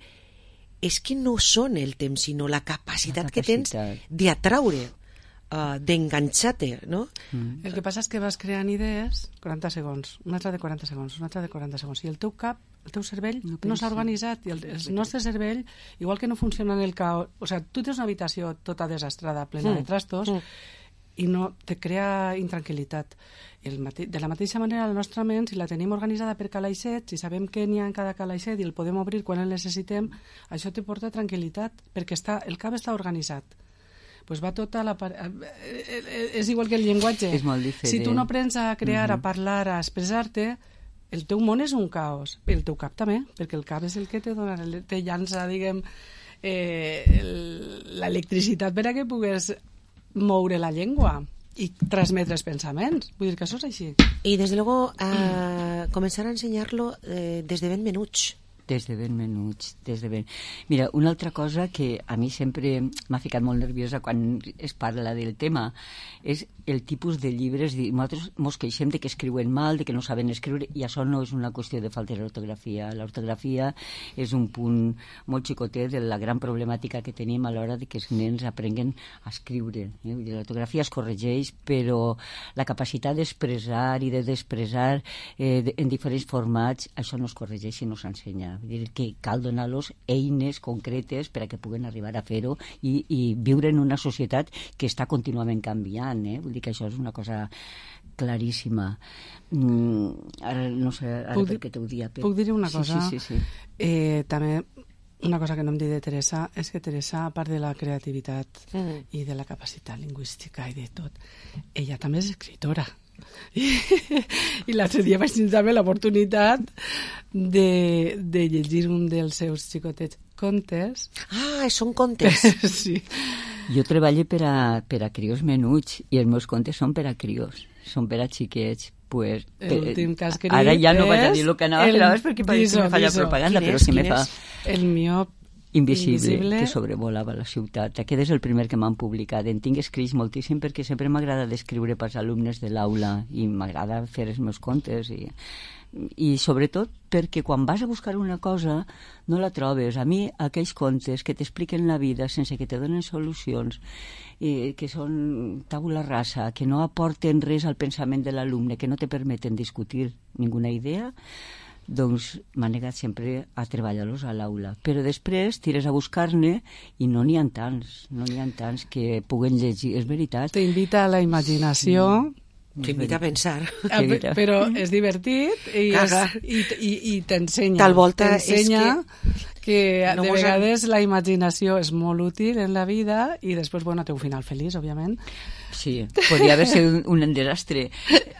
és que no són el temps, sinó la capacitat, la capacitat. que tens d'atraure, uh, d'enganxar-te, no? Mm. El que passa és que vas creant idees, quaranta segons, una altra de quaranta segons, una altra de quaranta segons, i el teu cap, el teu cervell no, no s'ha organitzat, i el, el nostre cervell, igual que no funciona en el caos, o sigui, tu tens una habitació tota desastrada, plena mm. de trastos, mm. i no te crea intranquil·litat. El mate... De la mateixa manera, la nostra ment, si la tenim organitzada per calaixets, si sabem què n'hi ha en cada calaixet i el podem obrir quan el necessitem, això te porta tranquil·litat, perquè està, el cap està organitzat. Pues va tota la... És igual que el llenguatge. És molt diferent. Si tu no aprens a crear, uh-huh. a parlar, a expressar-te, el teu món és un caos, el teu cap també, perquè el cap és el que te dona, te llança, diguem, eh, l'electricitat per a que pugues moure la llengua i transmetre els pensaments. Vull dir que això és així. I, des de luego, a començar a ensenyar-lo eh, des de ben menuts. Des de ben menuts, des de ben... Mira, una altra cosa que a mi sempre m'ha ficat molt nerviosa quan es parla del tema és el tipus de llibres. Nosaltres mos queixem de que escriuen mal, de que no saben escriure, i això no és una qüestió de falta d'ortografia. L'ortografia és un punt molt xicotet de la gran problemàtica que tenim a l'hora de que els nens aprenguen a escriure. Eh? L'ortografia es corregeix, però la capacitat d'expressar i de despressar eh, en diferents formats, això no es corregeix i no s'ensenya. Vull dir que cal donar-los eines concretes per a que puguen arribar a fer-ho i, i viure en una societat que està contínuament canviant. Eh? Vull dir que això és una cosa claríssima. Mm, ara no sé ara puc per què t'ho dia. Puc dir una cosa? Sí, sí, sí, sí. Eh, també una cosa que no em dit de Teresa és que Teresa, a part de la creativitat mm. i de la capacitat lingüística i de tot, ella també és escritora. I, i l'altre dia vaig tenir també l'oportunitat de, de llegir un dels seus xicotets contes. Ah, són contes. Sí. Jo treballo per a, per a crios menuts i els meus contes són per a crios, són per a xiquets. Pues, l'últim que has escrit ara ja no vaig a dir el que anava a fer abans perquè pareix que me fa la propaganda, però si me fa... El miop Invisible, Invisible, que sobrevolava la ciutat. Aquest és el primer que m'han publicat. En tinc escrits moltíssim perquè sempre m'agrada descriure pels alumnes de l'aula i m'agrada fer els meus contes i, i sobretot perquè quan vas a buscar una cosa no la trobes. A mi aquells contes que t'expliquen la vida sense que te donen solucions, eh, que són tabula rasa, que no aporten res al pensament de l'alumne, que no te permeten discutir ninguna idea, doncs m'ha negat sempre a treballar-los a l'aula. Però després tires a buscar-ne i no n'hi ha tants, no n'hi ha tants que puguen llegir, és veritat. T'invita a la imaginació. Sí. T'invita a pensar. A, però és divertit i, és, i, i, i t'ensenya. Tal volta t'ensenya és que... que no de mos vegades la imaginació és molt útil en la vida i després, bueno, té un final feliç, òbviament. Sí, podria haver sigut un, un desastre.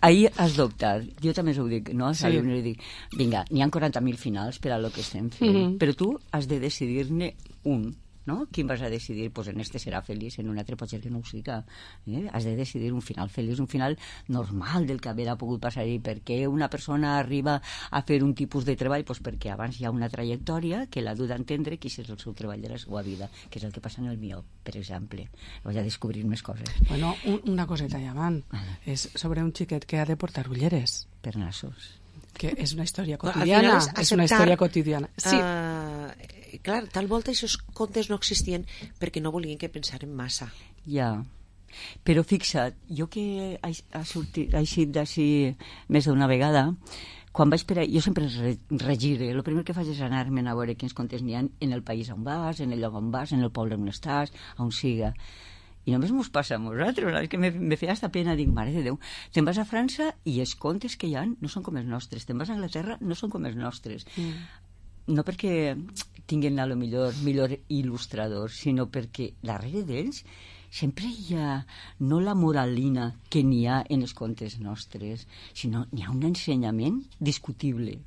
Ahir has dubtat. Jo també ho dic, no? Als Sí. alumnes dic, vinga, n'hi ha quaranta mil finals per a lo que estem fent, Mhm. però tu has de decidir-ne un, no? Quin vas a decidir? Pues en este serà feliç, en un altre pot ser que no ho siga. Eh? Has de decidir un final feliç, un final normal del que haver pogut passar. I per què una persona arriba a fer un tipus de treball? Pues perquè abans hi ha una trajectòria que l'ha dut a entendre que és el seu treball de la seva vida, que és el que passa en el miop, per exemple. Vaig a descobrir més coses. Bueno, un, una coseta allà avant. És sobre un xiquet que ha de portar ulleres. Per nassos. Que és una història No, al quotidiana. final És una història quotidiana. Sí. Uh, clar, tal volta aquests contes no existien perquè no volien que pensaren massa. Ja. Però fixa't, jo que he, he sortit, he eixit d'ací més d'una vegada, quan vaig per a... Jo sempre re, regire. El primer que faig és anar-me'n a veure quins contes n'hi ha en el país on vas, en el lloc on vas, en el poble on estàs, on siga. I només mos passa a nosaltres, és que me, me feia hasta pena, dic, mare de Déu, te'n vas a França i els contes que hi ha no són com els nostres, te'n vas a Anglaterra no són com els nostres. Mm. No perquè tinguin a lo millor millor il·lustradors, sinó perquè darrere d'ells sempre hi ha no la moralina que n'hi ha en els contes nostres, sinó n'hi ha un ensenyament discutible,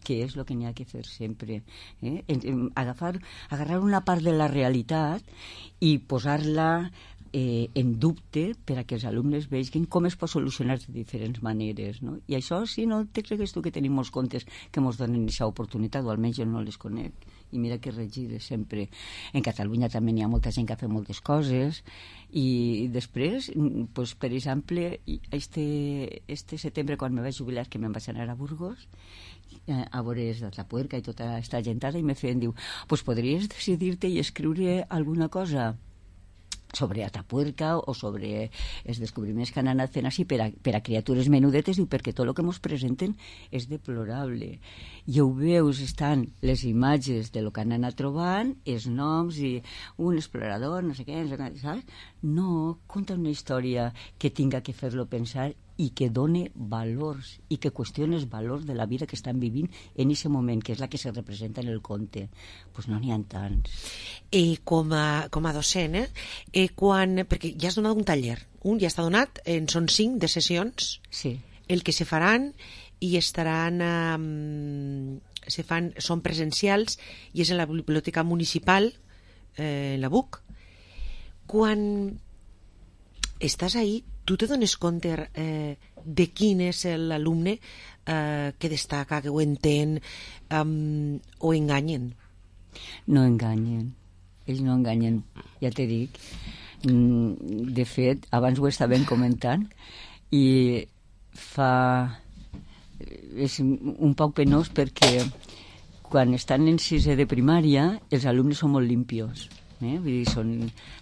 que és el que n'hi ha que fer sempre. Eh? En, en, agafar, agarrar una part de la realitat i posar-la eh, en dubte per a que els alumnes vegin com es pot solucionar de diferents maneres. No? I això, si no te cregues tu que tenim molts contes que ens donen aquesta oportunitat, o almenys jo no les conec. I mira que regire sempre. En Catalunya també n'hi ha molta gent que ha fet moltes coses i després, pues, per exemple, este, este setembre quan me vaig jubilar, que me'n vaig anar a Burgos, eh, a veure Atapuerca i tota aquesta gentada, i me feien, diu, pues podries decidir-te i escriure alguna cosa sobre Atapuerca o sobre els descobriments que han anat fent així per a, per a criatures menudetes, diu, perquè tot el que ens presenten és deplorable. I ho veus, estan les imatges de lo que han anat trobant, els noms i un explorador, no sé què, saps? No, conta una història que tinga que fer-lo pensar i que done valors i que qüestioni els valors de la vida que estan vivint en aquest moment, que és la que se representa en el conte. Doncs pues no n'hi ha tants. I com a, com a docent, eh? eh quan, perquè ja has donat un taller, un ja està donat, en són cinc de sessions, sí. el que se faran, i estaran eh, se fan, són presencials i és en la biblioteca municipal, eh, en la B U C. Quan estàs ahí, tu te dones compte eh, de quin és l'alumne eh, que destaca, que ho entén, um, o enganyen? No enganyen, ells no enganyen, ja t'he dit. De fet, abans ho estàvem comentant i fa... és un poc penós perquè quan estan en sisè de primària els alumnes són molt limpios. Eh? Vull dir, són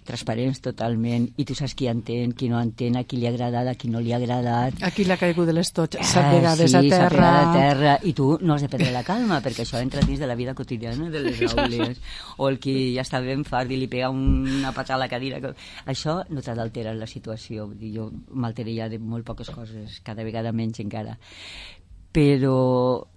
transparents totalment i tu saps qui entén, qui no entén, a qui li ha agradat, a qui no li ha agradat. A qui li ha caigut de les tots, s'ha eh, pegades sí, a terra. s'ha pegat a terra i tu no has de perdre la calma perquè això entra dins de la vida quotidiana de les aules. O el qui ja està ben fart i li pega una patada a la cadira. Això no t'ha d'alterar la situació. Vull dir, jo m'alteraria de molt poques coses, cada vegada menys encara. Però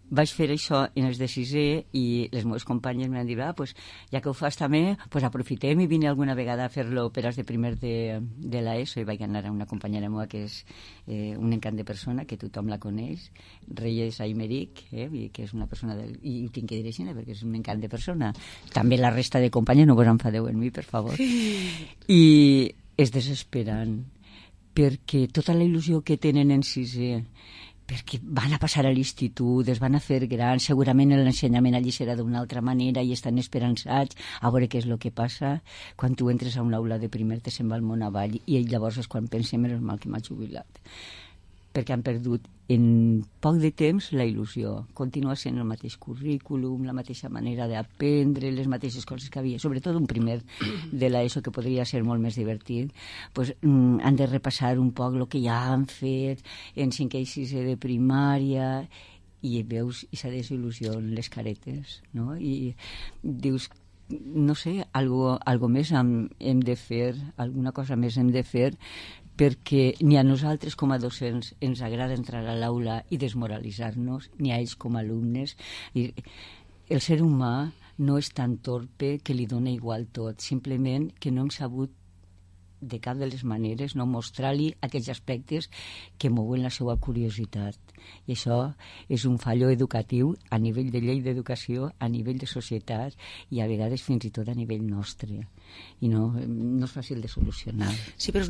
vaig fer això en els de sisè i les meves companyes m'han dit, ah, pues, ja que ho fas també, pues aprofitem i vine alguna vegada a fer-lo per als de primer de, de l'ESO i vaig anar a una companyera meva que és eh, un encant de persona, que tothom la coneix, Reyes Aymeric, eh, que és una persona del... i ho tinc que dir així, perquè és un encant de persona. També la resta de companyes, no vos enfadeu en mi, per favor. I és desesperant, perquè tota la il·lusió que tenen en sisè, perquè van a passar a l'institut, es van a fer grans, segurament l'ensenyament allí serà d'una altra manera i estan esperançats a veure què és el que passa. Quan tu entres a una aula de primer te se'n va el món avall i llavors és quan pensem menos mal que m'ha jubilat. Perquè han perdut en poc de temps la il·lusió. Continua sent el mateix currículum, la mateixa manera d'aprendre, les mateixes coses que havia, sobretot un primer de l'ESO que podria ser molt més divertit. Pues, mm, han de repassar un poc el que ja han fet en cinquè i sisè de primària i veus aquesta desil·lusió en les caretes, no? I dius, no sé, algo, algo més hem, hem de fer, alguna cosa més hem de fer, perquè ni a nosaltres com a docents ens agrada entrar a l'aula i desmoralitzar-nos, ni a ells com a alumnes. I el ser humà no és tan torpe que li dona igual tot, simplement que no hem sabut de cap de les maneres no mostrar-li aquells aspectes que mouen la seva curiositat. I això és un fallo educatiu a nivell de llei d'educació, a nivell de societat i a vegades fins i tot a nivell nostre. I no, no és fàcil de solucionar. Sí, però